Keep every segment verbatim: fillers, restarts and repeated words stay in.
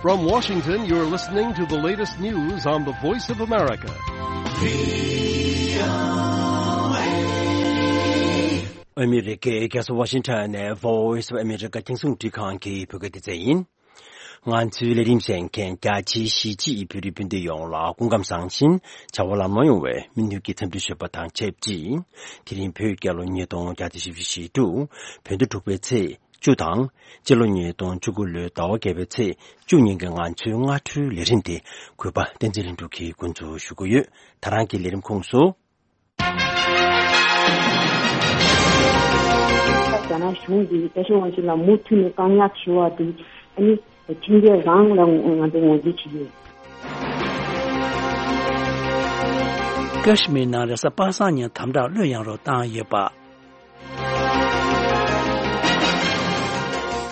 From Washington, you're listening to the latest news on the Voice of America. ཨ་མི་རི་ཀའི་རྒྱལ་ས་ཝ་ཤིང་ཊོན་ནས་Voice of America རྒྱང་སྲིང་རླུང་འཕྲིན་ཁང་གི་བོད་སྐད་སྡེ་ཚན་ཡིན། ང་ཚོའི་ལས་རིམ་གསན་མཁན་རྒྱ་ཆེའི་གཞིས་བྱེས་བོད་རིགས་སྤུན་ཟླ་ཡོངས་ལ་སྐུ་ཁམས་བཟང་ཞིང་བྱ་བ་ལམ་ལྷོང་ཡོང་བའི་སྨོན་འདུན་གྱི་འཚམས་འདྲི་ཞུ་བ་དང་ཆབས་ཅིག་དེ་རིང་བོད་རྒྱལ་ལོ་ཉིས་སྟོང་བརྒྱ་དང་བཞི་བཅུ་ཞེ་དྲུག་བོད་ཟླ་དྲུག་པའི་ཚེས་བཅུ་དང་། སྤྱི་ལོ་ཉིས་སྟོང་བཅུ་དགུ་ལོའི་ཟླ་བ་བརྒྱད་པའི་ཚེས་བཅུ་ཉིན་གྱི་ང་ཚོའི་སྔ་དྲོའི་ལས་རིམ་དེ་གུས་པ་བསྟན་འཛིན་ལྷུན་གྲུབ་ཀྱིས་འགོ་འཛུགས་ཞུ་གི་ཡོད། ད་རང་གི་ལས་རིམ་ཁོངས་སུ། རྒྱ་ནག་གཞུང་གིས་རྒྱལ་སྤྱི་དབང་ཆེན་ལ་མུ་མཐུད་ནས་བཀག་ཉར་ཞུ་བ་དེ་ཨ་ནི་ཁྲིམས་འགལ་རང་ལ་ང་ཚོས་ངོས་འཛིན་བྱེད་ཀྱི་ཡོད། ཀ་ཤི་མིར་ནང་རེས་གཟའ་པ་སངས་ཉིན་དམ་དྲག་གློད་ཡངས་རོགས་བཏང་ཡོད་པ།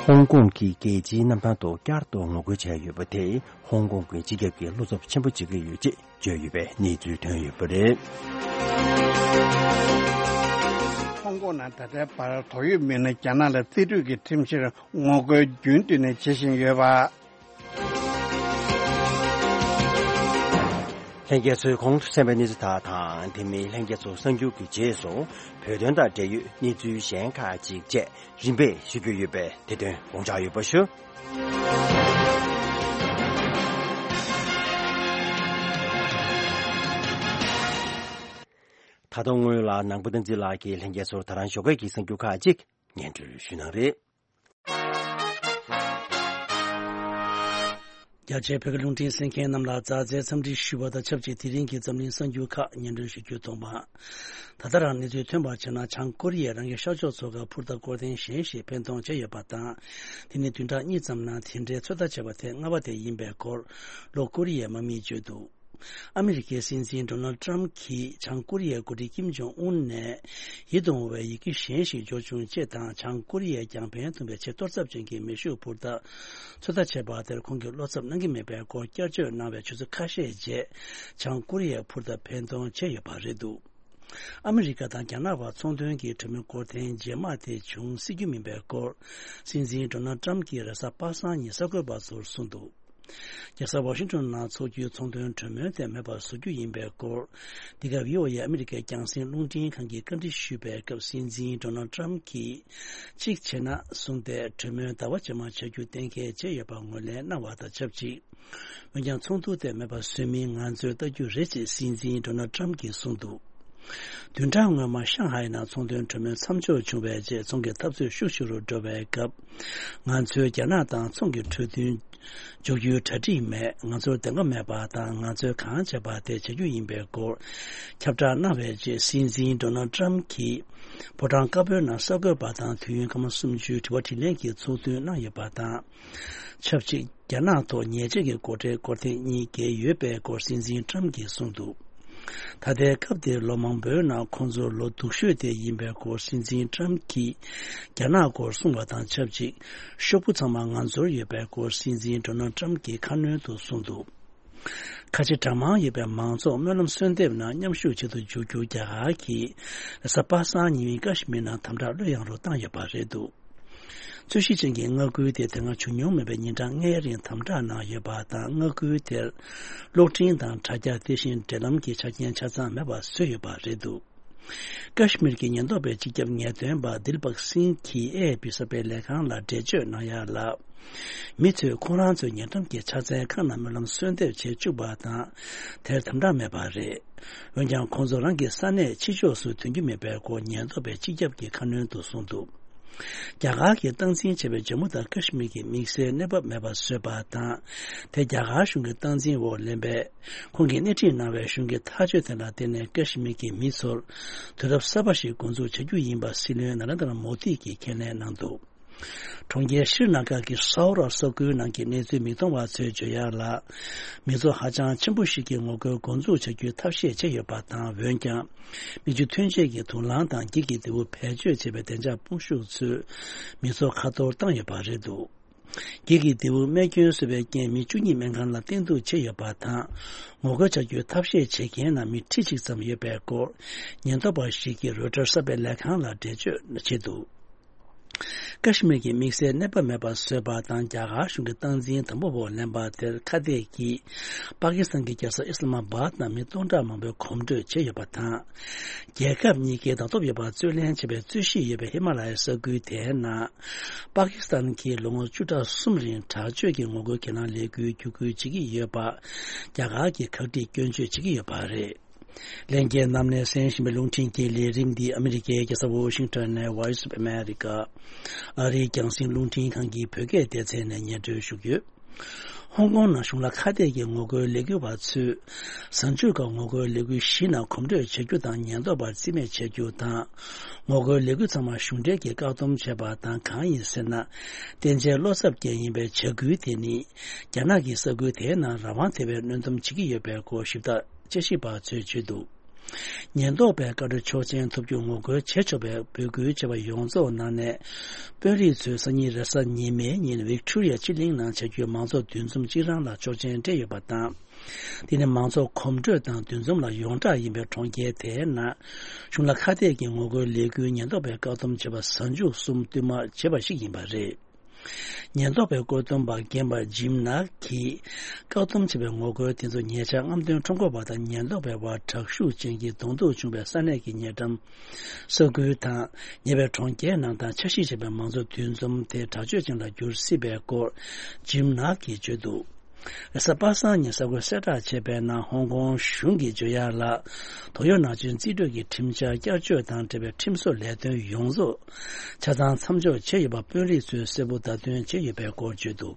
ཧོང་ཀོང་གི་རྒྱལ་སྤྱིའི་གནམ་ཐང་ཐོག་བསྐྱར་དུ་ངོ་རྒོལ་བྱས་ཡོད་པ་དེས་ཧོང་ཀོང་གི་སྤྱི་ཁྱབ་ཀྱི་བློ་འཚབ་ཆེན་པོ་བྱེད་ཀྱི་ཡོད་ཅེས་བརྗོད་ཡོད་པའི་གནས་ཚུལ་ཐོན་ཡོད་པ་རེད། ཧོང་ཀོང་ནང་ད་ལྟའི་བར་དོགས་ཡོད་མི་སྣ་རྒྱ་ནག་ལ་རྩིས་སྤྲོད་ཀྱི་ཁྲིམས་གཞིར་ངོ་རྒོལ་རྒྱུན་མཐུད་ནས་བྱེད་བཞིན་ཡོད་པ། ལྷན་རྒྱས་ཚོས་གོང་དུ་གསན་པའི་གནས་ཚུལ་དག་དང་། དེ་མིན་ལྷན་རྒྱས་ཚོ་གསར་འགྱུར་གྱི་རྗེས་སུ་བོད་དོན་དང་འབྲེལ་ཡོད་གནས་ཚུལ་གཞན་ཁག་ཅིག་བཅས་རིམ་པས་ཞུ་རྒྱུ་ཡོད་པས་དེ་དོན་དགོངས་འཇགས་ཡོད་པ་ཞུ། ད་དུང་སྔོན་ལ་ནང་པ་བསྟན་འཛིན་ལགས་ཀྱིས་ལྷན་རྒྱས་ཚོར་ད་རང་ཞོགས་ཀས་ཀྱི་གསར་འགྱུར་ཁག་ཅིག་སྙན་སྒྲོན་ཞུ་གནང་རེད། རྒྱ་ཆེའི་བོད་ཀྱི་རླུང་འཕྲིན་གསན་མཁན་རྣམས་ལ་མཛའ་བརྩེའི་འཚམས་འདྲི་ཞུ་བ་དང་ཆབས་ཅིག་དེ་རིང་གི་འཛམ་གླིང་གསར་འགྱུར་ཁག་སྙན་སྒྲོན་ཞུ་རྒྱུ་དང་པོ། ད་ལྟ་རང་གནས་ཚུལ་ཐོན་པར་བྱས་ན། བྱང་ཀོ་རི་ཡས་རང་གི་ཤར་ཕྱོགས་མཚོ་ཁར་འཕུར་མདའ་སྐོར་ཐེངས་གཞན་ཞིག་འཕེན་གཏོང་བྱས་ཡོད་པ་དང་། དེ་ནི་བདུན་ཕྲག་གཉིས་ཙམ་ནང་དེ་འདྲའི་ཚོད་ལྟ་བྱས་པ་ཐེངས་ལྔ་པ་དེ་ཡིན་པའི་སྐོར་ལྷོ་ཀོ་རི་ཡའི་དམག་མིས་བརྗོད་འདུག་ཨ་མི་རི་ཀའི་སྲིད་འཛིན་ཌོ་ནལ་ཊམ་གྱིས་བྱང་ཀོ་རི་ཡའི་འགོ་ཁྲིད་ཀིམ་ཇོང་ཨུན་ནས་ཡིད་དུ་འོང་བའི་ཡི་གེ་གཞན་ཞིག་འབྱོར་བྱུང་ཅེས་དང་། བྱང་ཀོ་རི་ཡས་ཀྱང་ཕན་ཐོགས་པའི་ཆེས་གཏོར་ཚབས་ཅན་གྱི་མེ་ཤུགས་འཕུར་མདའ་ཚོད་ལྟ་བྱས་པ་དེར་ཁོང་གིས་བློ་འཚབ་གནང་གི་མེད་པའི་སྐོར་བསྐྱར་བརྗོད་གནང་བའི་ཆུ་ཚོད་ཁ་ཤས་རྗེས། བྱང་ཀོ་རི་ཡས་འཕུར་མདའ་འཕེན་གཏོང་བྱས་ཡོད་པ་རེད་འདུག་ཨ་མི་རི་ཀ་དང་རྒྱ་ནག་བར་ཚོང་དོན་གྱི་གྲོས་མོལ་སྐོར་ཐེངས་རྗེས་མ་དེ་བྱུང་སྲིད་རྒྱུ་མིན་པའི་སྐོར་སྲིད་འཛིན་ཌོ་ནལ་ཊམ་གྱིས་རེས་གཟའ་པ་སངས་ཉིན་གསར་འགོད་པ་ཚོར་གསུངས་འདུག་རྒྱལ་ས་ཝ་ཤིང་ཊོན་ནང་འཚོགས་རྒྱུའི་ཚོང་དོན་གྲོས་མོལ་དེ་མེད་པར་བཟོ་རྒྱུ་ཡིན་པའི་སྐོར། འདི་ག་བྷི་ཨོ་ཨེ་ཨ་མི་རི་ཀའི་རྒྱང་སྲིང་རླུང་འཕྲིན་ཁང་གིས་བཀའ་འདྲི་ཞུས་པའི་སྐབས། སྲིད་འཛིན་ཌོ་ནལ་ཊམ་གྱིས་གཅིག་བྱས་ན་གསུངས་ཏེ། གྲོས་མོལ་ཟླ་བ་རྗེས་མར་བྱ་རྒྱུ་གཏན་འཁེལ་བྱས་ཡོད་པ་ངོས་ལེན་གནང་བ་དང་ཆབས་ཅིག་འོན་ཀྱང་ཚོགས་འདུ་དེ་མེད་པར་བཟོས་མིན་ང་ཚོས་ལྟ་རྒྱུ་རེད་ཅེས་སྲིད་འཛིན་ཌོ་ནལ་ཊམ་གྱིས་གསུངས་འདུག་བདུན་ཕྲག་སྔོན་མ་ཤང་ཧའེ་ནང་ཚོང་དོན་གྲོས་མོལ་མཚམས་འཇོག་བྱུང་བའི་རྗེས། ཚོང་གི་འཐབ་རྩོད་ཤུགས་ཆེ་རུ་འགྲོ་བའི་སྐབས། ང་ཚོས་རྒྱ་ནག་དང་ཚོང་གི་གྲོས་མཐུན་འཇོག་རྒྱུའི་གྲ་སྒྲིག་མེད། ང་ཚོར་བདེན་པ་མེད་པ་དང་། ང་ཚོས་གང་བྱས་པ་དེ་བྱ་རྒྱུ་ཡིན་པའི་སྐོར་ཁྱབ་བསྒྲགས་གནང་བའི་རྗེས། སྲིད་འཛིན་ཌོ་ནལ་ཊམ་གྱིས་ཕོ་བྲང་དཀར་པོའི་ནང་གསར་འགོད་པ་དང་དུས་ཡུན་སྐར་མ་སུམ་ཅུའི་དྲི་བ་དྲིས་ལན་གྱི་ཚོགས་འདུ་གནང་ཡོད་པ་དང་། ཆབས་ཅིག་རྒྱ་ནག་ཐོག་ཉེས་ཆད་ཀྱི་སྒོ་ཁྲལ་སྐོར་ཐེངས་གཉིས་བཀལ་ཡོད་པའི་སྐོར་སྲིད་འཛིན་ཊམ་གྱིས་གསུངས་འདུག་ད་ལྟའི་སྐབས་དེར་ལོ་མང་པོའི་ནང་ཁོང་ཚོར་ལོ་སྡུག་ཤོས་དེ་ཡིན་པའི་སྐོར་སྲིད་འཛིན་ཊམ་གྱིས་རྒྱ་ནག་སྐོར་གསུངས་པ་དང་ཆབས་ཅིག་ཤོག་བུ་ཚང་མ་ང་ཚོར་ཡོད་པའི་སྐོར་སྲིད་འཛིན་ཌོ་ནལ་ཊམ་གྱིས་ཁ་སྣོན་དུ་གསུངས་འདུག་ཁ་ཆེ་གྲངས་མང་ཡོད་པའི་མང་ཚོགས་སྨོན་ལམ་གསོལ་འདེབས་ནང་མཉམ་ཞུགས་བྱེད་དུ་འཇུག་རྒྱུ་རྒྱ་གར་གྱིས་རེས་གཟའ་པ་སངས་ཉིན་ཀ་ཤི་མིར་ནང་དམ་དྲག་གློད་ཡངས་རོགས་བཏང་ཡོད་པ་རེད་འདུག་རྩོད་གཞི་ཅན་གྱི་མངའ་ཁུལ་དེ་དེ་སྔ་བྱུང་མྱོང་མེད་པའི་ཉིན་གྲངས་ལྔའི་རིང་དམ་དྲག་ནང་ཡོད་པ་དང་། མངའ་ཁུལ་དེར་གློག་འཕྲིན་དང་དྲ་རྒྱ། དེ་བཞིན་འབྲེལ་ལམ་གྱི་ཆ་རྐྱེན་ཆ་ཚང་མེད་པ་བཟོས་ཡོད་པ་རེད་འདུག་ཀ་ཤི་མིར་གྱི་ཉེན་རྟོག་པའི་སྤྱི་ཁྱབ་ངེས་སྟོན་པ་དིལ་བག་སིང་གིས་ཨེ་ཨེ་པི་གསར་སྤེལ་ལས་ཁང་ལ་འགྲེལ་བརྗོད་གནང་ཡ་ལ། མི་ཚོས་ཁོང་རང་ཚོའི་ཉེ་འགྲམ་གྱི་ཕྱག་འཚལ་ཁང་ནང་སྨོན་ལམ་གསོལ་འདེབས་བྱེད་བཅུག་པ་དང་། དེར་དམ་དྲག་མེད་པ་རེད། འོན་ཀྱང་ཁོང་ཚོ་རང་གི་ས་གནས་ཕྱི་ཕྱོགས་སུ་ཐོན་རྒྱུ་མེད་པའི་སྐོར་ཉེན་རྟོག་པས་སྤྱི་ཁྱབ་ཀྱི་ཁ་སྣོན་དུ་གསུངས་འདུག་རྒྱ་གར་གྱིས་སྟངས་འཛིན་བྱས་པའི་ཇམ་མུ་དང་ཀ་ཤི་མིར་གྱི་དམིགས་བསལ་གནས་བབ་མེད་པ་བཟོས་པ་དང་། དེ་རྒྱ་གར་གཞུང་གི་སྟངས་འཛིན་འོག་ལེན་པས། ཁོང་གིས་སྣེ་ཁྲིད་གནང་བའི་གཞུང་གི་ཐག་གཅོད་དེ་ལ་བརྟེན་ནས་ཀ་ཤི་མིར་གྱི་མི་ཚོར་དུས་རབས་གསར་པ་ཞིག་འགོ་འཛུགས་བྱ་རྒྱུ་ཡིན་པ་སྲིད་བློན་ན་རེན་དྲ་མོ་དི་གིས་ཁས་ལེན་གནང་འདུག་གྲོང་ཁྱེར་ཤྲི་ན་གར་གྱི་སའོ་ར་ས་ཁུལ་ནང་གི་གནས་ཚུལ་མིག་མཐོང་བ་ཚོས་བརྗོད་ཡག་ལ། མི་ཚོགས་ཧ་ཅང་ཆེན་པོ་ཞིག་གིས་ངོ་རྒོལ་འགོ་འཛུགས་བྱ་རྒྱུའི་ཐབས་ཤེས་བྱས་ཡོད་པ་དང་། འོན་ཀྱང་། མིག་ཆུ་ཐོན་ཆས་ཀྱི་དུག་རླངས་དང་། འགྱིག་གི་རྡེའུ་བེད་སྤྱོད་བྱས་པའི་བདེ་འཇགས་དཔུང་ཤུགས་ཚོས་མི་ཚོགས་ཁ་གཏོར་བཏང་ཡོད་པ་རེད་འདུག་འགྱིག་གི་རྡེའུ་རྨས་སྐྱོན་བཟོས་པའི་རྐྱེན་མི་བཅུ་གཉིས་སྨན་ཁང་ལ་བསྟེན་གཏུགས་བྱས་ཡོད་པ་དང་། ངོ་རྒོལ་བྱ་རྒྱུའི་ཐབས་ཤེས་བྱེད་མཁན་ནང་མི་ཁྲི་གཅིག་ཙམ་ཡོད་པའི་སྐོར། ཉེན་རྟོག་པ་ཞིག་གིས་རོའི་ཊར་གསར་སྤེལ་ལས་ཁང་ལ་འགྲེལ་བརྗོད་བྱས་འདུག་ཀ་ཤི་མིར་གྱི་དམིགས་བསལ་གནས་བབ་མེད་པར་བཟོས་པ་དང་། རྒྱ་གར་གཞུང་གི་སྟངས་འཛིན་དམ་པོ་འོག་ལེན་པ་དེར་ཁ་གཏད་ཀྱིས་པ་ཀི་སི་ཐན་གྱི་རྒྱལ་ས་ཨི་སི་ལ་མ་བྷད་ནང་མི་སྟོང་ཕྲག་མང་པོས་གོམ་བགྲོད་བྱས་ཡོད་པ་དང་། རྒྱལ་ཁབ་གཉིས་ཀས་ཟླ་ཐོབ་ཡོད་པར་རྩོད་ལེན་བྱས་པའི་རྩོད་གཞི་ཡོད་པའི་ཧི་མ་ལ་ཡའི་ས་ཁུལ་དེའི་ནང་། པ་ཀི་སི་ཐན་གྱིས་ལོ་ངོ་བཅུ་ཕྲག་གསུམ་རིང་དྲག་སྤྱོད་ཀྱི་ངོ་རྒོལ་གྱེན་ལངས་ལས་འགུལ་བརྒྱུད་སྐུལ་བྱེད་ཀྱི་ཡོད་པ། རྒྱ་གར་གྱིས་ཁག་དཀྲིས་སྐྱོན་བརྗོད་བྱེད་ཀྱི་ཡོད་པ་རེད། ལྷན་རྒྱས་རྣམས་ནས་གསན་བཞིན་པའི་རླུང་འཕྲིན་གྱི་ལས་རིམ་འདི་ཨ་མི་རི་ཀའི་རྒྱལ་ས་ཝོ་ཤིང་ཊོན་ནས་Voice of America ཨ་རིའི་རྒྱང་སྲིང་རླུང་འཕྲིན་ཁང་གི་བོད་སྐད་སྡེ་ཚན་ནས་སྙན་སྒྲོན་ཞུ་གི་ཡོད། ཧོང་ཀོང་ནང་གཞུང་ལ་ཁ་གཏད་ཀྱི་ངོ་རྒོལ་ལས་འགུལ་བ་ཚོས་གཟའ་མཇུག་སྐབས་ངོ་རྒོལ་ལས་འགུལ་བཞི་ནང་གོམ་བགྲོད་བྱ་རྒྱུ་དང་། ཉེན་རྟོག་པར་རྩིས་མེད་བྱ་རྒྱུ་དང་། ངོ་རྒོལ་ལས་འགུལ་ཚང་མ་གཞུང་འབྲེལ་གྱིས་བཀག་སྡོམ་བྱས་པ་དང་། གང་ཡིན་ཟེར་ན། བསྟན་འཇལ་བློ་འཚབ་ཅན་ཡིན་པའི་བྱ་འགུལ་དེ་ནི་རྒྱ་ནག་གི་ས་ཁུལ་དེའི་ནང་རང་དབང་དེ་བས་གནོན་སྡོམ་བྱེད་ཀྱི་ཡོད་པའི་སྐོར་ཞིབ་ལྟ། དཔྱད་ཞིབ་པ་ཚོས་བརྗོད་འདུག་ཉེན་རྟོག་པའི་བཀའ་འཁྲོལ་ཆོག་མཆན་ཐོབ་རྒྱུར་ངོ་རྒོལ་བྱེད་ཆོག་པའི་འབོད་སྐུལ་བྱས་པ་ཡོངས་རྫོགས་ནང་ནས། དཔོན་རིགས་ཚོས་སང་ཉིན་རེས་གཟའ་ཉི་མའི་ཉིན་ཝིག་ཊོ་རི་ཡ་སྤྱི་གླིང་ནང་བྱ་རྒྱུའི་མང་ཚོགས་འདུ་འཛོམས་གཅིག་རང་ལ་ཆོག་མཆན་སྤྲད་ཡོད་པ་དང་། དེ་ནི་མང་ཚོགས་གོམ་བགྲོད་དང་འདུ་འཛོམས་ལ་ཡོངས་གྲགས་ཡིན་པའི་གྲོང་ཁྱེར་དེའི་ནང་། གཞུང་ལ་ཁ་གཏད་ཀྱི་ངོ་རྒོལ་ལས་འགུལ་ཉེན་རྟོག་པས་བཀག་སྡོམ་བྱས་པ་གཟའ་མཇུག་གསུམ་བསྟུད་མར་བྱས་པ་ཞིག་ཡིན་པ་རེད། ཉེན་རྟོག་པའི་བཀོད་འདོམས་པ་རྒན་པ་ཇིམ་ནག་གིས། བཀག་སྡོམ་བྱས་པའི་ངོ་རྒོལ་དེ་ཚོ་ཉེ་ཆར་རྔམ་སྟོན་ཁྲོམ་སྐོར་བ་དང་ཉེན་རྟོག་པའི་དབར་དྲག་ཤུགས་ཅན་གྱི་གདོང་ཐུག་བྱུང་བའི་ས་གནས་ཀྱི་ཉེ་འགྲམ་ས་ཁུལ་དང་། ཉེ་བའི་གྲོང་ཁྱེར་ནང་དང་འཆར་གཞི་བྱས་པའི་མང་ཚོགས་འདུ་འཛོམས་དེ་དྲག་སྤྱོད་ཅན་ལ་འགྱུར་སྲིད་པའི་སྐོར་ཇིམ་ནག་གིས་བརྗོད་འདུག་རེས་གཟའ་པ་སངས་ཉིན་གསར་འགོད་གསལ་བསྒྲགས་བྱས་པའི་ནང་། ཧོང་ཀོང་གཞུང་གིས་བརྗོད་ཡག་ལ། དོགས་ཡོད་ནང་བཞིན་རྩིས་སྤྲོད་ཀྱི་ཁྲིམས་འཆར་བསྐྱར་བཅོས་དང་འབྲེལ་བའི་ཁྲིམས་བཟོ་ལས་དོན་ཡོངས་རྫོགས་ཆ་ཚང་མཚམས་འཇོག་བྱས་ཡོད་པ་དཔོན་རིགས་ཚོས་གསལ་པོ་བརྡ་སྟོན་བྱས་ཡོད་པའི་སྐོར་བརྗོད་འདུག་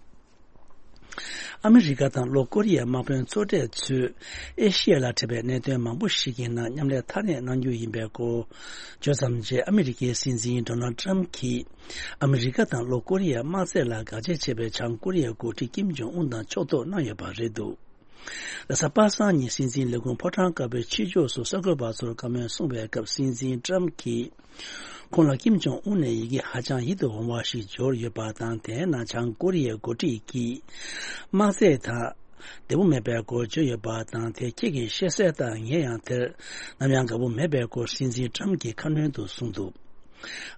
ཨ་མི་རི་ཀ་དང་ལྷོ་ཀོ་རི་ཡའི་དམག་དཔོན་ཚོགས་གྲས་ཚོས་ཨེ་ཤི་ཡ་ལ་འཕྲད་པའི་གནད་དོན་མང་པོ་ཞིག་གི་ནང་མཉམ་ལས་ཐག་ཉེ་གནང་རྒྱུ་ཡིན་པའི་སྐོར་བརྗོད་ཙམ་རྗེས། ཨ་མི་རི་ཀའི་སྲིད་འཛིན་ཌོ་ནལ་ཌི་ཊརམ་གྱིས་ཨ་མི་རི་ཀ་དང་ལྷོ་ཀོ་རི་ཡའི་དམག་རྩལ་ལ་དགག་བྱ་བྱས་པའི་བྱང་ཀོ་རི་ཡའི་འགོ་ཁྲིད་ཀིམ་ཇོང་ཨུན་དང་ཕྱོགས་གཏོགས་གནང་ཡོད་པ་རེད་འདུག་རེས་གཟའ་པ་སངས་ཉིན་སྲིད་འཛིན་ལས་ཁུངས་ཕོ་བྲང་དཀར་པོའི་ཕྱི་ཕྱོགས་སུ་གསར་འགོད་པ་ཚོར་བཀའ་མོལ་གསུངས་པའི་སྐབས། སྲིད་འཛིན་ཊརམ་གྱིས་ཁོང་ལ་ཀིམ་ཇོང་ཨུན་ནས་ཡི་གེ་ཧ་ཅང་ཡིད་དུ་འོང་བ་ཞིག་འབྱོར་ཡོད་པ་དང་། དེའི་ནང་བྱང་ཀོ་རི་ཡའི་འགོ་ཁྲིད་ཀྱིས་དམག་རྩལ་ཐད་བདེ་པོ་མེད་པའི་སྐོར་བརྗོད་ཡོད་པ་དང་། དེ་ཁྱེད་ཀྱིས་ཤེས་གསལ་དང་། ངས་ཡང་དེར་ནམ་ཡང་དགའ་པོ་མེད་པའི་སྐོར་སྲིད་འཛིན་ཊརམ་གྱིས་ཁ་སྣོན་དུ་གསུངས་འདུག་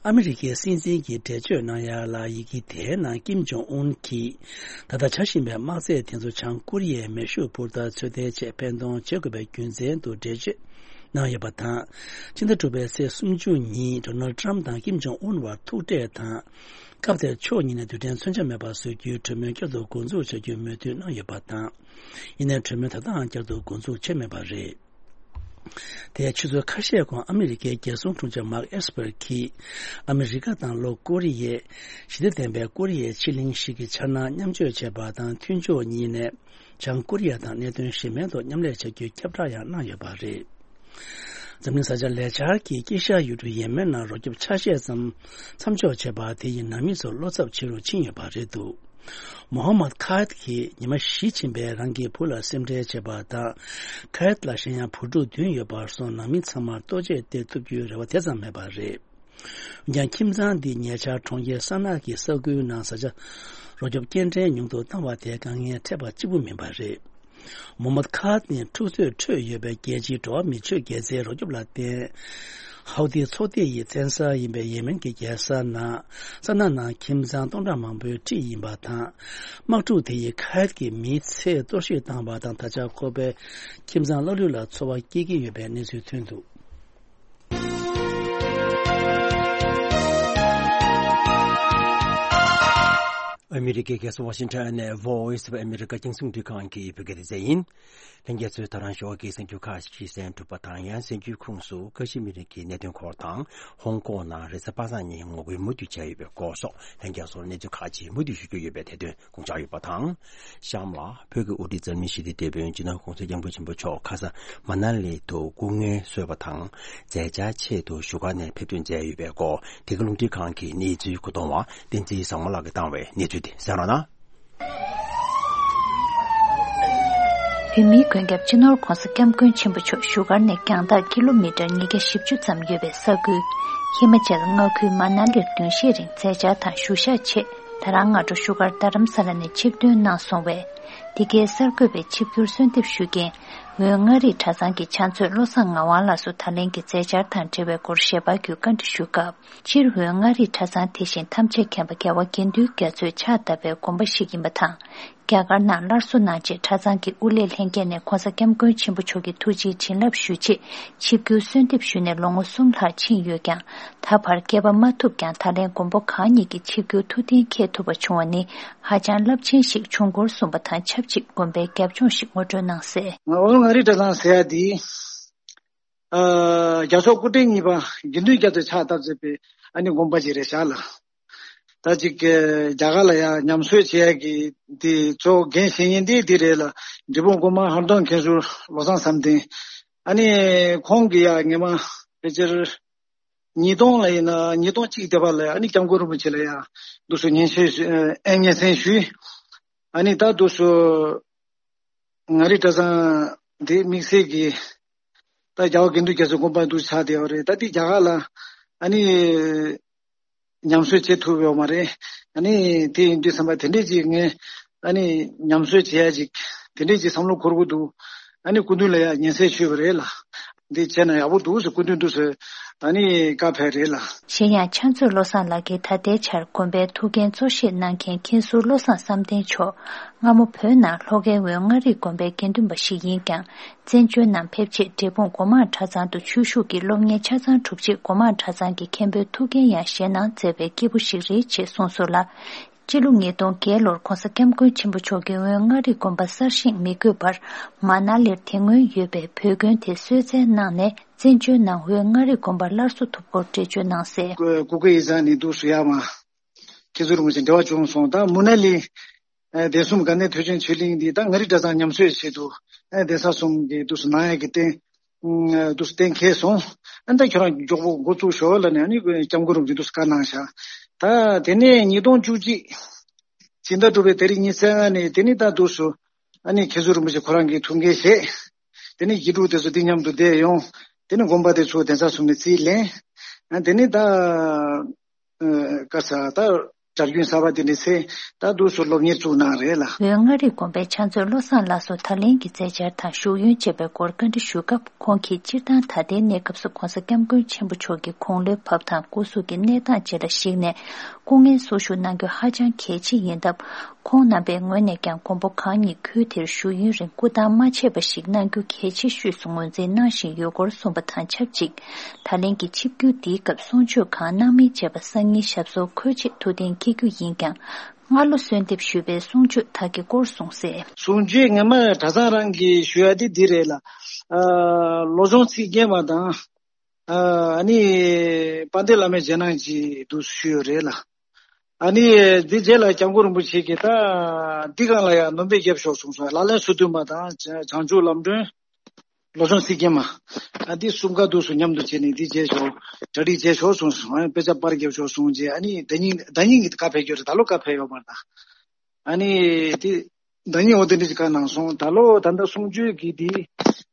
ཨ་མི་རི་ཀའི་སྲིད་འཛིན་གྱིས་འགྲེལ་བརྗོད་གནང་ཡ་ལ། ཡི་གེ་དེའི་ནང་ཀིམ་ཇོང་ཨུན་གྱིས་ད་ལྟ་བྱ་བཞིན་པའི་དམག་རྩལ་དེ་ཚོ་བྱང་ཀོ་རི་ཡའི་མེ་ཤུགས་འཕུར་མདའ་ཚོད་ལྟའི་ཆེད་འཕེན་གཏོང་བྱེད་དགོས་པའི་རྒྱུ་མཚན་དུ་འགྲེལ་བརྗོད་གནང་ཡོད་པ་དང་། ཕྱི་ཟླ་དྲུག་པའི་ཚེས་སུམ་ཅུ་ཉིན་ཌོ་ནལ་ཌི་ཊརམ་དང་ཀིམ་ཇོང་ཨུན་བར་ཐུག་འཕྲད་དང་། སྐབས་དེར་ཕྱོགས་གཉིས་ནས་རྡུལ་ཕྲན་མཚོན་ཆ་མེད་པ་བཟོ་རྒྱུའི་གྲོས་མོལ་བསྐྱར་དུ་འགོ་འཛུགས་བྱ་རྒྱུའི་མོས་མཐུན་གནང་ཡོད་པ་དང་། ཡིན་ནའི་གྲོས་མོལ་ད་ལྟའང་བསྐྱར་དུ་འགོ་འཛུགས་བྱས་མེད་པ་རེད། དེའི་ཆུ་ཚོད་ཁ་ཤས་གོང་ཨ་མི་རི་ཀའི་རྒྱལ་སྲུང་དྲུང་ཆེ་མར་ཨེས་པར་གྱིས་ཨ་མི་རི་ཀ་དང་ལྷོ་ཀོ་རི་ཡས་ཞི་བདེ་ལྡན་པའི་ཀོ་རི་ཡའི་ཕྱེད་གླིང་ཞིག་གི་འཆར་སྣང་མཉམ་སྤྱོད་བྱས་པ་དང་། མཐུན་ཕྱོགས་གཉིས་ནས་བྱང་ཀོ་རི་ཡ་དང་གནད་དོན་གཞན་མིན་ཐོག་མཉམ་ལས་བྱ་རྒྱུའི་ཁྱབ་བསྒྲགས་ཡང་གནང་ཡོད་པ་རེད། འཛམ་གླིང་བཟའ་བཅའ་ལས་འཆར་གྱིས་དཀྱིལ་ཤར་ཡུལ་གྲུ་ཡེ་མེན་ནང་རོ་ཁྱབ་ཆ་ཤས་ཙམ་མཚམས་འཇོག་བྱས་པ་དེ་ཡིས་ནང་མི་ཚོར་བློ་འཚབ་ཆེ་རུ་ཕྱིན་ཡོད་པ་རེད་འདུག་མོ་ཧམ་མད་ཁ་ཡད་ཀྱིས་ཉི་མ་བཞི་ཕྱིན་པའི་རང་གི་བུ་ལ་སེམས་ཁྲལ་བྱེད་པ་དང་། ཁ་ཡད་ལ་གཞན་ཡང་བུ་ཕྲུག་བདུན་ཡོད་པར་སོང་། ནང་མི་ཚང་མར་ལྟོ་ཆས་སྟེར་ཐུབ་རྒྱུའི་རེ་བ་དེ་ཙམ་མེད་པ་རེད། འོན་ཀྱང་ཁྱིམ་ཚང་འདི་ཉེ་ཆར་གྲོང་ཁྱེར་ས་ན་གི་ས་ཁུལ་ནང་བཟའ་བཅའ་རོ་ཁྱབ་སྐྱེལ་འདྲེན་ཉུང་དུ་བཏང་བ་དེ་དཀའ་ངལ་འཕྲད་པ་གཅིག་པུ་མིན་པ་རེད། མོ་མད་ཁ་ནི་འཁྲུག་རྩོད་ཁྲོད་ཡོད་པའི་རྒྱལ་སྤྱིའི་འགྲོ་བ་མིའི་ཆོས་དགེ་རྩའི་རོ་ཁྱབ་ལ་བརྟེན། ཧའུ་ཐི་ཚོགས་སྡེ་ཡི་བཙན་ས་ཡིན་པའི་ཡེ་མེན་གྱི་རྒྱལ་ས་ནང་ས་ན་ནང་ཁྱིམ་ཚང་སྟོང་ཕྲག་མང་པོའི་འཁྲིས་ཡིན་པ་དང་། དམག་འཁྲུག་དེ་ཡིས་ཁ་ཡད་ཀྱི་མིའི་ཚེ་གཏོར་བཤིག་བཏང་བ་དང་། ད་ཆ་ཁོ་པའི་ཁྱིམ་ཚང་ལྷག་ལུས་ལ་འཚོ་བ་སྐྱེལ་གྱི་ཡོད་པའི་གནས་ཚུལ་ཐོན་འདུག་ཨ་མི་རི་ཀའི་རྒྱལ་ས་ཝ་ཤིང་ཊོན་ནས་Voice of America རྒྱང་སྲིང་རླུང་འཕྲིན་ཁང་གི་བོད་སྐད་སྡེ་ཚན་ཡིན། ལྷན་རྒྱས་ཚོས་ད་རང་ཞོགས་ཀྱི་གསར་འགྱུར་ཁག་ཅིག་གསན་གྲུབ་པ་དང་། ཡང་གསར་འགྱུར་ཁོངས་སུ་ཀ་ཤི་མིར་གྱི་གནད་དོན་སྐོར་དང་། ཧོང་ཀོང་ནང་རེས་གཟའ་པ་སངས་ཉིན་ངོ་རྒོལ་མུ་མཐུད་བྱས་ཡོད་པའི་སྐོར་སོགས། ལྷན་རྒྱས་ཚོར་གནས་ཚུལ་ཁག་ཅིག་མུ་མཐུད་ཞུ་རྒྱུ་ཡོད་པས། དེ་དོན་དགོངས་འཇགས་ཡོད་པ་དང་། གཤམ་ལ་བོད་ཀྱི་དབུ་ཁྲིད་འཛམ་གླིང་ཞི་བདེའི་དེད་དཔོན་སྤྱི་ནོར་༸གོང་ས་༸སྐྱབས་མགོན་ཆེན་པོ་མཆོག་ཁ་ས་མ་ན་ལི་དུ་སྐུ་ངལ་གསོས་པ་དང་། མཛད་འཆར་ཆེད་དུ་བཞུགས་སྒར་ནས་ཕེབས་ཐོན་མཛད་ཡོད་པའི་སྐོར། འདི་ག་རླུང་འཕྲིན་ཁང་གི་གནས་ཚུལ་གོ་བསྡུར་བ་བསྟན་འཛིན་བཟང་མོ་ལགས་ཀྱིས་བཏང་བའི་གནས་ཚུལ་དེ་གསན་རོགས་གནང་། བོད་མིའི་མགོན་སྐྱབས་སྤྱི་ནོར་༸གོང་ས་༸སྐྱབས་མགོན་ཆེན་པོ་མཆོག་བཞུགས་སྒར་ནས་རྒྱང་ཐག་ཀི་ལོ་མི་ཊར་ཉིས་བརྒྱ་བཞི་བཅུ་ཙམ་ཡོད་པའི་ས་ཁུལ་ཧི་མ་ཅལ་མངའ་ཁུལ་མ་ན་ལིར་བདུན་བཞིའི་རིང་མཛད་འཆར་དང་བཞུགས་ཞག་ཆེད། ད་རང་སྔ་དྲོ་བཞུགས་སྒར་རྡ་རམ་ས་ལ་ནས་ཆིབས་ཐོན་གནང་སོང་བས། འདི་གའི་གསར་འགོད་པའི་ཆིབས་བསྒྱུར་གསོལ་འདེབས་ཞུ་མཁན་ དབོན་མངའ་རིས་གྲྭ་ཚང་གི་ཕྱག་མཛོད་བློ་བཟང་ངག་དབང་ལགས་སུ་ད་ལན་གྱི་མཛད་འཆར་དང་འབྲེལ་བའི་སྐོར་ཞལ་པར་བརྒྱུད་བཀའ་འདྲི་ཞུས་སྐབས། སྤྱིར་དབོན་མངའ་རིས་གྲྭ་ཚང་དེ་བཞིན་ཐམས་ཅད་མཁྱེན་པ་རྒྱལ་བ་དགེ་འདུན་རྒྱ་མཚོས་ཕྱག་བཏབ་པའི་དགོན་པ་ཞིག་ཡིན་པ་དང་། རྒྱ་གར་ནང་སླར་གསོ་གནང་རྗེས་གྲྭ་ཚང་གི་དབུ་ལས་ལྷན་རྒྱས་ནས་༸གོང་ས་༸སྐྱབས་མགོན་ཆེན་པོ་མཆོག་གི་ཐུགས་རྗེའི་བྱིན་རླབས་ཞུ་ཆེད་ཆིབས་བསྒྱུར་གསོལ་འདེབས་ཞུས་ནས་ལོ་ངོ་གསུམ་ལྷག་ཕྱིན་ཡོད་ཀྱང་། ད་བར་སྐྱེལ་པ་མ་ཐུབ་ཀྱང་། ད་ལན་མགོན་པོ་གང་ཉིད་ཀྱི་ཆིབས་བསྒྱུར་ཐུགས་གཏན་འཁེལ་ཐུབ་པ་བྱུང་བ་ནི་ཧ་ཅང་རླབས་ཆེན་ཞིག་བྱུང་སྐོར་གསུངས་པ་དང་ཆབས་ཅིག་དགོན་པའི་རྒྱབ་ལྗོངས་ཤིག་ངོ་སྤྲོད་གནང་གསལ། ང་དབོན་མངའ་རིས་གྲྭ་ཚང་ཟེར་ཡ་འདི། ཨ། རྒྱལ་མཆོག་སྐུ་ཕྲེང་གཉིས་པ་དགེ་འདུན་རྒྱ་མཚོས་ཕྱག་བཏབ་མཛད་པའི་ཨ་ནི་དགོན་པ་ཅིག་རེད་ཤག་ལགས། ད་ཅིག་རྒྱ་གར་ལ་ཡང་ཉམས་གསོ་བྱེད་ཡ་གི་དེ་གཙོ་འགན་བཞེས་མཁན་དེ་འདི་རེད་ལ། འབྲས་སྤུངས་སྒོ་མང་ཧར་གདོང་མཁན་ཟུར་བློ་བཟང་བསམ་གཏན། ཨ་ནི་ཁོང་གི་ཡ་ངེས་མ་ཕལ་ཆེར་ཉིས་སྟོང་ལ་ཡིན་ན་ཉིས་སྟོང་གཅིག་དེ་བར་ལ་ཨ་ནི་སྐྱབས་མགོན་རིན་པོ་ཆེ་ལ་ཡང་འདུག་སེ་སྙན་ཞུ་ཨེ་སྙན་སེང་ཞུས། ཨ་ནི་ད་འདུག་སེ་མངའ་རིས་གྲྭ་ཚང་དེ་དམིགས་བསལ་གྱི་ད་རྒྱལ་བ་དགེ་འདུན་རྒྱ་མཚོའི་དགོན་པ་འདུག་ཆགས་བསྡད་ཡོད་རེད། ད་དེ་རྒྱ་གར་ལ་ཨ་ནི་ཉམས་གསོ་བྱེད་ཐུབ་ཡོད་མ་རེད། ཨ་ནི་དེ་ཡིན་དུས་ཙམ་པ་དེ་འདྲས་ཅིག་ངས་ཨ་ནི་ཉམས་གསོ་བྱེད་ཡ་ཅིག་དེ་འདྲས་ཅིག་བསམ་བློ་འཁོར་གྱི་འདུག་ཨ་ནི་སྐུ་མདུན་ལ་ཡ་སྙན་སེང་ཞུས་པ་རེད་ལ། འདི་བྱས་ན་ཡག་པོ་འདུག་ཟེར་སྐུ་མདུན་འདུག་ཟེར་ཨ་ནི་བཀའ་ཕེབས་རེད་ལ། གཞན་ཡང་ཕྱག་མཛོད་བློ་བཟང་ལགས་ཀྱིས་ད་ལྟའི་ཆར་དགོན་པའི་ཐུགས་འགན་གཙོ་བཞེས་གནང་མཁན་མཁན་ཟུར་བློ་བཟང་བསམ་གཏན་མཆོག་སྔ་མོ་བོད་ནང་ལྷོ་ཁའི་དབོན་མངའ་རིས་དགོན་པའི་དགེ་འདུན་པ་ཞིག་ཡིན་ཀྱང་། བཙན་བྱོལ་ནང་ཕེབས་རྗེས་འབྲས་སྤུངས་སྒོ་མང་གྲྭ་ཚང་དུ་ཆོས་ཞུགས་ཀྱིས་སློབ་གཉེར་ཆ་ཚང་གྲུབ་རྗེས་སྒོ་མང་གྲྭ་ཚང་གི་མཁན་པོའི་ཐུགས་འགན་ཡང་བཞེས་གནང་མཛད་པའི་སྐྱེས་བུ་ཞིག་རེད་ཅེས་གསུངས་སོང་ལ། སྤྱི་ལོ་ཉིས་སྟོང་བརྒྱད་ལོར་༸གོང་ས་༸སྐྱབས་མགོན་ཆེན་པོ་མཆོག་གིས་དབོན་མངའ་རིས་དགོན་པ་གསར་བཞེངས་མི་དགོས་པར་མ་ན་ལིར་དེ་སྔོན་ཡོད་པའི་བོད་དགོན་དེ་གསོལ་སྩལ་གནང་ནས་བཙན་བྱོལ་ནང་དབོན་མངའ་རིས་དགོན་པ་སླར་གསོ་ཐུབ་སྐོར་འགྲེལ་བརྗོད་གནང་གསལ། སྐུ་སྐུ་ཡི་ས་ནས་འདུག་སུ་ཡ་མ་ཁྱེད་ཚོ་རུ་ངོས་ཀྱི་འབྲེལ་བ་བྱུང་སོང་། ད་མུ་ན་ལི་ཨ་གདན་གསུམ་དགའ་གནས་ཐོས་བྱུང་ཆོས་གླིང་འདི་ད་མངའ་རིས་གྲྭ་ཚང་ཉམས་གསོའི་ཆེད་དུ་ཨ་གདན་ས་གསུམ་གྱི་འདུག་སུ་གནང་ཡ་གི་རྟེན། ཨ་འདུག་སེ་གཏན་འཁེལ་སོང་། ཨ་ནི་ད་ཁྱོད་རང་མགྱོགས་པོ་འགོ་བཙུགས་ཤོག་ལབ་ནས་ཨ་ནི་སྐྱབས་མགོན་རིན་པོ་ཆེ་འདུག་སེ་བཀའ་གནང་ཤག་ད་དེ་ནས་ཉིས་སྟོང་བཅུ་གཅིག་ཕྱི་ཟླ་དྲུག་པའི་ཏ་རིག་ཉི་ཤུ་རྩ་ལྔ་ནས་དེ་ནས་ད་འདུག་སེ་ཨ་ནི་མཁན་ཟུར་རིན་པོ་ཆེ་ཁོ་རང་གིས་ཐུགས་འགན་བཞེས། དེ་ནས་གཞི་དྲུག་དེ་ཚོ་དེ་མཉམ་དུ་བསྡད་ཡོང་། དེ་ནས་དགོན་པ་དེ་ཚོ་གདན་ས་གསུམ་ནས་རྩིས་ལེན། ཨ་དེ་ནས་ད་ཨ་ག་ས་ད་གྲྭ་རྒྱུན་གསར་པ་དེ་ནས་ཚེ་ད་འདུག་སེ་སློབ་གཉེར་བཙུགས་གནང་རེད་ལ། དབོན་མངའ་རིས་དགོན་པའི་ཕྱག་མཛོད་བློ་བཟང་ལགས་སུ་ད་ལན་གྱི་མཛད་འཆར་དང་བཞུགས་ཡོན་བཅས་པའི་སྐོར་བཀའ་འདྲི་ཞུས་སྐབས། ཁོང་གིས་སྤྱིར་བཏང་ད་ལྟའི་གནས་སྐབས་སུ་༸གོང་ས་༸སྐྱབས་མགོན་ཆེན་པོ་མཆོག་གི་དགུང་ལོའི་བབས་དང་སྐུ་གཟུགས་ཀྱི་གནས་སྟངས་བཅས་ལ་གཞིགས་ནས་སྐུ་ངལ་གསོ་བཞུགས་གནང་རྒྱུ་ཧ་ཅང་གལ་ཆེ་ཡིན་སྟབས། ཁོང་རྣམ་པའི་ངོས་ནས་ཀྱང་མགོན་པོ་གང་ཉིད་ཁུལ་དེར་བཞུགས་ཡུན་རིང་སྐུ་བལྟམས་མ་ཆད་པ་ཞིག་གནང་རྒྱུ་གལ་ཆེ་ཤོས་སུ་ངོས་འཛིན་གནང་བཞིན་ཡོད་སྐོར་གསུངས་པ་དང་ཆབས་ཅིག་ད་ལན་གྱི་ཆིབས་བསྒྱུར་འདིའི་སྐབས་གསུང་ཆོས་གང་གནང་མིན་བཅས་པ་སང་ཉིན་ཞབས་སོར་འཁོད་ཆེད་ཐུགས་གཏན་འཁེལ་རྒྱུ་ཡིན་ཀྱང་། སྔ་ལོ་གསོལ་འདེབས་ཞུས་པའི་གསུང་ཆོས་དག་གི་སྐོར་གསུངས་གསལ། གསུང་ཆོས་ངེས་མ་གྲྭ་ཚང་རང་གིས་ཞུ་ཡ་དེ་འདི་རེད་ལ། ཨ་བློ་སྦྱོང་ཚིག་བརྒྱད་མ་དང་། ཨ་ནི་དཔལ་ལྡན་བླ་མའི་རྗེས་གནང་གི་འདུག་ཞུས་ཡོད་རེད་ལ། ཨ་ནི་འདི་རྗེས་ལ་༸སྐྱབས་མགོན་རིན་པོ་ཆེ་གིས་ད་འདི་སྒང་ལ་ཡང་སྣོན་པ་བརྒྱབ་ཤོག་གསུངས་སོང་། ལག་ལེན་སོ་བདུན་མ་དང་བྱང་ཆུབ་ལམ་སྒྲོན། བློ་སྦྱོང་ཚིག་བརྒྱད་མ། ཨ་འདི་གསུམ་ཀ་འདུག་སེ་མཉམ་དུ་བྱས་ནས་འདི་བྱས་ཤོག་གྲ་སྒྲིག་བྱས་ཤོག་གསུངས་སོང་། ཨ་དཔེ་ཆ་པར་བརྒྱབ་ཤོག་གསུངས་རྗེས་ཨ་ནི་ཟླ་ཉིན་ཟླ་ཉིན་གྱི་བཀའ་ཕེབས་རྒྱུ་རེད། ད་ལོ་བཀའ་ཕེབས་ཡོད་མ་རེད་ད། ཨ་ནི་དེ་ཟླ་ཉིན་འོ་དེ་འདྲ་ཞིག་བཀའ་གནང་སོང་། ད་ལོ་ད་ལྟ་གསུང་ཆོས་ཀྱི་དེ་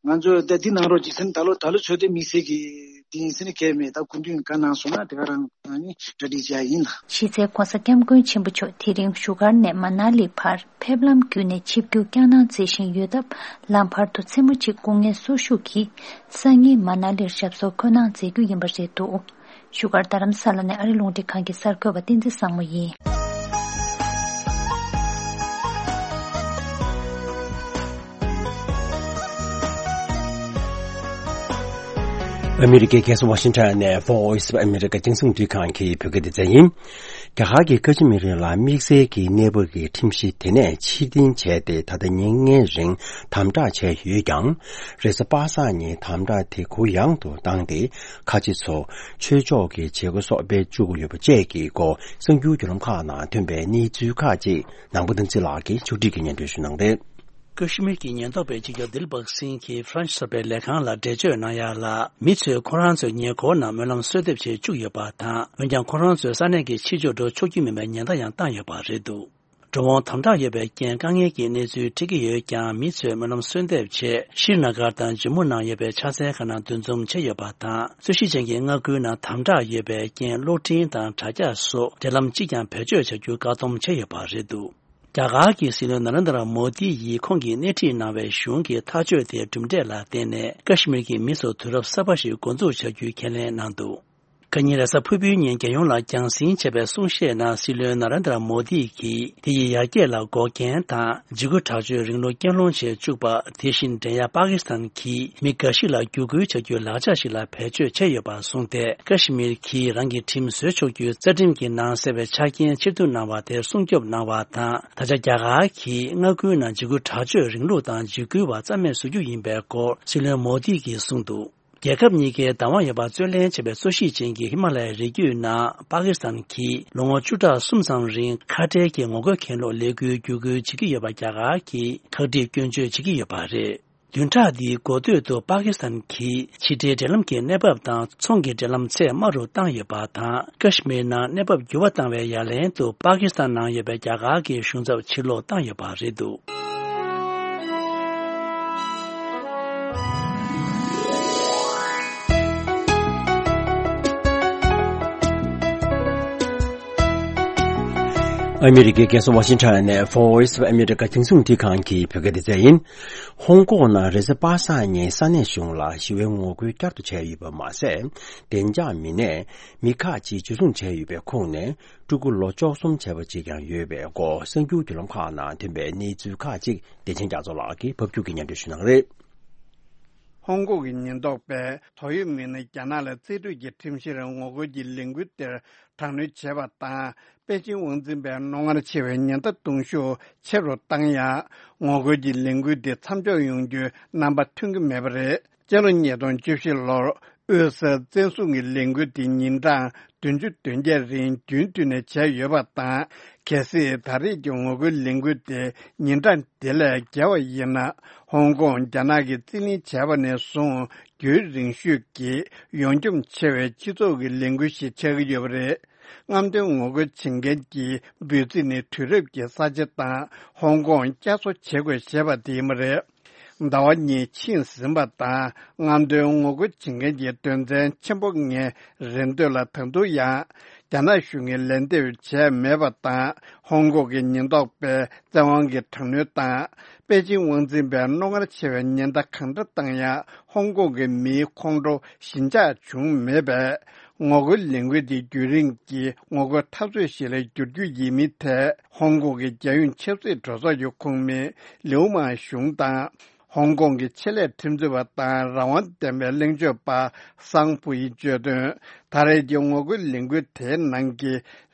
ང་ཚོ་ད་འདི་གནང་རོགས་ཅིག་ཟེར་ནས་ད་ལོ་ད་ལོ་ཆོས་དེ་དམིགས་བསལ་གྱི་དེ་ཡིན་ཟེར་ནས་གལ་མེད། ད་སྐུ་མདུན་བཀའ་གནང་སོང་ན་དེ་ག་རང་ཨ་ནི་གྲ་སྒྲིག་བྱ་ཡིན་ལ། གཞི་རྩའི་༸གོང་ས་༸སྐྱབས་མགོན་ཆེན་པོ་མཆོག་དེ་རིང་བཞུགས་སྒར་ནས་མ་ན་ལི་བར་ཕེབས་ལམ་བརྒྱུད་ནས་ཆིབས་བསྒྱུར་བསྐྱངས་གནང་མཛད་བཞིན་ཡོད་སྟབས། ལམ་བར་དུ་མཚན་མོ་གཅིག་སྐུ་ངལ་གསོ་བཞུགས་ཀྱིས་སང་ཉིན་མ་ན་ལིར་ཞབས་སོར་འཁོད་གནང་མཛད་རྒྱུ་ཡིན་པ་རེད་འདུག་བཞུགས་སྒར་རྡ་རམ་ས་ལ་ནས་ཨ་རི་རླུང་འཕྲིན་ཁང་གི་གསར་འགོད་པ་བསྟན་འཛིན་བཟང་མོ་ཡིན། ཨ་མི་རི་ཀའི་རྒྱལ་ས་ཝ་ཤིང་ཊོན་ནས་Voice of America་རྒྱང་སྲིང་རླུང་འཕྲིན་ཁང་གི་བོད་སྐད་སྡེ་ཚན་ཡིན། རྒྱ་གར་གྱི་ཁ་ཆེ་མི་རིགས་ལ་དམིགས་བསལ་གྱི་གནས་བབ་ཀྱི་ཁྲིམས་གཞི་དེ་ནས་ཕྱིར་འཐེན་བྱས་ཏེ་ད་ལྟ་ཉིན་ལྔའི་རིང་དམ་དྲག་བྱས་ཡོད་ཀྱང་། རེས་གཟའ་པ་སངས་ཉིན་དམ་དྲག་དེ་གུ་ཡངས་དུ་བཏང་སྟེ། ཁ་ཆེ་ཚོ་ཆོས་ཕྱོགས་ཀྱི་བྱེད་སྒོ་སོགས་སྤེལ་བཅུག་གི་ཡོད་པ་བཅས་ཀྱི་སྐོར་གསར་འགྱུར་བརྒྱུད་ལམ་ཁག་ནང་ཐོན་པའི་གནས་ཚུལ་ཁག་ཅིག་ནང་པ་བསྟན་འཛིན་ལགས་ཀྱིས་ཕྱོགས་སྒྲིག་གིས་སྙན་སྒྲོན་ཞུ་གནང་རེད། ཀ་ཤི་མིར་གྱི་ཉེན་རྟོག་པས་སྤྱི་ཁྱབ་དིལ་བྷག་སིང་གིས་ཧྥ་རན་སི་གསར་པའི་ལས་ཁང་ལ་འགྲེལ་བརྗོད་གནང་ཡ་ལ། མི་ཚོས་ཁོ་རང་ཚོའི་ཉེ་འཁོར་ནང་སྨོན་ལམ་གསོལ་འདེབས་བྱེད་བཅུག་ཡོད་པ་དང་། འོན་ཀྱང་ཁོ་རང་ཚོས་ས་གནས་ཀྱི་ཕྱི་ཕྱོགས་འགྲོ་ཆོག་རྒྱུ་མིན་པའི་ཉེན་བརྡ་ཡང་བཏང་ཡོད་པ་རེད་འདུག་འགྲོ་འོང་དམ་དྲག་ཡོད་པའི་རྐྱེན་དཀའ་ངལ་གྱི་གནས་ཚུལ་འཕྲད་ཀྱི་ཡོད་ཀྱང་། མི་ཚོས་སྨོན་ལམ་གསོལ་འདེབས་ཆེད་ཤྲི་ན་གར་དང་ཇམ་མུ་ནང་ཡོད་པའི་ཕྱག་འཚལ་ཁང་ནང་འདུ་འཛོམས་བྱས་ཡོད་པ་དང་། རྩོད་གཞི་ཅན་གྱི་མངའ་ཁུལ་ནང་དམ་དྲག་ཡོད་པའི་རྐྱེན་གློག་འཕྲིན་དང་དྲ་རྒྱ་སོགས་འབྲེལ་ལམ་གཅིག་ཀྱང་བེད་སྤྱོད་བྱ་རྒྱུ་བཀག་སྡོམ་བྱས་ཡོད་པ་རེད་འདུག་རྒྱ་གར་གྱི་སྲིད་བློན་ན་རེན་དྲ་མོ་དི་ཡིས་ཁོང་གིས་སྣེ་ཁྲིད་གནང་བའི་གཞུང་གི་ཐག་གཅོད་དེའི་གྲུབ་འབྲས་ལ་བརྟེན་ནས། ཀ་ཤི་མིར་གྱི་མི་ཚོར་དུས་རབས་གསར་པ་ཞིག་འགོ་འཛུགས་བྱ་རྒྱུའི་ཁས་ལེན་གནང་འདུག་ཁ་ཉིན་རེས་གཟའ་ཕུར་བུའི་ཉིན་རྒྱལ་ཡོངས་ལ་རྒྱང་སྲིང་བྱས་པའི་གསུང་བཤད་ནང་སྲིད་བློན་ན་རེན་དྲ་མོ་དི་གིས། དེ་ཡི་ཡར་རྒྱས་ལ་འགོག་རྐྱེན་དང་འཇིགས་སྐུལ་དྲག་སྤྱོད་རིང་ལུགས་རྐྱེན་སློང་བྱེད་བཅུག་པ། དེ་བཞིན་འགྲན་ཡ་པ་ཀི་སི་ཐན་གྱིས་མི་འགའ་ཞིག་ལ་བརྒྱུད་སྐུལ་བྱ་རྒྱུའི་ལག་ཆ་ཞིག་ལ་བེད་སྤྱོད་བྱས་ཡོད་པར་གསུངས་ཏེ། ཀ་ཤི་མིར་གྱིས་རང་གི་ཁྲིམས་བཟོས་ཆོག་རྒྱུའི་རྩ་ཁྲིམས་ཀྱི་ནང་གསལ་བའི་ཆ་རྐྱེན་ཕྱིར་བསྡུ་གནང་བ་དེར་སྲུང་སྐྱོབ་གནང་བ་དང་། ད་ཆ་རྒྱ་གར་གྱིས་མངའ་ཁུལ་ནང་འཇིགས་སྐུལ་དྲག་སྤྱོད་རིང་ལུགས་དང་འཇིགས་སྐུལ་བ་རྩ་མེད་བཟོ་རྒྱུ་ཡིན་པའི་སྐོར་སྲིད་བློན་མོ་དི་གིས་གསུངས་འདུག་རྒྱལ་ཁབ་གཉིས་ཀའི་བདག་དབང་ཡོད་པར་རྩོད་ལེན་བྱེད་པའི་གཙོ་གཞི་ཅན་གྱི་ཧི་མ་ལ་ཡའི་རི་རྒྱུད་ནང་པ་ཀི་སི་ཐན་གྱིས་ལོ་ངོ་བཅུ་ཕྲག་གསུམ་ཙམ་རིང་ཁ་བྲལ་གྱི་ངོ་རྒོལ་གྱི་ལོ་ལས་འགུལ་བརྒྱུད་སྐུལ་བྱེད་ཀྱི་ཡོད་པ་རྒྱ་གར་གྱིས་ཁག་དཀྲིས་སྐྱོན་བརྗོད་བྱེད་ཀྱི་ཡོད་པ་རེད། བདུན་ཕྲག་འདིའི་འགོ་སྟོད་དུ་པ་ཀི་སི་ཐན་གྱིས་ཕྱི་འབྲེལ་འབྲེལ་ལམ་གྱི་གནས་བབ་དང་ཚོང་གི་འབྲེལ་ལམ་ཚད་དམའ་རུ་བཏང་ཡོད་པ་དང་། ཀ་ཤི་མིར་ནང་གནས་བབ་འགྱུར་བ་བཏང་བའི་ཡ་ལན་དུ་པ་ཀི་སི་ཐན་ནང་ཡོད་པའི་རྒྱ་གར་གྱི་གཞུང་ཚབ་ཕྱིར་སློག་བཏང་ཡོད་པ་རེད་འདུག་ཨ་མི་རི་ཀའི་རྒྱལ་ས་ཝ་ཤིང་ཊོན་ནས་Voice of America་རྒྱང་སྲིང་རླུང་འཕྲིན་ཁང་གི་བོད་སྐད་སྡེ་ཚན་ཡིན། ཧོང་ཀོང་ནང་རེས་གཟའ་པ་སངས་ཉིན་ས་གནས་གཞུང་ལ་ཞི་བའི་ངོ་རྒོལ་བསྐྱར་དུ་བྱས་ཡོད་པ་མ་ཟད། བདེ་འཇགས་མི་སྣས་མི་ཁག་ཅིག་འཇུ་བཟུང་བྱས་ཡོད་པའི་ཁོངས་ནས། ཕྲུ་གུ་ལོ་བཅུ་གསུམ་བྱས་པ་ཅིག་ཀྱང་ཡོད་པའི་སྐོར་གསར་འགྱུར་བརྒྱུད་ལམ་ཁག་ནང་ཐོན་པའི་གནས་ཚུལ་ཁག་ཅིག་བདེ་ཆེན་རྒྱ་མཚོ་ལགས་ཀྱིས་ཕབ་སྒྱུར་གྱིས་སྙན་སྒྲོན་ཞུ་གནང་གི་རེད། ཧོང་ཀོང་གི་ཉེན་རྟོག་པས་དོགས་ཡོད་མི་སྣ་རྒྱ་ནག་ལ་རྩིས་སྤྲོད་ཀྱི་ཁྲིམས་གཞིར་ངོ་རྒོལ་གྱི་ལས་འགུལ་དེར་དྲག་གནོན་བྱས་པ་དང་། པེ་ཅིང་དབང་འཛིན་པས་རྣོ་ངར་ཆེ་བའི་ཉེན་བརྡ་གཏོང་ཤུགས་ཆེ་རུ་བཏང་ཡང་། ངོ་རྒོལ་གྱི་ལས་འགུལ་འདི་མཚམས་འཇོག་ཡོང་རྒྱུའི་རྣམ་པ་ཐོན་གྱི་མེད་པ་རེད། སྤྱི་ལོ་ཉིས་སྟོང་བཅུ་བཞི་ལོར་དབུས་སར་བཙན་བཟུང་གི་ལས་འགུལ་འདི་ཉིན་གྲངས་བདུན་ཅུ་དོན་བརྒྱད་རིང་རྒྱུན་མཐུད་ནས་བྱས་ཡོད་པ་དང་། གལ་སྲིད་ད་རེས་ཀྱི་ངོ་རྒོལ་ལས་འགུལ་དེ་ཉིན་གྲངས་དེ་ལས་བརྒལ་བ་ཡིན་ན། ཧོང་ཀོང་རྒྱ་ནག་གིས་རྩིས་ལེན་བྱས་པ་ནས་བཟུང་རྒྱུན་རིང་ཤོས་ཀྱི་ཡོངས་འཁྱོངས་ཆེ་བའི་སྤྱི་ཚོགས་ཀྱི་ལས་འགུལ་ཞིག་ཆགས་ཀྱི་ཡོད་པ་རེད། རྔམ་སྟོན་ངོ་རྒོལ་བྱེད་མཁན་གྱི་འབོད་ཚིག་ནི་དུས་རབས་ཀྱི་ས་ཆ་དང་ཧོང་ཀོང་བསྐྱར་གསོ་བྱེད་དགོས་ཞེས་པ་དེ་ཡིན་པ་རེད། ཟླ་བ་གཉིས་ཕྱིན་ཟིན་པ་དང་། རྔམ་སྟོན་ངོ་རྒོལ་བྱེད་མཁན་གྱི་དོན་ཚན་ཆེན་པོ་ལྔའི་རེ་འདོད་ལ་ད་དུང་ཡང་རྒྱ་ནག་གཞུང་གིས་ལན་འདེབས་བྱས་མེད་པ་དང་། ཧོང་ཀོང་གི་ཉེན་རྟོག་པས་བཙན་དབང་གིས་དྲག་གནོན་དང་། པེ་ཅིང་དབང་འཛིན་པས་རྣོ་ངར་ཆེ་བའི་ཉེན་བརྡ་གང་འདྲ་བཏང་ཡང་། ཧོང་ཀོང་གི་མིའི་ཁོང་ཁྲོ་ཞི་འཇགས་བྱུང་མེད་པས། ངོ་རྒོལ་ལས་འགུལ་འདི་རྒྱུན་རིང་གི་ངོ་རྒོལ་འཐབ་རྩོད་ཞིག་ལ་འགྱུར་རྒྱུ་ཡིན་མིན་ཐད། ཧོང་ཀོང་གི་རྒྱལ་ཡོངས་ཆབ་སྲིད་གྲོས་ཚོགས་ཀྱི་ཁོངས་མི་ལིའུ་མང་ཞུང་དང་། ཧོང་ཀོང་གི་ཆེད་ལས་ཁྲིམས་རྩོད་པ་དང་རང་དབང་ལྡན་པའི་གླེང་བརྗོད་པ་སང་ཕུའི་བརྗོད་དོན། ད་རེས་ཀྱི་ངོ་རྒོལ་ལས་འགུལ་དེའི་ནང་གི་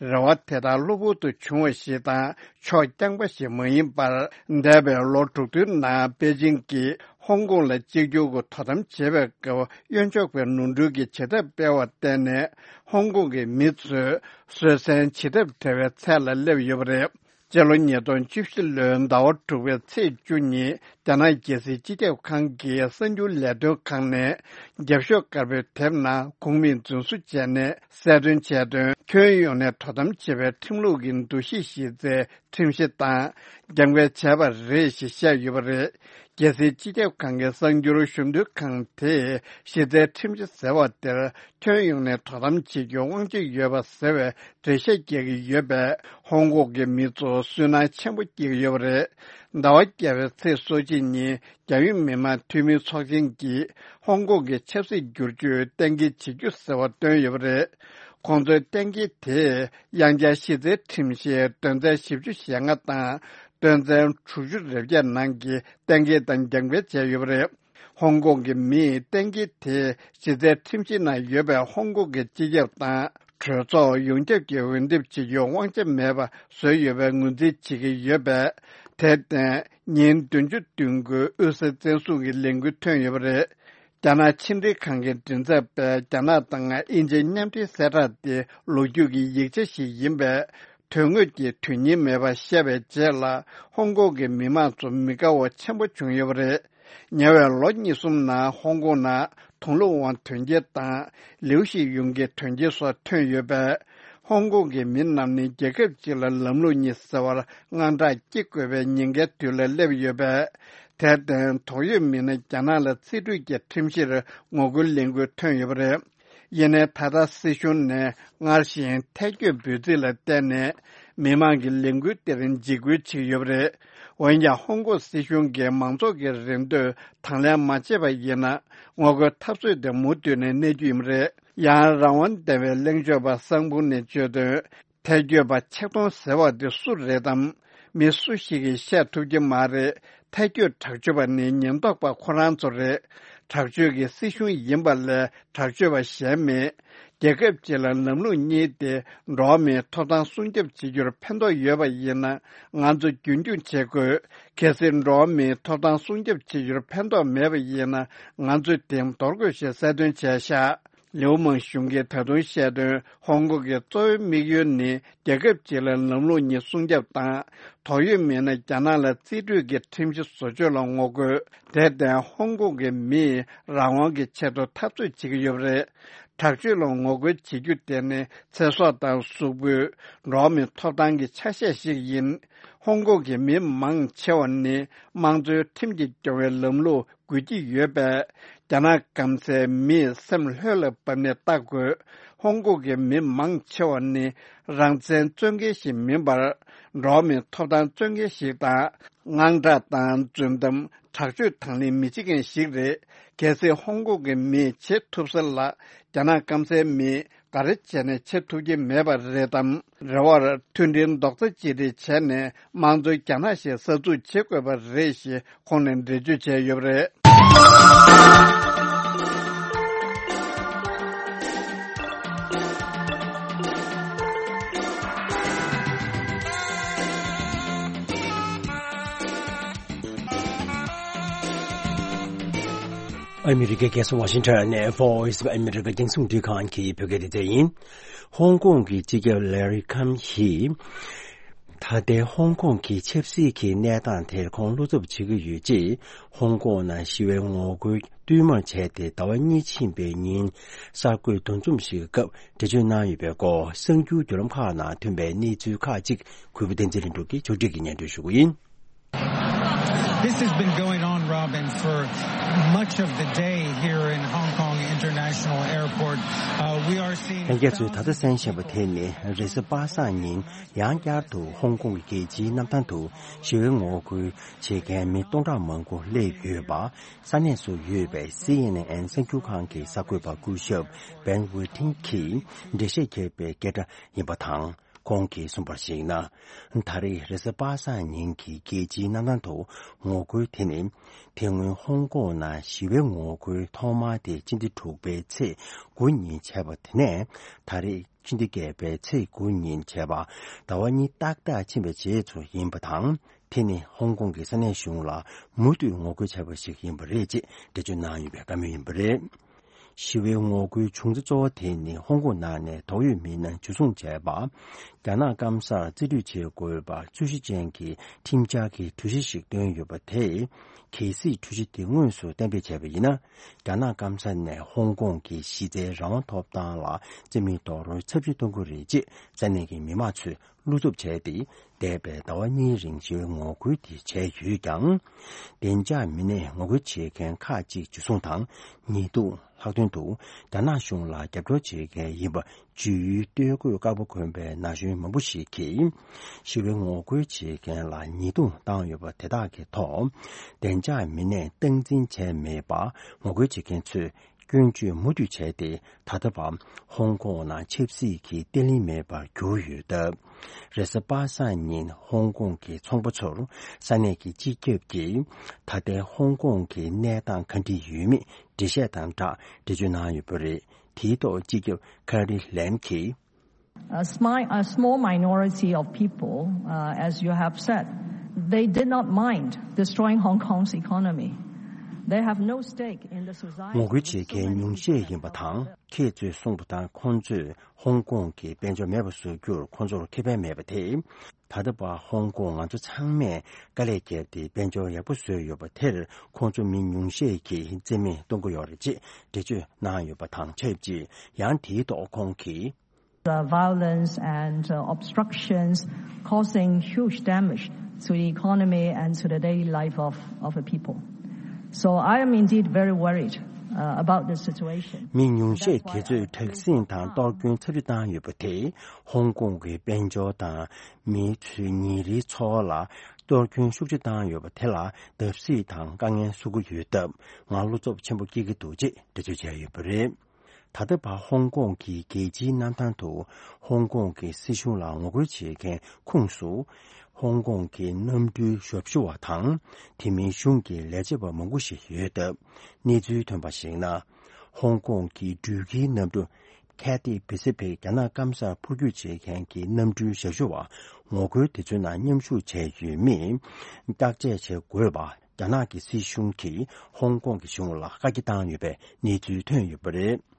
རེ་བ་དེ་དག་གློ་བུར་དུ་བྱུང་བ་ཞིག་དང་། ཕྱོགས་རྐྱང་པ་ཞིག་མ་ཡིན་པར། འདས་པའི་ལོ་དྲུག་བདུན་ནང་པེ་ཅིང་གིས་ཧོང་ཀོང་ལ་གཅིག་གྱུར་གྱི་དོ་དམ་བྱེད་པའི་སྐབས་གཡོན་ཕྱོགས་པའི་ནོར་འཁྲུལ་གྱི་བྱེད་ཐབས་སྤེལ་བར་བརྟེན་ནས། ཧོང་ཀོང་གི་མི་ཚོས་སྲོལ་གསན་བྱེད་ཐབས་བྲལ་བའི་ཚད་ལ་སླེབས་ཡོད་པ་རེད། སྤྱི་ལོ་ཉིས་སྟོང་བཅུ་བཞི་ལོའི་ཟླ་བ་དྲུག་པའི་ཚེས་བཅུ་ཉིན་རྒྱ་ནག་རྒྱལ་སྲིད་སྤྱི་ཁྱབ་ཁང་གི་གསར་འགྱུར་ལས་དོན་ཁང་ནས་རྒྱབ་ཤོག་དཀར་པོའི་དེབ་ནང་ཁོངས་མིས་རྫུན་བཟོ་བྱས་ནས་གསལ་སྟོན་བྱས་དོན། ཁྱོན་ཡོངས་ནས་དོ་དམ་བྱེད་པའི་ཁྲིམས་ལུགས་ཀྱི་འདུ་ཤེས་གཞི་རྩའི་ཁྲིམས་གཞི་དང་འགལ་འགལ་བྱས་པ་རེད་ཞེས་བཤད་ཡོད་པ་རེད། རྒྱལ་སྲིད་སྤྱི་ཁྱབ་ཁང་གི་གསར་འགྱུར་ཞུ་འདོན་ཁང་དེས་གཞི་རྩའི་ཁྲིམས་གཞི་ཟེར་བ་དེར་ཁྱོན་ཡོངས་ནས་དོ་དམ་བྱེད་རྒྱུའི་དབང་ཆ་ཡོད་པ་ཟེར་བའི་འགྲེལ་བཤད་རྒྱག་གི་ཡོད་པས། ཧོང་ཀོང་གི་མི་ཚོར་སུན་སྣང་ཆེན་པོ་སྐྱེ་གི་ཡོད་པ་རེད། ཟླ་བ་བརྒྱད་པའི་ཚེས་སོ་གཅིག་ཉིན་རྒྱལ་ཡོངས་མི་དམངས་འཐུས་མིའི་ཚོགས་ཆེན་གྱིས་ཧོང་ཀོང་གི་ཆབ་སྲིད་བསྒྱུར་བཅོས་གཏན་འཁེལ་བྱེད་རྒྱུ་ཟེར་བ་བཏོན་ཡོད་པ་རེད། ཁོང་ཚོའི་གཏན་འཁེལ་དེས་དབྱང་འཆར་གཞི་རྩའི་ཁྲིམས་གཞིའི་དོན་ཚན་བཞི་བཅུ་ཞེ་ལྔ་དང་དོན་ཚན་དྲུག་ཅུ་རེ་བརྒྱད་ནང་གི་གཏན་འཁེལ་དང་འགལ་འགལ་བྱས་ཡོད་པ་རེད། ཧོང་ཀོང་གི་མིས་གཏན་འཁེལ་དེ་གཞི་རྩའི་ཁྲིམས་གཞི་ནང་ཡོད་པའི་ཧོང་ཀོང་གི་སྤྱི་ཁྱབ་དང་གྲོས་ཚོགས་ཡོངས་ཁྱབ་ཀྱི་འོས་འདེམས་བྱེད་རྒྱུའི་དབང་ཆ་མེད་པ་བཟོས་ཡོད་པའི་ངོས་འཛིན་བྱེད་ཀྱི་ཡོད་པས། དེར་བརྟེན་ཉིན་བདུན་ཅུ་བདུན་དགུའི་དབུས་ས་བཙན་བཟུང་གི་ལས་འགུལ་ཐོན་ཡོད་པ་རེད། རྒྱ་ནག་ཕྱི་འབྲེལ་ཁང་གི་མགྲིན་ཚབ་པས་རྒྱ་ནག་དང་དབྱིན་ཇིའི་མཉམ་འབྲེལ་གསལ་བསྒྲགས་དེ་ལོ་རྒྱུས་ཀྱི་ཡིག་ཆ་ཞིག་ཡིན་པས། དོན་དངོས་ཀྱི་དོན་སྙིང་མེད་པ་བཤད་པའི་རྗེས་ལ་ཧོང་ཀོང་གི་མི་མང་ཚོ་མི་དགའ་བ་ཆེན་པོ་བྱུང་ཡོད་པ་རེད། ཉེ་བའི་ལོ་གཉིས་གསུམ་ནང་ཧོང་ཀོང་ནང་དུང་ལུ་ཝང་དོན་རྐྱེན་དང་ལིའུ་ཤི་ཡུང་གི་དོན་རྐྱེན་སོགས་ཐོན་ཡོད་པས། ཧོང་ཀོང་གི་མི་རྣམས་ནི་རྒྱལ་ཁབ་ཅིག་ལ་ལམ་ལུགས་གཉིས་ཟེར་བར་དངངས་སྐྲག་སྐྱེ་དགོས་པའི་ཉེན་ཁའི་དུས་ལ་སླེབས་ཡོད་པས། དེར་བརྟེན་དོགས་ཡོད་མི་སྣ་རྒྱ་ནག་ལ་རྩིས་སྤྲོད་ཀྱི་ཁྲིམས་གཞིར་ངོ་རྒོལ་ལས་འགུལ་ཐོན་ཡོད་པ་རེད། ཡིན་ནའི་ད་ལྟ་སྲིད་གཞུང་ནས་སྔར་བཞིན་ཐལ་སྐྱོད་འབོད་ཚིག་ལ་བརྟེན་ནས་ མི་མང་གི་ལས་འགུལ་དེར་འཇིགས་སྐུལ་བྱེད་ཀྱི་ཡོད་པ་རེད། འོན་ཀྱང་ཧོང་ཀོང་སྲིད་གཞུང་གིས་མང་ཚོགས་ཀྱི་རེ་འདོད་དང་ལེན་མ་བྱས་པ་ཡིན་ན། ངོ་རྒོལ་འཐབ་རྩོད་དེ་མུ་མཐུད་ནས་གནས་རྒྱུ་ཡིན་པ་རེད། ཡང་རང་དབང་ལྡན་པའི་གླེང་བརྗོད་པ་སང་ཕུང་ནས་བརྗོད་དོན། ཐལ་སྐྱོད་པ་ཆེ་མཐོང་ཟེར་བ་འདི་སུ་རེད་དམ། མི་སུ་ཞིག་གིས་བཤད་ཐུབ་ཀྱི་མ་རེད། ཐལ་སྐྱོད་དྲག་སྤྱོད་པ་ནི་ཉེན་རྟོག་པ་ཁོ་རང་ཚོ་རེད། དྲག་སྤྱོད་ཀྱི་སྲིད་གཞུང་ཡིན་པ་ལས་དྲག་སྤྱོད་པ་གཞན་མེད། རྒྱལ་ཁབ་སྤྱི་ལ་ལམ་ལུགས་གཉིས་ཏེ། འགྲོ་བ་མིའི་ཐོབ་ཐང་སྲུང་སྐྱོབ་བྱེད་རྒྱུར་ཕན་ཐོགས་ཡོད་པ་ཡིན་ན། ང་ཚོ་རྒྱུན་འཁྱོངས་བྱེད་དགོས། གལ་སྲིད་འགྲོ་བ་མིའི་ཐོབ་ཐང་སྲུང་སྐྱོབ་བྱེད་རྒྱུར་ཕན་ཐོགས་མེད་པ་ཡིན་ན། ང་ཚོས་དེ་འདོར་དགོས་ཞེས་གསལ་སྟོན་བྱས་ཤག་ལིའུ་མང་ཞུང་གིས་ད་དུང་བཤད་དོན། ཧོང་ཀོང་གི་གཙོ་བོའི་དམིགས་ཡུལ་ནི་རྒྱལ་ཁབ་སྤྱི་ལ་ལམ་ལུགས་གཉིས་སྲུང་སྐྱོབ་དང་། དོགས་ཡོད་མེད་ན་རྒྱ་ནག་ལ་རྩིས་སྤྲོད་ཀྱི་ཁྲིམས་གཞི་བཟོ་བཅོས་ལ་ངོ་རྒོལ། དེར་བརྟེན་ཧོང་ཀོང་གི་མིས་རང་དབང་གི་ཆེད་དུ་འཐབ་རྩོད་བྱེད་ཀྱི་ཡོད་པ་རེད། དྲག་སྤྱོད་ལ་ངོ་རྒོལ་བྱེད་རྒྱུ་དེ་ནི་ཚེ་སྲོག་དང་གཟུགས་པོའི། འགྲོ་བ་མིའི་ཐོབ་ཐང་གི་ཆ་ཤས་ཤིག་ཡིན། ཧོང་ཀོང་གི་མི་མང་ཆེ་བ་ནི་དམངས་གཙོའི་ཁྲིམས་ཀྱིས་སྐྱོང་བའི་ལམ་ལུགས་དགོས་ཀྱི་ཡོད་པས། རྒྱ་ནག་སྐམ་སའི་མིས་སེམས་ལྷོད་ལ་བབས་ནས་བལྟ་དགོས། ཧོང་ཀོང་གི་མི་མང་ཆེ་བ་ནི་རང་བཙན་རྩོད་མཁན་ཞིག་མིན་པར། འགྲོ་བ་མིའི་ཐོབ་ཐང་རྩོད་མཁན་ཞིག་དང་། དངངས་སྐྲག་དང་རྫུན་གཏམ། དྲག་སྤྱོད་དང་ལེན་མི་བྱེད་མཁན་ཞིག་རེད། གལ་སྲིད་ཧོང་ཀོང་གི་མིས་བྱེད་ཐུབ་ས་ལ། རྒྱ་ནག་སྐམ་སའི་མིས་ག་རེ་བྱས་ནས་བྱེད་ཐུབ་ཀྱི་མེད་པ་རེད་དམ། རེ་བར་མཐུན་སྒྲིལ་རྡོག་རྩ་གཅིག་སྒྲིལ་བྱས་ནས་དམངས་གཙོའི་རྒྱ་ནག་ཞིག་གསར་འཛུགས་བྱེད་དགོས་པ་རེད་ཞེས་ཁོང་ནས་འགྲེལ་བརྗོད་བྱས་ཡོད་པ་རེད། ཨ་མི་རི་ཀའི་རྒྱལ་ས་ཝ་ཤིང་ཊོན་ནས་Voice of America རྒྱང་སྲིང་རླུང་འཕྲིན་ཁང་གི་བོད་སྐད་སྡེ་ཚན་ཡིན། ཧོང་ཀོང་གི་སྤྱི་ཁྱབ་ལེ་རི་ཁམ་ཧི། ད་ལྟའི་ཧོང་ཀོང་གི་ཆབ་སྲིད་ཀྱི་གནས་སྟངས་དེར་ཁོང་བློ་འཚབ་བྱེད་ཀྱི་ཡོད་ཅེས། ཧོང་ཀོང་ནང་ཞི་བའི་ངོ་རྒོལ་བསྟུད་མར་བྱས་ཏེ་ཟླ་བ་གཉིས་ཕྱིན་པའི་ཉིན། གསར་འགོད་འདུ་འཛོམས་ཤིག་སྐབས་འགྲེལ་བརྗོད་གནང་ཡོད་པའི་སྐོར། གསར་འགྱུར་བརྒྱུད་ལམ་ཁག་ནང་ཐོན་པའི་གནས་ཚུལ་ཁག་ཅིག་གུས་པ་བསྟན་འཛིན་ལྷུན་གྲུབ་ཀྱིས་ཕྱོགས་སྒྲིག་གིས་སྙན་སྒྲོན་ཞུ་གི་ཡིན། This has been going on, Robin, for much of the day here in Hong Kong International Airport. Uh, we are seeing ལྷན་རྒྱས་ཚོས་ད་ལྟ་གསན་བཞིན་པ་དེ་ནི་རེས་གཟའ་པ་སངས་ཉིན་ཡང་བསྐྱར་དུ་ཧོང་ཀོང་གི་རྒྱལ་སྤྱིའི་གནམ་ཐང་དུ་ཞི་བའི་ངོ་རྒོལ་བྱེད་མཁན་མི་སྟོང་ཕྲག་མང་པོ་སླེབས་ཡོད་པ། ས་གནས་སུ་ཡོད་པའི་སི་ཨེན་ཨེན་གསར་འགྱུར་ཁང་གི་གསར་འགོད་པ་སྐུ་ཞབས་བན་ཝེ་ཐིང་གིས་འགྲེལ་བཤད་བརྒྱབ་པའི་སྐད་སྒྲ་ཡིན་པ་དང་། ཁོང་གིས་གསུངས་པར་གཞིགས་ན། ད་རེས་རེས་གཟའ་པ་སངས་ཉིན་གྱི་རྒྱལ་སྤྱིའི་གནམ་ཐང་དུ་ངོ་རྒོལ་དེ་ནི། དེ་སྔོན་ཧོང་ཀོང་ནང་ཞི་བའི་ངོ་རྒོལ་ཐོག་མ་དེ་སྤྱི་ཟླ་དྲུག་པའི་ཚེས་དགུ་ཉིན་བྱས་པ་དེ་ནས། ད་རེས་སྤྱི་ཟླ་བརྒྱད་པའི་ཚེས་དགུ་ཉིན་བྱས་པ། ཟླ་བ་གཉིས་ཏག་ཏག་ཕྱིན་པའི་རྗེས་སུ་ཡིན་པ་དང་། དེ་ནི་ཧོང་ཀོང་གི་ས་གནས་གཞུང་ལ་མུ་མཐུད་ངོ་རྒོལ་བྱས་པ་ཞིག་ཡིན་པ་རེད་ཅེས་འགྲེལ་བརྗོད་གནང་ཡོད་པའི་བཀའ་མོལ་ཡིན་པ་རེད། ཞི་བའི་ངོ་རྒོལ་བྱུང་ཚེ་གཙོ་བོ་དེ་ནི་ཧོང་ཀོང་ནང་ནས་དོགས་ཡོད་མི་སྣ་འཇུ་བཟུང་བྱས་པ། རྒྱ་ནག་སྐམ་སར་རྩིས་སྤྲོད་བྱེད་དགོས་པ་རྩོད་གཞི་ཅན་གྱི་ཁྲིམས་འཆར་གྱི་གྲོས་གཞི་ཞིག་བཏོན་ཡོད་པ་དེས། གལ་སྲིད་གྲོས་གཞི་དེ་དངོས་སུ་གཏན་འབེབས་བྱས་པ་ཡིན་ན། རྒྱ་ནག་སྐམ་ས་ནས་ཧོང་ཀོང་གི་གཞི་རྩའི་རང་དབང་ཐོབ་ཐང་ལ་རྩིས་མེད་རྡོག་རོལ་ཚབས་ཆེ་གཏོང་གི་རེད་ཅེས་ས་གནས་ཀྱི་མི་མང་ཚོས་བློ་འཚབ་བྱས་ཏེ། འདས་པའི་ཟླ་བ་གཉིས་རིང་ཞི་བའི་ངོ་རྒོལ་དེ་བྱས་ཡོད་ཀྱང་། བདེ་འཇགས་མི་སྣས་ངོ་རྒོལ་བྱེད་མཁན་ཁག་ཅིག་འཇུ་བཟུང་དང་ཉེས་རྡུང་། ལྷག་དོན་དུ་རྒྱ་ནག་གཞུང་ལ་རྒྱབ་སྐྱོར་བྱེད་མཁན་ཡིན་པ་བརྗོད་ཡུལ་སྟོད་གོས་དཀར་པོ་གོན་པའི་ན་གཞོན་མང་པོ་ཞིག་གིས། ཞི་བའི་ངོ་རྒོལ་བྱེད་མཁན་ལ་ཉེས་རྡུང་བཏང་ཡོད་པ་དེ་དག་གི་ཐོག་བདེ་འཇགས་མི་སྣས་སྟངས་འཛིན་བྱས་མེད་པར་ངོ་རྒོལ་བྱེད་མཁན་ཚོས། སྐྱོན་བརྗོད་མུ་མཐུད་བྱས་ཏེ། ད་ལྟ་བར་ཧོང་ཀོང་ནང་ཆབ་སྲིད་ཀྱི་བརྟན་ལྷིང་མེད་པར་གྱུར་ཡོད་སྟབས། རེས་གཟའ་པ་སངས་ཉིན་ཧོང་ཀོང་གི་ཚོང་པ་ཚོར་ས་གནས་ཀྱི་སྤྱི་ཁྱབ་ཀྱིས་ད་ལྟའི་ཧོང་ཀོང་གི་གནས་སྟངས་ག་འདྲ་ཡོད་མེད་འགྲེལ་བཤད་དང་སྦྲགས་འགྲེལ་བརྗོད་གནང་ཡོད་པ་རེད། དེའི་ཐོག་སྤྱི་ཁྱབ་ཁ་རི་ལེམ་གྱིས། A smi- a small minority of people, uh, as you have said, they did not mind destroying Hong Kong's economy. They have no stake in the society. ངོ་རྒོལ་བྱེད་མཁན་ཉུང་ཤས་ཡིན་པ་དང་། ཁྱེད་ཚོས་གསུངས་པ་ལྟར་ཁོང་ཚོས་ཧོང་ཀོང་གི་དཔལ་འབྱོར་མེད་པ་བཟོ་རྒྱུར་ཁོང་ཚོར་ཁེ་ཕན་མེད་པ་དེ། ད་ལྟ་བར་ཧོང་ཀོང་ང་ཚོ་ཚང་མས་དཀའ་ལས་བརྒྱབ་སྟེ་དཔལ་འབྱོར་ཡག་པོ་བཟོས་ཡོད་པ་དེར་ཁོང་ཚོ་མི་ཉུང་ཤས་ཀྱིས་རྩིས་མེད་གཏོང་གི་ཡོད་རེད་ཅེས་འགྲེལ་བརྗོད་གནང་ཡོད་པ་དང་ཆབས་ཅིག་ཡང་དེའི་ཐོག་ཁོང་གིས། The violence and, uh, obstructions causing huge damage to the economy and to the daily life of, of the people. So I am indeed very worried. uh, about this situation. མི་ཉུང་ཤས་དེ་ཚོས་དྲག་ཟིང་དང་གཏོར་སྐྱོན་ཚབས་ཆེ་བཏང་ཡོད་པ་དེས་ཧོང་ཀོང་གི་དཔལ་འབྱོར་དང་མི་ཚོའི་ཉིན་རེའི་འཚོ་བ་ལ་གཏོར་སྐྱོན་ཤུགས་ཆེ་བཏང་ཡོད་པ་དེ་ལ་བརྡབ་གསིག་དང་དཀའ་ངལ་བཟོ་གི་ཡོད་སྟབས་ང་བློ་འཚབ་ཆེན་པོ་སྐྱེ་གི་འདུག་ཅེས་འགྲེལ་བརྗོད་བྱས་ཡོད་པ་རེད། ད་ལྟ་བར་ཧོང་ཀོང་གི་རྒྱལ་སྤྱིའི་གནམ་ཐང་དུ་ཧོང་ཀོང་གི་སྲིད་གཞུང་ལ་ངོ་རྒོལ་བྱེད་མཁན་ཁོངས་སུ། ཧོང་ཀོང་གི་གནམ་གྲུའི་ཞབས་ཞུ་བ་དང་། དེ་མིན་གཞུང་གི་ལས་བྱེད་པ་མང་པོ་ཞིག་ཡོད་སྟབས། གནས་ཚུལ་ཐོན་པར་གཞིགས་ན། ཧོང་ཀོང་གི་འགྲུལ་སྐྱེལ་གནམ་གྲུ་Cathay Pacific རྒྱ་ནག་སྐམ་སར་འཕུར་སྐྱོད་བྱེད་མཁན་གྱི་གནམ་གྲུའི་ཞབས་ཞུ་བ་ངོ་རྒོལ་དེ་ཚོའི་ནང་མཉམ་ཞུགས་བྱས་ཡོད་མིན་བརྟག་དཔྱད་བྱེད་དགོས་པ། རྒྱ་ནག་གི་སྲིད་གཞུང་གིས་ཧོང་ཀོང་གི་གཞུང་ལ་བཀའ་རྒྱ་བཏང་ཡོད་པའི་གནས་ཚུལ་ཐོན་ཡོད་པ་རེད།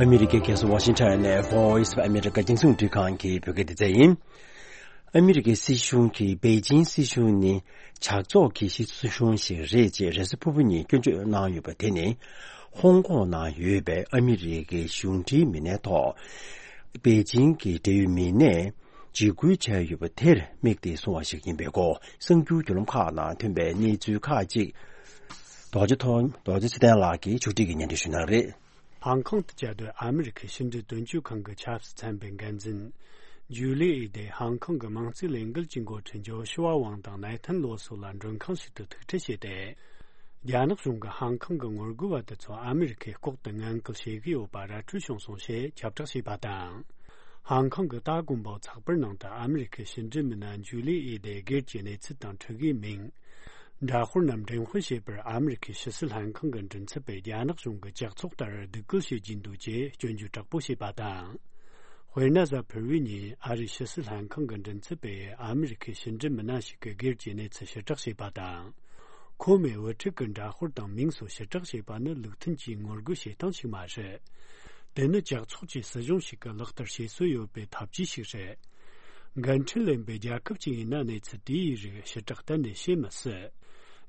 ཨ་མི་རི་ཀའི་རྒྱལ་ས་ཝ་ཤིང་ཊོན་ནས་Voice of America རྒྱང་སྲིང་རླུང་འཕྲིན་ཁང་གི་བོད་སྐད་སྡེ་ཚན་ཡིན། ཨ་མི་རི་ཀའི་སྲིད་གཞུང་གིས་པེ་ཅིང་སྲིད་གཞུང་ནི་ཇག་ཚོགས་ཀྱི་སྲིད་གཞུང་ཞིག་རེད་ཅེས་རེས་གཟའ་ཕུར་བུ་ཉིན་སྐྱོན་བརྗོད་གནང་ཡོད་པ་དེ་ནི། ཧོང་ཀོང་ནང་ཡོད་པའི་ཨ་མི་རི་ཀའི་གཞུང་འབྲེལ་མི་སྣའི་ཐོག་པེ་ཅིང་གི་འབྲེལ་ཡོད་མི་སྣས་འཇིགས་སྐུལ་བྱས་ཡོད་པ་དེར་དམིགས་ཏེ་གསུངས་པ་ཞིག་ཡིན་པའི་སྐོར་གསར་འགྱུར་བརྒྱུད་ལམ་ཁག་ནང་ཐོན་པའི་གནས་ཚུལ་ཁག་ཅིག་རྡོ་རྗེ་ཐོ་རྡོ་རྗེ་ཚེ་བརྟན་ལགས་ཀྱིས་ཕྱོགས་སྒྲིག་གིས་སྙན་སྒྲོན་ཞུ་གནང་རེད། ཧང་ཀང་དུ་བཅའ་སྡོད་ཨ་མི་རི་ཁའི་ཕྱི་འབྲེལ་དོན་གཅོད་ཁང་གི་ཆབ་སྲིད་ཚན་པའི་འགན་འཛིན་ཇུ་ལི་ཨི་དེ་ཧང་ཀང་གི་དམངས་གཙོའི་ལས་འགུལ་གྱི་འགོ་ཁྲིད་ཇོ་ཤུ་ཝ་ཝང་དང་ནེ་ཐན་ལོ་སོགས་ལ་མགྲོན་ཁང་ཞིག་ཏུ་ཐུག་འཕྲད་བྱས་ཏེ། རྒྱ་ནག་གཞུང་གིས་ཧང་ཀང་གི་ངོ་རྒོལ་བ་དེ་ཚོ་ཨ་མི་རི་ཁས་ལྐོག་ཏུ་ངན་སྐུལ་བྱེད་ཀྱི་ཡོད་པ་ར་འཕྲོད་བྱུང་སོང་ཞེས་ཁྱབ་བསྒྲགས་བྱས་པ་དང་། ཧང་ཀང་གི་ཏཱ་དགོན་པའོ་ཚགས་པར་ནང་དུ་ཨ་མི་རི་ཁའི་ཕྱི་འབྲེལ་མི་སྣ་ཇུ་ལི་ཨི་དེ་སྒེར་གྱི་གནས་ཚུལ་དང་འཁྲུག་གི་མིང་། འདྲ་དཔར་རྣམས་འགྲེམས་སྤེལ་བྱས་པར་ཨ་མི་རི་ཁའི་ཕྱི་སྲིད་ལྷན་ཁང་གི་མགྲིན་ཚབ་པས་རྒྱ་ནག་གཞུང་གི་ཇག་ཚོགས་ལྟར་སྡིགས་སྐུལ་བྱེད་ཀྱིན་འདུག་ཅེས་སྐྱོན་བརྗོད་དྲག་པོ་བྱས་པ་དང་། དཔེར་ན་གཟའ་ཕུར་བུའི་ཉིན་ཨ་རིའི་ཕྱི་སྲིད་ལྷན་ཁང་གི་མགྲིན་ཚབ་པས་ཨ་མི་རི་ཁའི་ཕྱི་འབྲེལ་མི་སྣ་ཞིག་གི་སྒེར་གྱི་གནས་ཚུལ་ཕྱིར་བསྒྲགས་བྱས་པ་དང་། ཁོ་མོས་དབུ་ཁྲིད་ཀྱི་འདྲ་དཔར་དང་མིང་སོགས་ཕྱིར་བསྒྲགས་བྱས་པ་ནི་ལུགས་མཐུན་གྱི་ངོ་རྒོལ་བྱེད་སྟངས་ཤིག་མ་རེད། དེ་ནི་ཇག་ཚོགས་ཀྱི་སྲིད་གཞུང་ཞིག་གིས་ལག་བསྟར་བྱེད་སྲོལ་ཡོད་པའི་ཐབས་ཇུས་ཤིག་རེད། འགན་འཁྲི་ལེན་པའི་རྒྱལ་ཁབ་ཅིག་ཡིན་ན་གནས་ཚུལ་དེའི་རིགས་ཕྱིར་བསྒྲགས་གཏན་ནས་བྱེད་མི་སྲིད།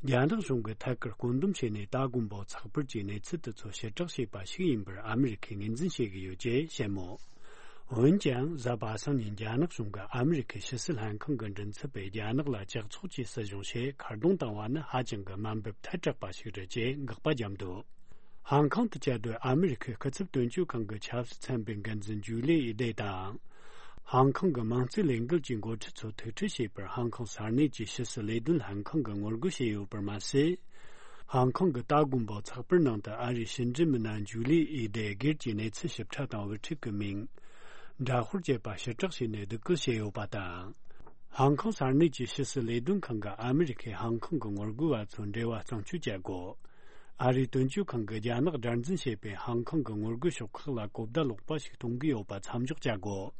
རྒྱ་ནག་གཞུང་གིས་ཐད་ཀར་བཀོད་འདོམས་བྱས་ནས་ཏཱ་དགོན་པའོ་ཚགས་པར་གྱི་གནས་ཚུལ་དེ་ཚོ་ཕྱིར་བསྒྲགས་བྱས་པ་ཞིག་ཡིན་པར་ཨ་མི་རི་ཁས་ངོས་འཛིན་བྱེད་ཀྱི་ཡོད་ཅེས་བཤད་མོད། འོན་ཀྱང་གཟའ་པ་སངས་ཉིན་རྒྱ་ནག་གཞུང་གིས་ཨ་མི་རི་ཁའི་ཕྱི་སྲིད་ལྷན་ཁང་གི་མགྲིན་ཚབ་པས་རྒྱ་ནག་ལ་ཇག་ཚོགས་ཀྱི་སྲིད་གཞུང་ཞེས་ཁ་རྡུང་བཏང་བ་ནི་ཧ་ཅང་གི་དམའ་འབེབས་ཐལ་དྲགས་པ་ཞིག་རེད་ཅེས་དགག་པ་བརྒྱབ་འདུག་ཧང་ཀང་དུ་བཅའ་སྡོད་ཨ་མི་རི་ཁའི་སྐུ་ཚབ་དོན་གཅོད་ཁང་གི་ཆབ་སྲིད་ཚན་པའི་འགན་འཛིན་ཇུ་ལི་ཨི་དེ་དང་། ཧང་ཀང་གི་དམངས་གཙོའི་ལས་འགུལ་གྱི་འགོ་ཁྲིད་ཚོ་ཐུག་འཕྲད་བྱས་པར་ཧང་ཀང་ས་གནས་ཀྱི་ཕྱི་སྲིད་ལས་དོན་ལྷན་ཁང་གིས་ངོ་རྒོལ་བྱས་ཡོད་པར་མ་ཟད། ཧང་ཀང་གི་ཏཱ་དགོན་པའོ་ཚགས་པར་ནང་དུ་ཨ་རིའི་ཕྱི་འབྲེལ་མི་སྣ་ཇུ་ལི་ཨི་དེ་སྒེར་གྱི་གནས་ཚུལ་ཞིབ་ཕྲ་དང་དབུ་ཁྲིད་ཀྱི་མིང་། འདྲ་དཔར་བཅས་པ་ཕྱིར་བསྒྲགས་བྱས་ནས་སྡིགས་སྐུལ་བྱས་ཡོད་པ་དང་། ཧང་ཀང་ས་གནས་ཀྱི་ཕྱི་སྲིད་ལས་དོན་ཁང་གིས་ཨ་མི་རི་ཁས་ཧང་ཀང་གི་ངོ་རྒོལ་བ་ཚོའི་འབྲེལ་བ་གཙང་བཅོས་བྱ་དགོས། ཨ་རིའི་དོན་གཅོད་ཁང་གིས་རྒྱ་ནག་དགྲར་འཛིན་བྱེད་པའི་ཧང་ཀང་གི་ངོ་རྒོལ་ཕྱོགས་ཁག་ལ་གོ་བརྡ་ལོག་པ་ཞིག་གཏོང་གི་ཡོད་པ་མཚམས་འཇོག་བྱ་དགོས།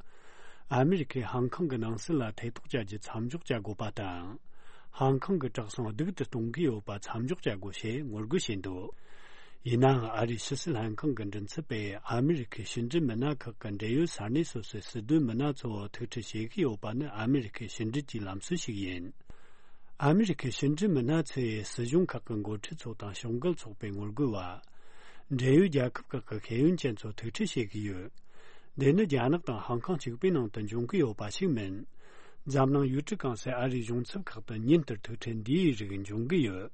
ཨ་མི་རི་ཁས་ཧང་ཀང་གི་ནང་སྲིད་ལ་ཐེ་གཏོགས་བྱ་རྒྱུ་མཚམས་འཇོག་བྱ་དགོས་པ་དང་། ཧང་ཀང་གི་གྲོགས་ཚང་སྡུག་ཏུ་གཏོང་གི་ཡོད་པ་མཚམས་འཇོག་བྱ་དགོས་ཞེས་ངོ་རྒོལ་བྱས་འདུག་ཡིན་ནའང་ཨ་རིའི་ཕྱི་སྲིད་ལྷན་ཁང་གི་མགྲིན་ཚབ་པས་ཨ་མི་རི་ཁའི་ཕྱི་འབྲེལ་མི་སྣ་ཁག་གི་འབྲེལ་ཡོད་ས་གནས་སོ་སོའི་སྲིད་དོན་མི་སྣ་ཚོ་ཐུག་འཕྲད་བྱེད་ཀྱི་ཡོད་པ་ནི་ཨ་མི་རི་ཁའི་ཕྱི་འབྲེལ་གྱི་ལམ་སྲོལ་ཞིག་ཡིན། ཨ་མི་རི་ཁའི་ཕྱི་འབྲེལ་མི་སྣ་ཚོས་སྲིད་གཞུང་ཁག་གི་འགོ་ཁྲིད་ཚོ་དང་ཕྱོགས་འགལ་ཚོགས་པའི་ངོ་རྒོལ་བ། འབྲེལ་ཡོད་རྒྱལ་ཁབ་ཁག་གི་ཤེས་ཡོན་ཅན་ཚོ་ཐུག་འཕྲད་བྱེད་ཀྱི་ཡོད། འདི་ནི་རྒྱ་ནག་དང་ཧང་ཀང་གཅིག་པའི་ནང་དུ་འབྱུང་གི་ཡོད་པ་ཞིག་མིན། འཛམ་གླིང་ཡུལ་གྲུ་གང་སའི་ཨ་རིའི་གཞུང་ཚབ་ཁག་ཏུ་ཉིན་ལྟར་ཐུག་འཕྲད་འདིའི་རིགས་འབྱུང་གི་ཡོད།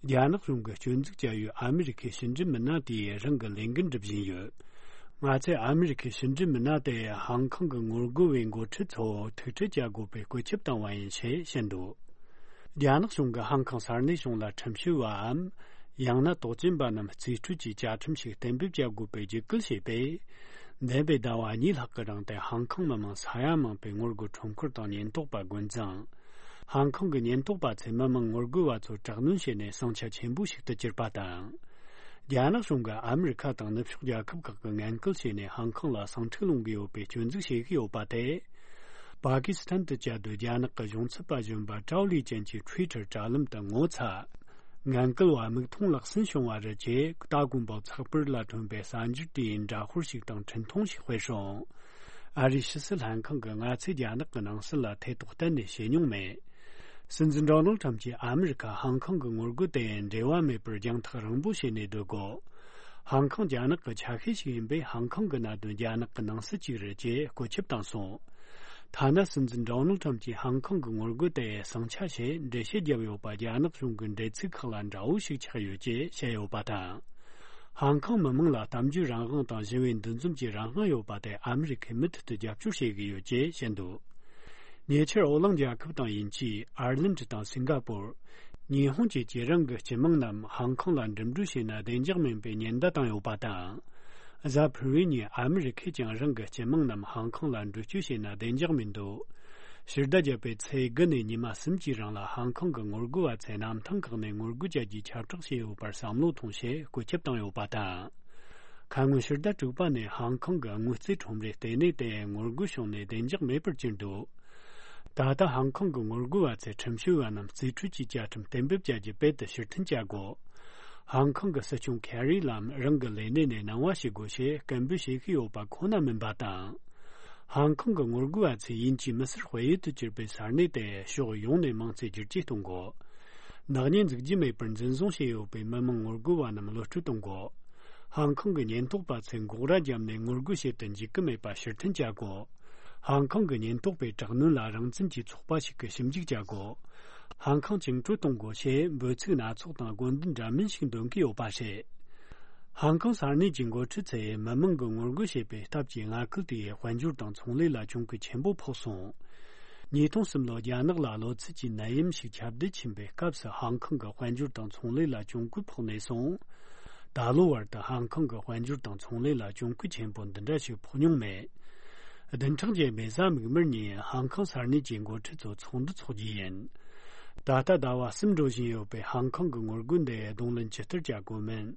རྒྱ་ནག་གཞུང་གིས་སྐྱོན་འཛུགས་བྱ་ཡུལ་ཨ་མི་རི་ཁའི་ཕྱི་འབྲེལ་མི་སྣ་དེས་རང་གི་ལས་འགན་སྒྲུབ་བཞིན་ཡོད། ང་ཚོས་ཨ་མི་རི་ཁའི་ཕྱི་འབྲེལ་མི་སྣ་དེ་ཧང་ཀང་གི་ངོ་རྒོལ་བའི་འགོ་ཁྲིད་ཚོ་ཐུག་འཕྲད་བྱ་དགོས་པའི་བཀོད་ཁྱབ་བཏང་བ་ཡིན་ཞེས་བཤད་འདུག་རྒྱ་ནག་གཞུང་གིས་ཧང་ཀང་ས་གནས་གཞུང་ལ་ཁྲིམས་ཞིབ་པའམ། ཡང་ན་དོགས་ཅན་པ་རྣམས་རྩིས་སྤྲོད་ཀྱི་བཅའ་ཁྲིམས་ཤིག་གཏན་འབེབས་བྱ་དགོས་པའི་རྒྱུད་སྐུལ་བྱས་པས། འདས་པའི་ཟླ་བ་གཉིས་ལྷག་གི་རིང་དུ་ཧང་ཀང་མི་མང་ས་ཡ་མང་པོས་ངོ་རྒོལ་ཁྲོམ་སྐོར་དང་ཉེན་རྟོག་པ་རྒོལ་འཛིང་། ཧང་ཀང་གི་ཉེན་རྟོག་པ་ཚོས་མི་མང་ངོ་རྒོལ་བ་ཚོར་དྲག་གནོན་བྱས་ནས་ཟིང་ཆ་ཆེན་པོ་ཞིག་ཏུ་གྱུར་པ་དང་། རྒྱ་ནག་གཞུང་གིས་ཨ་མི་རི་ཁ་དང་ནུབ་ཕྱོགས་རྒྱལ་ཁབ་ཁག་གིས་ངན་སྐུལ་བྱས་ནས་ཧང་ཀང་ལ་ཟིང་འཁྲུག་སློང་གི་ཡོད་པའི་སྐྱོན་འཛུགས་བྱེད་ཀྱི་ཡོད་པ་དེ། པ་ཀི་སི་ཐན་དུ་བཅའ་སྡོད་རྒྱ་ནག་གི་གཞུང་ཚབ་པ་གཞོན་པ་ཀྲའོ་ལི་ཅན་གྱི་ཊུའི་ཊར་དྲ་ལམ་དུ་ངོ་ཚ། ངན་སྐུལ་བ་མིག་མཐོང་ལག་ཟིན་བྱུང་བ་རེད་ཅེས་ཏཱ་དགོན་པའོ་ཚགས་པར་ལ་ཐོན་པའི་གསར་འགྱུར་དེའི་འདྲ་དཔར་ཞིག་དང་འཕྲིན་ཐུང་ཞིག་སྤེལ་སོང་། ཨ་རིའི་ཕྱི་སྲིད་ལྷན་ཁང་གིས་ང་ཚོས་རྒྱ་ནག་གི་ནང་སྲིད་ལ་ཐེ་གཏོགས་གཏན་ནས་བྱེད་མྱོང་མེད། སྲིད་འཛིན་ཌོ་ནལ་ཁྲམ་གྱིས་ཨ་མི་རི་ཁ་ཧང་ཀང་གི་ངོ་རྒོལ་དེ་འབྲེལ་བ་མེད་པར་རྒྱང་ཐག་རིང་པོ་བྱས་ནས་སྡོད་དགོས། ཧང་ཀང་རྒྱ་ནག་གི་ཆ་ཤས་ཤིག་ཡིན་པས། ཧང་ཀང་གི་གནད་དོན་རྒྱ་ནག་གི་ནང་སྲིད་ཅིག་རེད་ཅེས་བཀོད་ཁྱབ་བཏང་སོང་། ཐ་ན་སྲིད་འཛིན་ཌོ་ནལ་ཁྲམ་གྱིས་ཧང་ཀང་གི་ངོ་རྒོལ་དེ་ཟིང་ཆ་བྱས་འགྲེལ་བཤད་བརྒྱབ་ཡོད་པ། རྒྱ་ནག་གཞུང་གི་འགྲེལ་ཚིག་ཁག་ལ་འདྲ་བོ་ཞིག་ཆགས་ཡོད་ཅེས་བཤད་ཡོད་པ་དང་། ཧང་ཀང་མི་མང་ལ་གཏམ་བརྗོད་རང་དབང་དང་ཞི་བའི་འདུ་འཛོམས་ཀྱི་རང་དབང་ཡོད་པ་དེ་ཨ་མི་རི་ཁས་མུ་མཐུད་དུ་རྒྱབ་སྐྱོར་བྱེད་ཀྱི་ཡོད་ཅེས་བཤད་འདུག་ཉེ་ཆར་ཨོ་གླིང་རྒྱལ་ཁབ་དང་དབྱིན་ཇི། ཨར་ལན་ཌི་དང་སིང་ག་པོར། ཉི་ཧོང་བཅས་ཀྱིས་རང་གི་སྤྱི་དམངས་རྣམས་ཧང་ཀང་ལ་འགྲིམ་འགྲུལ་བྱས་ན་བདེ་འཇགས་མིན་པའི་ཉེན་བརྡ་བཏང་ཡོད་པ་དང་། གཟའ་ཕུར་བུའི་ཉིན་ཨ་མི་རི་ཁས་ཀྱང་རང་གི་སྤྱི་དམངས་རྣམས་ཧང་ཀང་ལ་འགྲུལ་སྐྱོད་བྱས་ན་བདེ་འཇགས་མི་འདུག་ཕྱི་ཟླ་བརྒྱད་པའི་ཚེས་དགུ་ནས་ཉི་མ་གསུམ་གྱི་རིང་ལ་ཧང་ཀང་གི་ངོ་རྒོལ་བ་ཚོས་གནམ་ཐང་ཁག་ནས་ངོ་རྒོལ་བྱ་རྒྱུའི་ཁྱབ་བསྒྲགས་བྱས་ཡོད་པར་བསམ་བློ་ཐོངས་ཞེས་བཀོད་ཁྱབ་བཏང་ཡོད་པ་དང་། ཁ་སྔོན་ཕྱི་ཟླ་དྲུག་པ་ནས་ཧང་ཀང་གི་དངུལ་རྩིས་ཁྲོམ་རའི་ལྟེ་གནས་དེ་ངོ་རྒོལ་བྱུང་ནས་བདེ་འཇགས་མེད་པར་གྱུར་འདུག་ད་ལྟ་ཧང་ཀང་གི་ངོ་རྒོལ་བ་ཚོས་ཁྲིམས་ཞིབ་པ་རྣམས་རྩིས་སྤྲོད་ཀྱི་བཅའ་ཁྲིམས་གཏན་འབེབས་བྱ་རྒྱུ་དཔེ་དེ་ཕྱིར་འཐེན་བྱ་དགོས། ཧང་ཀང་གི་སྲིད་སྐྱོང་ཁེ་རི་ལམ་རང་གི་ལས་གནས་ནས་གནང་བ་བྱེད་དགོས་ཞེས་སྐད་འབོད་བྱེད་ཀྱི་ཡོད་པ་ཁོ་ན་མིན་པ་དང་། ཧང་ཀང་གི་ངོ་རྒོལ་བ་ཚོས་དབྱིན་ཇིའི་མི་སེར་དཔལ་ཡུལ་དུ་གྱུར་པའི་ས་གནས་དེ་ཕྱོགས་ཡོངས་ནས་མིང་ཚིག་བསྒྱུར་བཅོས་གཏོང་དགོས། ནག་ཉེས་འཛུགས་རྒྱུ་མེད་པར་འཛིན་བཟུང་བྱས་ཡོད་པའི་མི་མང་ངོ་རྒོལ་བ་རྣམས་གློད་བཀྲོལ་གཏོང་དགོས། ཧང་ཀང་གི་ཉེན་རྟོག་པ་ཚོས་འགོག་ར་བརྒྱབ་ནས་ངོ་རྒོལ་བྱེད་དུ་འཇུག་གི་མེད་པ་ཕྱིར་འཐེན་བྱ་དགོས། ཧང་ཀང་གི་ཉེན་རྟོག་པས་དྲག་གནོན་ལ་རང་བཙན་གྱི་ཚོགས་པ་ཞིག་གིས་ཞིབ་འཇུག་བྱ་དགོས། ཧང་ཀང་བཅིངས་འགྲོལ་གཏོང་དགོས་ཞེས་འབོད་ཚིག་སྣ་ཚོགས་དང་དགོས་འདུན་འདྲ་མིན་ཞིག་འདོན་གྱི་ཡོད་པ་རེད། ཧང་ཀང་ས་གནས་ཀྱི་འགོ་ཁྲིད་ཚོས་མི་མང་གི་ངོ་རྒོལ་བྱེད་པའི་སྟབས་ཀྱིས་མངའ་ཁུལ་དེའི་དཔལ་འབྱོར་དང་ཚོང་ལས་ལ་གྱོང་གུན་ཆེན་པོ་ཕོག་སོང་། ཉིས་སྟོང་གསུམ་ལོར་རྒྱ་ནག་ལ་གློ་ཚད་ཀྱི་ནད་ཡམས་ཤིག་ཁྱབ་གདལ་ཕྱིན་པའི་སྐབས་སུ་ཧང་ཀང་གི་དཔལ་འབྱོར་དང་ཚོང་ལས་ལ་གྱོང་གུན་ཕོག་ནས་བཟུང་། ད་ལོ་བར་དུ་ཧང་ཀང་གི་དཔལ་འབྱོར་དང་ཚོང་ལས་ལ་གྱོང་གུན་ཆེན་པོ་འདི་འདྲ་ཞིག་ཕོག་མྱོང་མེད། བདུན་ཕྲག་རྗེས་མའི་གཟའ་མིག་དམར་ཉིན་ཧང་ཀང་ས་གནས་ཀྱི་འགོ་ཁྲིད་ཚོ་ཚོགས་འདུ་འཚོགས་རྒྱུ་ཡིན། ད་ལྟ་ཟླ་བ་གསུམ་འགྲོ་བཞིན་ཡོད་པའི་ཧང་ཀང་གི་ངོ་རྒོལ་འདི་གདོང་ལེན་ཇི་ལྟར་བྱ་དགོས་མིན།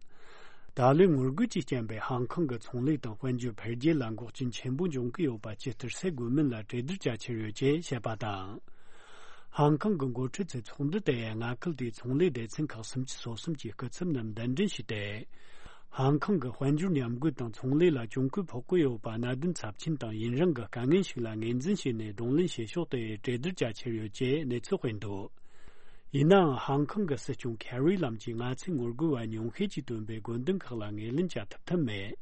ད་ལོའི་ངོ་རྒོལ་གྱི་རྐྱེན་པས་ཧང་ཀང་གི་ཚོང་ལས་དང་དཔལ་འབྱོར་འཕེལ་རྒྱས་ལ་འགོག་རྐྱེན་ཆེན་པོ་འབྱུང་གི་ཡོད་པ་ཇི་ལྟར་སེལ་དགོས་མིན་ལ་གྲོས་བསྡུར་བྱ་འཆར་ཡོད་ཅེས་བཤད་པ་དང་། ཧང་ཀང་གི་འགོ་ཁྲིད་ཚོས་ཚོགས་འདུ་དེ་མངའ་ཁུལ་དེའི་ཚོང་ལས་སྡེ་ཚན་ཁག་སུམ་ཅུ་སོ་གསུམ་གྱི་སྐུ་ཚབ་རྣམས་གདན་འདྲེན་ཞུས་ཏེ། ཧང་ཀང་གི་དཔལ་འབྱོར་ཉམས་རྒུད་དང་ཚོང་ལས་ལ་གྱོང་གུན་ཕོག་གི་ཡོད་པ་གནད་དོན་ཚབས་ཆེན་དང་ཡུན་རིང་གི་དཀའ་ངལ་ཞིག་ལ་ངོས་འཛིན་བྱས་ནས་གདོང་ལེན་བྱེད་ཕྱོགས་དེ་གྲོས་བསྡུར་བྱ་འཆར་ཡོད་ཅེས་གནས་ཚུལ་སྤེལ་འདུག་ཡིན་ནའང་ཧང་ཀང་གི་སྲིད་སྐྱོང་ཁེ་རི་ལམ་གྱིས་ང་ཚོས་ངོ་རྒོལ་བ་ཉུང་ཤས་ཀྱིས་བཏོན་པའི་དགོས་འདུན་ཁག་ལ་ངོས་ལེན་བྱ་ཐུབ་ཐབས་མེད།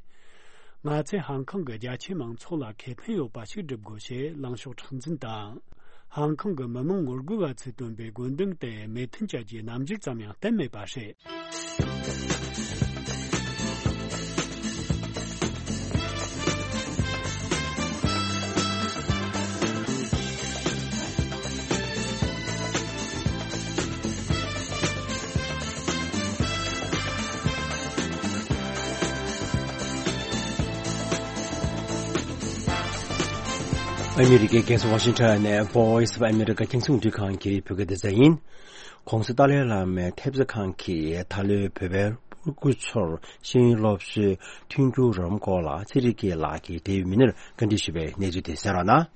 ང་ཚོས་ཧང་ཀང་གི་རྒྱ་ཆེའི་མང་ཚོགས་ལ་ཁེ་ཕན་ཡོད་པ་ཞིག་སྒྲུབ་དགོས་ཞེས་ལངས་ཕྱོགས་མཁྲེགས་འཛིན་དང་། ཧང་ཀང་གི་མི་མང་ངོ་རྒོལ་བ་ཚོས་བཏོན་པའི་དགོས་འདུན་དེ་མོས་མཐུན་བྱ་རྒྱུའི་རྣམ་འགྱུར་ཙམ་ཡང་བསྟན་མེད་པ་རེད། ཨ་མི་རི་ཀའི་རྒྱལ་ས་ཝ་ཤིང་ཊོན་ནས་Voice of America རྒྱང་སྲིང་རླུང་འཕྲིན་ཁང་གི་བོད་སྐད་སྡེ་ཚན་ཡིན། ྋགོང་ས་ཏཱ་ལའི་བླ་མའི་ཐེབས་རྩ་ཁང་གིས་ད་ལོའི་བོད་པའི་སྤུ་གུ་ཚོར་ཤེས་ཡོན་སློབ་གསོའི་མཐུན་འགྱུར་རོགས་རམ་སྐོར་ལ་ཚེ་རིང་སྐྱིད་ལགས་ཀྱིས་འབྲེལ་ཡོད་མི་སྣར་བཀའ་འདྲི་ཞུས་པའི་གནས་ཚུལ་དེ་གསན་རོགས་གནང་།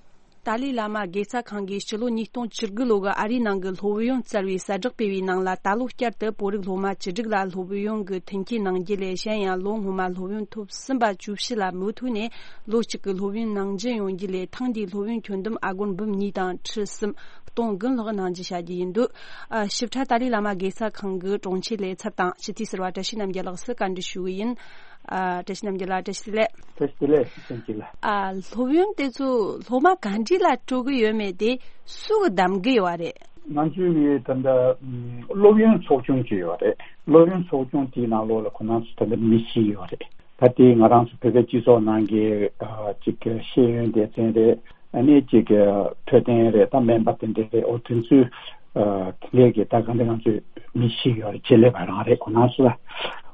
ཏཱ་ལའི་བླ་མ་དགེ་རྩ་ཁང་གིས་སྤྱི་ལོ་ཉིས་སྟོང་བཅུ་དགུ་ལོ་གི་ཨ་རིའི་ནང་གི་སློབ་ཡོན་བསྩལ་བའི་གསལ་བསྒྲགས་སྤེལ་བའི་ནང་ལ། ད་ལོ་བསྐྱར་དུ་བོད་རིགས་སློབ་མ་བཅུ་དྲུག་ལ་སློབ་ཡོན་གྱི་མཐུན་རྐྱེན་གནང་རྒྱུ་ལས། གཞན་ཡང་ལོ་སྔོན་མ་སློབ་ཡོན་ཐོབ་ཟིན་པ་བཅུ་བཞི་ལ་མུ་མཐུད་ནས་ལོ་གཅིག་གི་སློབ་ཡོན་ནང་འཛིན་ཡོང་རྒྱུ་ལས། ཐེངས་འདིའི་སློབ་ཡོན་ཁྱོན་བསྡོམས་ཨ་སྒོར་འབུམ་གཉིས་དང་ཁྲི་གསུམ་སྟོང་དགུ་ལྷག་གནང་རྒྱུ་བྱ་རྒྱུ་ཡིན་འདུག་ཨ། ཞིབ་ཕྲ་ཏཱ་ལའི་བླ་མ་དགེ་རྩ་ཁང་གི་དྲུང་ཆེ་ལས་ཚབ་དང་སྤྱི་འཐུས་ཟུར་པ་བཀྲ་ཤིས་རྣམ་རྒྱལ་ལགས་སུ་བཀའ་འདྲི་ཞུ་གི་ཡིན། ཨ། བཀྲ་ཤིས་རྣམ་རྒྱལ་ལགས། བཀྲ་ཤིས་བདེ་ལེགས། བཀྲ་ཤིས་བདེ་ལེགས། བཀྲ་ཤིས་བདེ་ལེགས། ཨ། སློབ་ཡོན་དེ་ཚོ་སློབ་མ་ག་འདྲ་ལ་སྤྲོད་གི་ཡོད་མེད་དེ་སུ་གིས་གདམ་གི་ཡོད་རེད། ང་ཚོའི་ད་ལྟ་སློབ་ཡོན་ཚོགས་ཆུང་ཅིག་ཡོད་རེད། སློབ་ཡོན་ཚོགས་ཆུང་དེའི་ནང་ལོགས་ལ་ཁོ་རང་ཚོ་ད་ལྟ་མི་བཞི་ཡོད་རེད། ད་དེ་ང་རང་ཚོ་བོད་པའི་སྤྱི་ཚོགས་ནང་གི་ཅིག་ཤེས་ཡོན་སྡེ་ཚན་རེད། ཨ་ནི་ཅིག་འཕྲོད་བསྟེན་རེད། ད་སྨན་པ་དེ་འདྲ་རེད། འོ་དེ་ཚོའི་དེ་འདྲའི་གི་ད་ག་འདྲ་ང་ཚོའི་མི་བཞི་ཡོད་རེད། ཆེད་ལས་པ་རང་རེད། ཁོ་རང་ཚོ་ལ་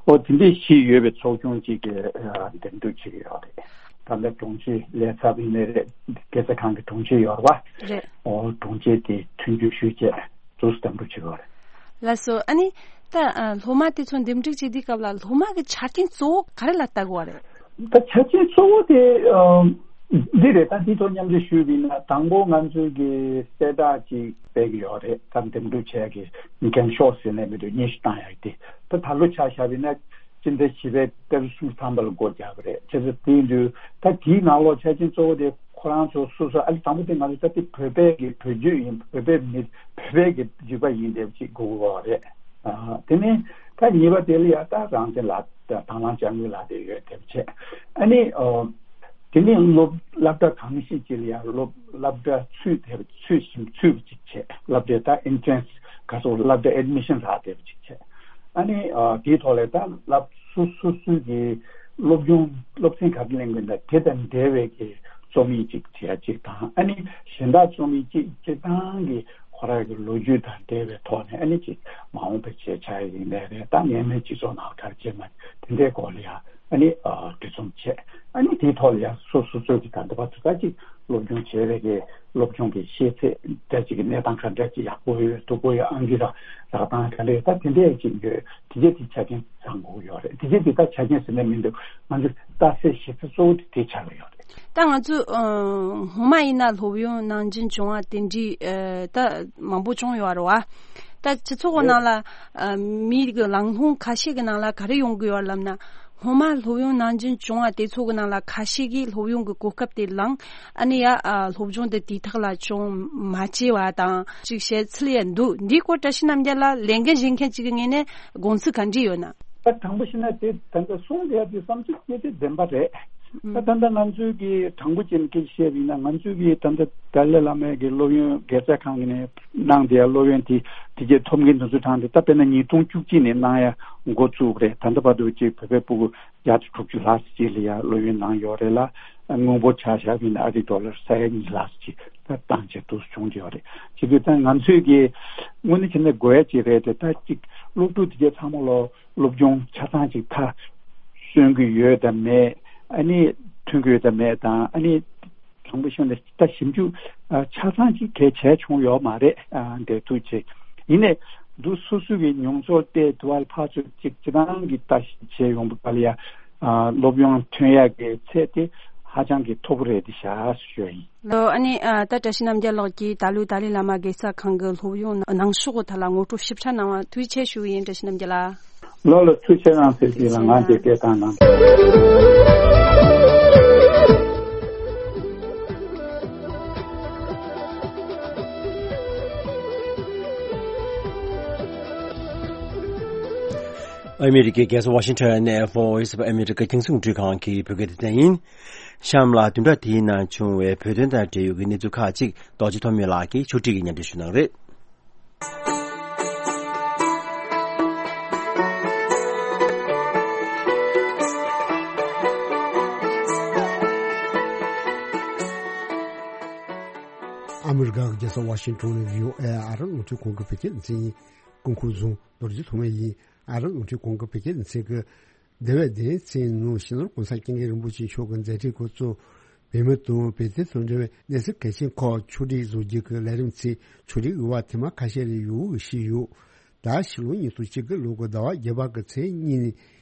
འོ་དེ་འདྲའི་བཞི་ཡོད་པའི་ཚོགས་ཆུང་ཅིག་གི་འདེམས་སྒྲུག་བྱེད་ཀྱི་ཡོད་རེད། ད་ལྟ་དྲུང་ཆེ་ལས་ཚབ་ཡིན་ནའི་རེད། དགེ་རྩ་ཁང་གི་དྲུང་ཆེ་ཡོད་རེད་པ། རེད། འོ་དྲུང་ཆེ་དེ་མཐུན་འགྱུར་ཞུས་བྱས་དུས་སུ་འདེམས་སྒྲུག་བྱེད་དགོས་རེད། ལགས་སོ། ཨ་ནི་ད་ཨ་སློབ་མ་དེ་ཚོ་འདེམས་སྒྲུག་བྱེད་དུས་སྐབས་ལ་སློབ་མ་གི་ཆ་རྐྱེན་གཙོ་བོ་ག་རེ་ལ་ལྟ་དགོས་པ་རེད། ད་ཆ་རྐྱེན་གཙོ་བོ་དེ་ཨ་འདི་རེད། ད་འདི་ཐོག་མཉམ་འབྲེལ་ཞུས་པ་ཡིན་ན། དང་པོ་ང་ཚོས་ཀྱི་གསལ་བསྒྲགས་ཅིག་སྤེལ་གྱི་ཡོད་རེད། ད་འདེམས་སྒྲུག་བྱེད་ཀྱི་འགེངས་ཤོག་ཟེར་ནས་མི་འདུག་སྙན་ཞུ་བཏང་ཡག་དེ། ད་ད་ལོ་ཆ་བཞག་པ་ཡིན་ན་སྤྱི་ཟླ་བཞི་པའི་ཏ་རིག་སུམ་ཅུ་ཐམ་པ་ལ་སྒོ་རྒྱག་གི་རེད། བྱས་ཙང་དེ་ཡིན་དུས་ད་དེའི་ནང་ལོགས་ཆ་རྐྱེན་གཙོ་བོ་དེ་ཁོ་རང་ཚོ་སོ་སོ། ཨ་ནི་དང་པོ་དེ་ང་ཚོ་ད་དེ་བོད་པའི་གི་བོད་བརྒྱུད་ཡིན། བོད་པའི་མི། བོད་པའི་གི་བརྒྱུད་པ་ཡིན་པ་ཅིག་དགོས་ཀྱི་ཡོད་རེད། ཨ། དེ་ནས་ ད་གཉིས་པ་དེ་ལ་ཡང་ད་རང་བཙན་ལག་དང་བླངས་དཔྱ་དངུལ་ལག་དེབ་ཡོད་དེ་བྱས། ཨ་ནི་ཨོ། དེ་ནས་སློབ་སློབ་གྲྭ་གང་ཞིག་ཅིག་ལ་ཡང་སློབ་སློབ་གྲྭ་ཚུད་དེ་ཚུད་ཞིང་ཚུད་པ་ཅིག་བྱས། སློབ་གྲྭའི་ད་ཨེན་ཊི་རན་སི་ག་སོགས་སློབ་གྲྭ་ཨེཌ་མི་ཤན་ལག་དེབ་ཅིག་བྱས། ཨ་ནི་ཨོ། དེའི་ཐོག་ལ་ད་སློབ་སོ་སོ་སོའི་གི་སློབ་སྦྱོང་སློབ་ཚན་ག་རེ་ལེན་གི་འདུག་དེ་དང་འབྲེལ་བའི་གི་རྩོམ་ཡིག་ཅིག་བྲིས་ཡ་གཅིག་དང་། ཨ་ནི་གཞན་དག་རྩོམ་ཡིག་ཅིག་སྤྱིར་བཏང་གི་ཁོ་རང་གི་ལོ་རྒྱུས་དང་འབྲེལ་བའི་ཐོག་ནས། ཨ་ནི་ཅིག་མ་འོངས་པའི་ཆེད་བྱ་ཡ་ཡིན་ནའི་རེད། ད་ཉེ་སྔོན་སྤྱི་ཚོགས་ནང་ག་རེ་བྱས་མ་དེ་འདྲའི་སྐོར་ལ་ཡང་ཨ་ནི་ཨ་འབྲི་རྩོམ་བྱས། ཨ་ནི་དེའི་ཐོག་ལ་ཡང་སོ་སོ་སོའི་གི་ད་ལྟ་བར་དུ་ད་ཅིག་སློབ་སྦྱོང་བྱས་པའི་གི་སློབ་སྦྱོང་གི་ཤེས་ཚད་འདྲ་ཅིག་གི་གནས་སྟངས་ག་འདྲ་ཅིག་ཡག་པོ་ཡོད་སྡུག་པོ་ཡོད། ཨང་ཀི་རག་རག་སྟངས་ག་འདྲ་ཡོད། ད་དེ་འདྲའི་ཅིག་ཡོད། དེ་རྗེས་དེ་ཆ་རྐྱེན་བཟང་པོ་ཡོད་རེད། དེ་རྗེས་དེ་ད་ཆ་རྐྱེན་ཟེར་ན་མི་འདུག་ང་ཚོ་ལྟ་སའི་གཞི་རྩ་གཙོ་བོ་དེ་དེ་ཆགས་ཀྱི་ཡོད་རེད། ད་ང་ཚོ་ཨ་སྔོན་མ་ཡིན་ན་སློབ་ཡོན་ནང་འདྲེན་བྱུང་བ་དེ་འདྲའི་ཨ་ད་མང་པོ་བྱུང་ཡོད་རེད་བ། ད་སྤྱི་ཚོགས་ནང་ལ་ཨ་མིའི་གི་ལང་ལྷོང་ཁ་ཤས་ཀྱི་ནང་ལ་ག་རེ་ཡོང་གི་ཡོད་ལབ་ན། སྔོན་མ་སློབ་ཡོན་ནང་འདྲེན་བྱུང་བ་དེ་ཚོ་གི་ནང་ལ་ཁ་ཤས་ཀྱིས་སློབ་ཡོན་གྱི་གོ་སྐབས་དེ་བླངས། ཨ་ནི་ཡ་ཨ་སློབ་སྦྱོང་དེ་དུས་ཐོག་ལ་བྱུང་མ་བྱས་པ་དང་ཅིག་བཤད་ཚུལ་ཡང་འདུག་འདིའི་སྐོར་བཀྲ་ཤིས་རྣམ་རྒྱལ་ལགས་ལས་འགན་བཞེས་མཁན་ཅིག་གི་ངོས་ནས་དགོངས་ཚུལ་ག་འདྲ་ཡོད་ན། ད་དྲང་པོ་བཤད་ན་དེ་ད་ལྟ་གསུང་བསྡད་ཡ་དེ་བསམ་ཚུལ་དེ་དེ་བདེན་པ་རེད། ད་ད་ལྟ་ང་ཚོའི་གི་དྲང་པོ་བྱས་ནས་སྐད་ཆ་བཤད་པ་ཡིན་ན། ང་ཚོའི་གི་ད་ལྟ་ཏཱ་ལའི་བླ་མའི་གི་སློབ་ཡོན་དགེ་རྩ་ཁང་གི་ནས་གནང་བསྡད་ཡ་སློབ་ཡོན་དེ་དེ་གའི་ཐོབ་མཁན་དེ་ཚོ་གྲངས་དེ་ད་དཔེར་ན་ཉིས་སྟོང་བཅུ་གཅིག་ནས་གནང་ཡ་འགོ་བཙུགས་པ་རེད། ད་ལྟ་བར་དུ་ཅིག་བོད་པའི་སྤུ་གུ་བརྒྱ་དང་དྲུག་ཅུ་ལྷག་ཙམ་ཅིག་ལ་ཡ་སློབ་ཡོན་གནང་ཡོད་རེད་ལ། དངུལ་འབོར་ཆ་བཞག་པ་ཡིན་ན་ཨ་རིའི་ཌོ་ལར་ས་ཡ་གཉིས་ལྷག་ཙམ་ཅིག་ད་བཏང་བྱས་འདུག་སེ་བྱུང་བསྡད་ཡོད་རེད། བྱེད་དུས་ད་ང་ཚོས་ཀྱི་དངོས་གནས་བྱས་ན་དགོས་ཡ་ཅིག་རེད་དེ། ད་ཅིག་སློབ་ཕྲུག་དེ་གའི་ཚང་མ་ལོ་སློབ་སྦྱོང་ཆ་ཚང་ཅིག་མཐར་སོན་གྱི་ཡོད་དམ་མེད། ཨ་ནི་ཐོན་གྱི་ཡོད་དམ་མེད་དང་། ཨ་ནི་དྲང་པོ་བཤད་ན་ད་ཞིབ་འཇུག་ཨ་ཆ་ཚང་ཅིག་གལ་ཆེ་བྱུང་ཡོད་མ་རེད། ཨ་འདས་ཐུག་ཆེ་ཡིན་ནས་འདུག་སོ་སོ་གི་མྱོང་ཚོར་དེ་དུ་བ་ལ་ཕར་ཚུར་ཅིག་སྤྱི་བཏང་གི་ལྟ་ཞིབ་བྱས་ཡོང་བ་ལ་ཡ། ཨ་སློབ་ཡོན་ཐོན་ཡག་གི་ཚད་དེ་ཧ་ཅང་གི་མཐོ་པོ་རེད་དེ་བཞག་ཞུ་ཡ་ཡིན། ལོ། ཨ་ནི་ཨ་ད་བཀྲ་ཤིས་རྣམ་རྒྱལ་ལགས་ཀྱིས་ད་ལོའི་ཏཱ་ལའི་བླ་མ་དགེ་རྩ་ཁང་གི་སློབ་ཡོན་གནང་ཕྱོགས་ཐད་ལ་ངོ་སྤྲོད་ཞིབ་ཕྲ་གནང་བ་ཐུགས་རྗེ་ཆེ་ཞུ་གི་ཡིན། བཀྲ་ཤིས་རྣམ་རྒྱལ་ལགས། ལོ་ལོ། ཐུགས་རྗེ་གནང་། ཟེར་གྱིས་ལ་ང་འདི་སྐད་བཏང་གནང་། ཨ་མི་རི་ཀའི་རྒྱལ་ས་ཝ་ཤིང་ཊོན་ནས་Voice of America རྒྱང་སྲིང་རླུང་འཕྲིན་ཁང་གི་བོད་སྐད་སྡེ་ཚན་ཡིན། གཤམ་ལ་བདུན་ཕྲག་འདིའི་ནང་བྱུང་བའི་བོད་དོན་དང་འབྲེལ་ཡོད་ཀྱི་གནས་ཚུལ་ཁག་ཅིག་རྡོ་རྗེ་ཐོགས་མེད་ལགས་ཀྱིས་ཕྱོགས་སྒྲིག་གིས་སྙན་སྒྲོན་ཞུ་གནང་རེད། ཨ་མི་རི་ཀ་གི་རྒྱལ་ས་ཝ་ཤིང་ཊོན་ནས་བྷི་ཨོ་ཨེ་ཨ་རིའི་རླུང་འཕྲིན་ཁང་གི་བོད་སྐད་སྡེ་ཚན་ཡིན། སྐུ་ཁམས་བཟང་། རྡོ་རྗེ་ཐོགས་མེད་ཡིན། ཨ་རིའི་རླུང་འཕྲིན་ཁང་གི་བོད་སྐད་སྡེ་ཚན་གྱི་འདས་པའི་བདུན་ཕྲག་ནང་སྤྱི་ནོར་༸གོང་ས་༸སྐྱབས་མགོན་རིན་པོ་ཆེ་མཆོག་གི་མཛད་འཕྲིན་སྐོར་གཙོ་བོད་མི་དང་བོད་དོན་དང་འབྲེལ་བའི་གནས་ཚུལ་གལ་ཆེན་ཁག་ཕྱོགས་སྒྲིག་བཟོ་རྒྱུ་གི་ལས་རིམ་ཚིག་ཕྱོགས་སྒྲིག་ཡོད་པ་ཐེངས་མ་ཁ་ཤས་རེ་ཡོད་ཞུས་ཡོད། ད་ཕྱི་ལོ་ཉིས་སྟོང་བཅུ་དགུ་ལོ་གི་ཟླ་བ་བརྒྱད་པ་གི་ཚེས་གཉིས་ནས་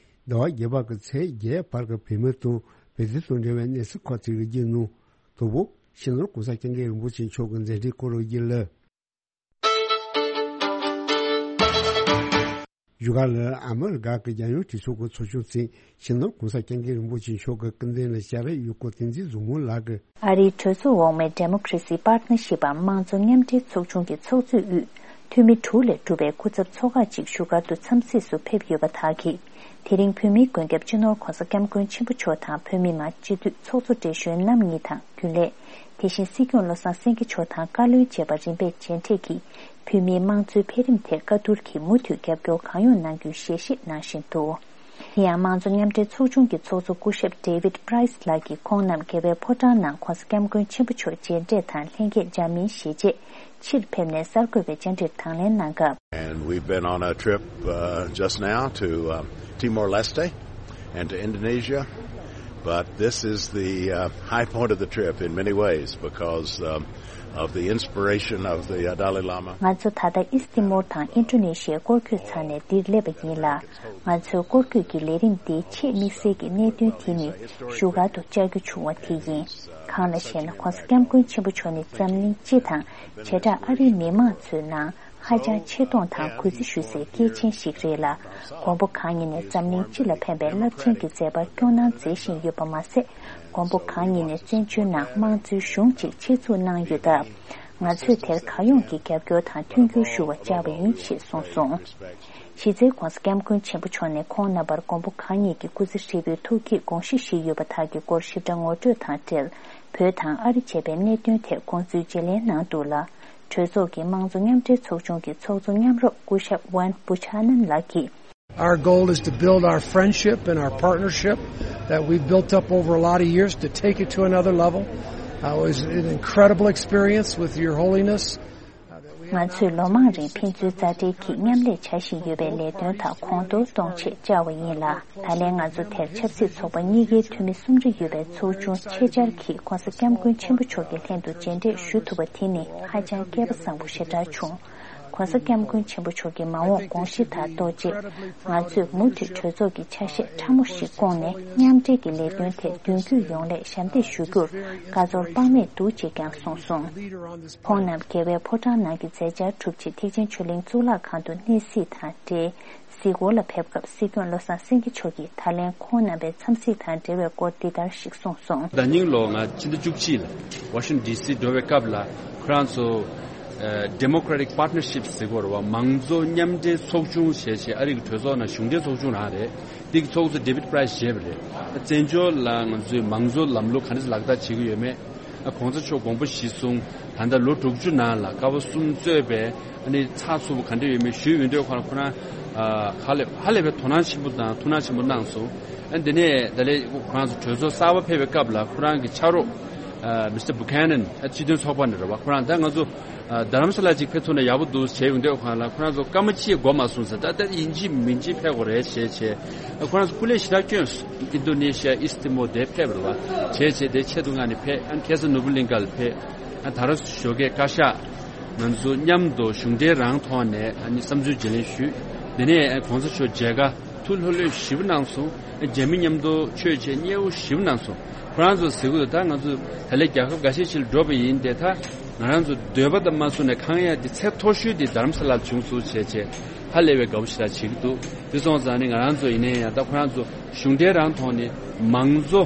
ཟླ་བ་བརྒྱད་པ་གི་ཚེས་བརྒྱད་བར་གྱི་བོད་མི་དང་བོད་དོན་དང་འབྲེལ་བའི་གནས་ཚུལ་ཁག་ཅིག་གི་རྒྱུད་ནང་དང་པོ་སྤྱི་ནོར་༸གོང་ས་༸སྐྱབས་མགོན་རིན་པོ་ཆེ་མཆོག་གི་མཛད་འཕྲིན་སྐོར་རོལ་རྒྱུ་ལ། བཞུགས་སྒར་ལ་ཨ་མི་རི་ཀ་གི་རྒྱལ་ཡོངས་གྲོས་ཚོགས་ཀྱི་ཚོགས་ཆུང་ཚོས་སྤྱི་ནོར་༸གོང་ས་༸སྐྱབས་མགོན་རིན་པོ་ཆེ་མཆོག་གི་སྐུ་མདུན་ལ་སྐྱབས་རེ་ཡོད་སྐོར་བསྟན་འཛིན་བཟང་མོ་ལགས་ཀྱིས། ཨ་རིའི་གྲོས་ཚོགས་འོག་མའི་Democracy Partnership འམ་དམངས་གཙོ་མཉམ་འབྲེལ་ཚོགས་ཆུང་གི་ཚོགས་གཙོས་དབུས་འཐུས་མི་དྲུག་ལས་གྲུབ་པའི་སྐུ་ཚབ་ཚོགས་ཁག་ཅིག་བཞུགས་སྒར་དུ་འཚམས་གཟིགས་སུ་ཕེབས་ཡོད་པ་དག་གིས། དེ་རིང་བོད་མིའི་མགོན་སྐྱབས་སྤྱི་ནོར་༸གོང་ས་༸སྐྱབས་མགོན་ཆེན་པོ་མཆོག་དང་བོད་མི་མང་སྤྱི་འཐུས་ཚོགས་གཙོ་བགྲེས་གཞོན་རྣམ་གཉིས་དང་། རྒྱུན་ལས། དེ་བཞིན་སྲིད་སྐྱོང་བློ་བཟང་སེང་གེ་མཆོག་དང་བཀའ་བློན་བཅས་པ་རིམ་པས་མཇལ་འཕྲད་ཀྱིས། བོད་མིའི་དམངས་གཙོའི་འཕེལ་རིམ་ཐད་བཀའ་བསྡུར་གྱིས་མུ་མཐུད་རྒྱབ་སྐྱོར་གང་ཡོང་གནང་རྒྱུའི་ཞལ་བཞེས་གནང་བཞིན་འདུག་དེ་ཡང་དམངས་གཙོ་མཉམ་འབྲེལ་ཚོགས་ཆུང་གི་ཚོགས་གཙོ་སྐུ་ཞབས་David Price ལགས་ཀྱིས་ཁོང་རྣམས་རྒྱལ་བའི་ཕོ་བྲང་ནང་༸གོང་ས་༸སྐྱབས་མགོན་ཆེན་པོ་མཆོག་མཇལ་འཕྲད་དང་ལྷན་རྒྱས་མཇལ་མིན་ཞལ་མཇལ་ཕྱིར་ཕེབས་ནས་གསར་འགོད་པའི་བཅར་འདྲིར་དང་ལེན་གནང་སྐབས། And we've been on a trip uh, just now to uh, Timor-Leste and to Indonesia. But this is the uh, high point of the trip in many ways because um, of the inspiration of the uh, Dalai Lama. ང་ཚོ་ད་ལྟ་ཨིསྟི་མོར་དང་ཨིན་ཌོ་ནེ་ཤི་ཡའི་སྐོར་སྐྱོད་ཚར་ནས་འདིར་སླེབས་པ་ཡིན་ལ། ང་ཚོའི་སྐོར་སྐྱོད་ཀྱི་ལས་རིམ་འདིའི་ཆེས་དམིགས་བསལ་གྱི་གནད་དོན་དེ་ནི་བཞུགས་སྒར་དུ་བཅར་རྒྱུ་བྱུང་བ་དེ་ཡིན། གང་ལགས་ཤེ་ན་༸གོང་ས་༸སྐྱབས་མགོན་ཆེན་པོ་མཆོག་ནི་འཛམ་གླིང་སྤྱི་དང་བྱེ་བྲག་ཨ་རིའི་མི་མང་ཚོའི་ནང་ཧ་ཅང་ཆེ་མཐོང་དང་གུས་བརྩི་ཞུ་སའི་སྐྱེས་ཆེན་ཞིག་རེད་ལ། མགོན་པོ་གང་ཉིད་ནས་འཛམ་གླིང་སྤྱི་ལ་ཕན་པའི་རླབས་ཆེན་གྱི་མཛད་པ་སྐྱོང་གནང་མཛད་བཞིན་ཡོད་པ་མ་ཟད། མགོན་པོ་གང་ཉིད་ནས་བཙན་བྱོལ་ནང་དམངས་གཙོའི་གཞུང་ཅིག་ཆེད་འཛུགས་གནང་ཡོད་སྟབས། ང་ཚོས་དེར་གང་ཡོང་གི་རྒྱབ་སྐྱོར་དང་མཐུན་འགྱུར་ཞུ་བར་བཅར་བ་ཡིན་ཞེས་གསུངས་སོང་། གཞི་རྩའི་༧གོང་ས་༧སྐྱབས་མགོན་ཆེན་པོ་མཆོག་ནས་ཁོང་རྣམ་པར་མགོན་པོ་གང་ཉིད་ཀྱི་སྐུ་ཚེ་ཧྲིལ་པོའི་ཐུགས་བསྐྱེད་དགོངས་གཞི་བཞི་ཡོད་པ་དག་གི་སྐོར་ཞིབ་ཕྲ་ངོ་སྤྲོད་དང་འབྲེལ། བོད་དང་ཨ་རི་བཅས་པའི་གནད་དོན་ཐད་དགོངས་ཚུལ་བརྗེ་ལེན་གནང་འདུག་ལ། གྲོས་ཚོགས་ཀྱི་དམངས་གཙོ་མཉམ་འབྲེལ་ཚོགས་ཆུང་གི་ཚོགས་གཙོ་མཉམ་རོགས་སྐུ་ཞབས་ཝན་བུ་ཆ་ནན་ལགས་ཀྱིས། Our goal is to build our friendship and our partnership that we've built up over a lot of years, to take it to another level. Uh, it was an incredible experience with Your Holiness. Uh, that we have ང་ཚོས་ལོ་མང་རིང་ཕན་ཚུན་མཛའ་འབྲེལ་གྱིས་མཉམ་ལས་བྱ་བཞིན་ཡོད་པའི་ལས་དོན་དག་གོང་མཐོར་གཏོང་ཆེད་བཅར་བ་ཡིན་ལ། ད་ལན་ང་ཚོ་དེར་ཆབ་སྲིད་ཚོགས་པ་གཉིས་ཀའི་འཐུས་མི་སུམ་རེ་ཡོད་པའི་ཚོགས་ཆུང་ཆེད་བཅར་གྱིས་༧གོང་ས་༧སྐྱབས་མགོན་ཆེན་པོ་མཆོག་གི་ལྷན་དུ་མཇལ་འཕྲད་ཞུ་ཐུབ་པ་དེ་ནི་ཧ་ཅང་སྐལ་པ་བཟང་པོ་ཞེ་དྲག་བྱུང་། ༧གོང་ས་༧སྐྱབས་མགོན་ཆེན་པོ་མཆོག་གི་མ་འོངས་དགོངས་གཞི་དང་ལྡོག་རྗེས། ང་ཚོས་མུ་མཐུད་གྲོས་ཚོགས་ཀྱི་ཆ་ཤས་ཕྲ་མོ་ཞིག་བསྐོངས་ནས་མཉམ་འབྲེལ་གྱི་ལས་དོན་ཐད་མདུན་སྐྱོད་ཡོང་སླད་ཞབས་འདེགས་ཞུ་རྒྱུར་དགའ་ཚོར་དཔག་མེད་འདུག་ཅེས་ཀྱང་གསུངས་སོང་། ཁོང་རྣམས་རྒྱལ་བའི་ཕོ་བྲང་ནང་གི་མཛད་འཆར་གྲུབ་རྗེས་ཐེག་ཆེན་ཆོས་གླིང་གཙུག་ལག་ཁང་དུ་གནས་གཟིགས་དང་འབྲེལ། གཟིགས་སྐོར་ལ་ཕེབས་སྐབས་སྲིད་སྐྱོང་བློ་བཟང་སེང་གེ་མཆོག་གིས་ད་ལན་ཁོང་རྣམ་པའི་འཚམས་གཟིགས་དང་འབྲེལ་བའི་སྐོར་འདི་ལྟར་ཞིག་གསུངས་སོང་། ཟླ་ཉིན་ལོ་ང་ཕྱི་ཟླ་བཅུ་གཅིག་ལ་ཝ་ཤིང་ཌི་སི་འགྲོ་བའི་སྐབས་ལ་ཁོ་རང་ཚོ་Democratic Partnership ཟེར་གོ་ར་བ་མང་གཙོ་མཉམ་འབྲེལ་ཚོགས་ཆུང་ཞེས་བྱས་ཨ་རི་གི་གྲོས་ཚོགས་ནང་གཞུང་འབྲེལ་ཚོགས་ཆུང་རང་རེད། འདི་གི་ཚོགས་གཙོ་David Price བཞེས་པ་རེད། བཙན་བྱོལ་ལ་ང་ཚོའི་མང་གཙོ་ལམ་ལུགས་ག་འདྲ་ལག་བསྟར་བྱེད་ཀྱི་ཡོད་མེད། ཨ་གོང་ས་མཆོག་དགོངས་པ་གཞིར་བཟུང་ད་ལྟ་ལོ་དྲུག་ཅུ་ནང་ལ་ཀ་བ་གསུམ་གཙོས་པའི་ཨ་ནི་ཚགས་ཚུད་པོ་ག་འདྲ་ཡོད་མེད་ཞུས་ཡོང་དུས་ཁོ་རང་ཁོ་རང་ཧ་ལས་ཧ་ལས་པའི་དོ་སྣང་ཆེན་པོ་དང་ཐུགས་སྣང་ཆེན་པོ་གནང་སོང་། ཨ་འདི་ནས་ད་ལས་ཁོ་རང་ཚོ་གྲོས་ཚོགས་གསར་པ་ཕེབས་པའི་སྐབས་ལ་ཁོ་རང་གི་ཕྱག་རོགས་Mister Buchanan ཨ་སྤྱི་མཐུན་ཚོགས་པ་ནས་རེད་བ། ཁོ་རང་ད་ང་ཚོ་རྡ་རམ་ས་ལ་ཅིག་ཕེབས་ཐུབ་ན་ཡག་པོ་འདུག་བྱས་ཡོང་དུས་ཁོ་རང་ལ་ཁོ་རང་ཚོ་སྐར་མ་གཅིག་འགོར་མ་སོང་ཟེར། ད་ད་ཡིན་གཅིག་མིན་གཅིག་ཕེབས་དགོས་རེད་བྱས་བྱས་ཁོ་རང་ཚོ་སྐུ་ལས་ཞེ་དྲག་བསྐྱོན་སོང་། ཨིན་རྡོ་ནེ་ཤི་ཡ་ཨིས་ཏི་མོ་དེ་ཕེབས་རེད་བ། བྱས་བྱས་དེ་ཆེད་དུ་མངགས་ནས་ཕེབས། ཨ་ཁ་སན་ནོ་བུ་ལིང་ག་ལ་ཕེབས། ཨ་ད་རུང་ཞོགས་ཀས་བཀའ་ཤག་ང་ཚོ་མཉམ་དུ་གཞུང་འབྲེལ་རང་ཐོག་ནས་ཨ་ནི་བསམ་ཚུལ་བརྗེ་ལེན་ཞུས། དེ་ནས་ཨ་གོང་ས་མཆོག་མཇལ་ཁ་ཐུགས་ལྷོད་ལྷོད་ཞེ་པོ་གནང་སོང་། ཨ་རྒྱ་མི་མཉམ་དུ་ཆོས་བྱེད་མཉེས་པོ་ཞེ་པོ་གནང་སོང་། ཁོ་རང་ཚོ་ཟེར་གི་འདུག་ད་ང་ཚོ་ད་ལས་རྒྱལ་ཁབ་འགའ་ཤས་ཤིག་ལ་འགྲོ་བ་ཡིན་ཏེ་ད་ང་རང་ཚོ་འདོད་པ་དང་མ་བཟུང་ནས་ཁང་ཡག་འདི་ཚད་མཐོ་ཤོས་འདི་རྡ་རམ་ས་ལར་བྱུང་སོང་བྱས་བྱས་ཧ་ལས་པའི་དགའ་པོ་ཞེ་དྲག་བྱེད་ཀྱི་འདུག་དེ་སོང་ཙང་ནི་ང་རང་ཚོ་ཡིན་ནའི་ཡང་ད་ཁོ་རང་ཚོ་གཞུང་འབྲེལ་རང་ཐོག་ནས་མང་གཙོ་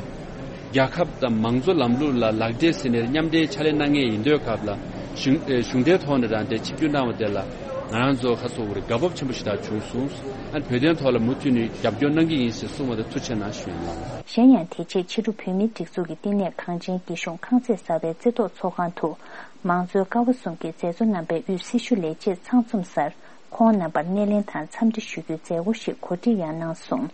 རྒྱལ་ཁབ་དང་མང་གཙོ་ལམ་ལུགས་ལ་ལག་འབྲེལ་ཟེར་ནས་མཉམ་འབྲེལ་ཕྱག་ལས་གནང་མཁན་ཡིན་དུས་སྐབས་ལ་གཞུང་ཨེ་གཞུང་འབྲེལ་ཐོག་ནས་རང་དེ་ཆིབས་བསྒྱུར་གནང་བ་དེ་ལ་ང་རང་ཚོ་ཁ་སོ་བོར་དགའ་སྤོབས་ཆེན་པོ་ཞེ་དྲག་བྱུང་སོང་། ཨ་བོད་དོན་ཐོག་ལ་མུ་མཐུད་ནས་རྒྱབ་སྐྱོར་གནང་གི་ཡིན་ཞེས་གསུངས་པ་དེ་ཐུགས་རྗེ་གནང་ཞུ་ཡིན་ལགས། གཞན་ཡང་དེ་རྗེས་ཕྱི་དྲོ་བོད་མིའི་སྒྲིག་འཛུགས་ཀྱི་བསྟི་གནས་གངས་ཅན་སྐྱིད་གཤོངས་ཁང་བརྩེགས་གསར་པའི་རྩེ་ཐོག་ཚོགས་ཁང་དུ་མང་གཙོའི་ཀ་བ་གསུམ་གྱི་མཛད་གཙོ་རྣམ་པའི་དབུས་སྲི་ཞུ་ལས་བྱེད་ཚང་འཛོམས་སར་ཁོང་རྣམ་པར་སྣེ་ལེན་དང་འཚམས་འདྲི་ཞུ་རྒྱུའི་མཛད་སྒོ་ཞིག་གོ་སྒྲིག་ཡང་གནང་སོང་།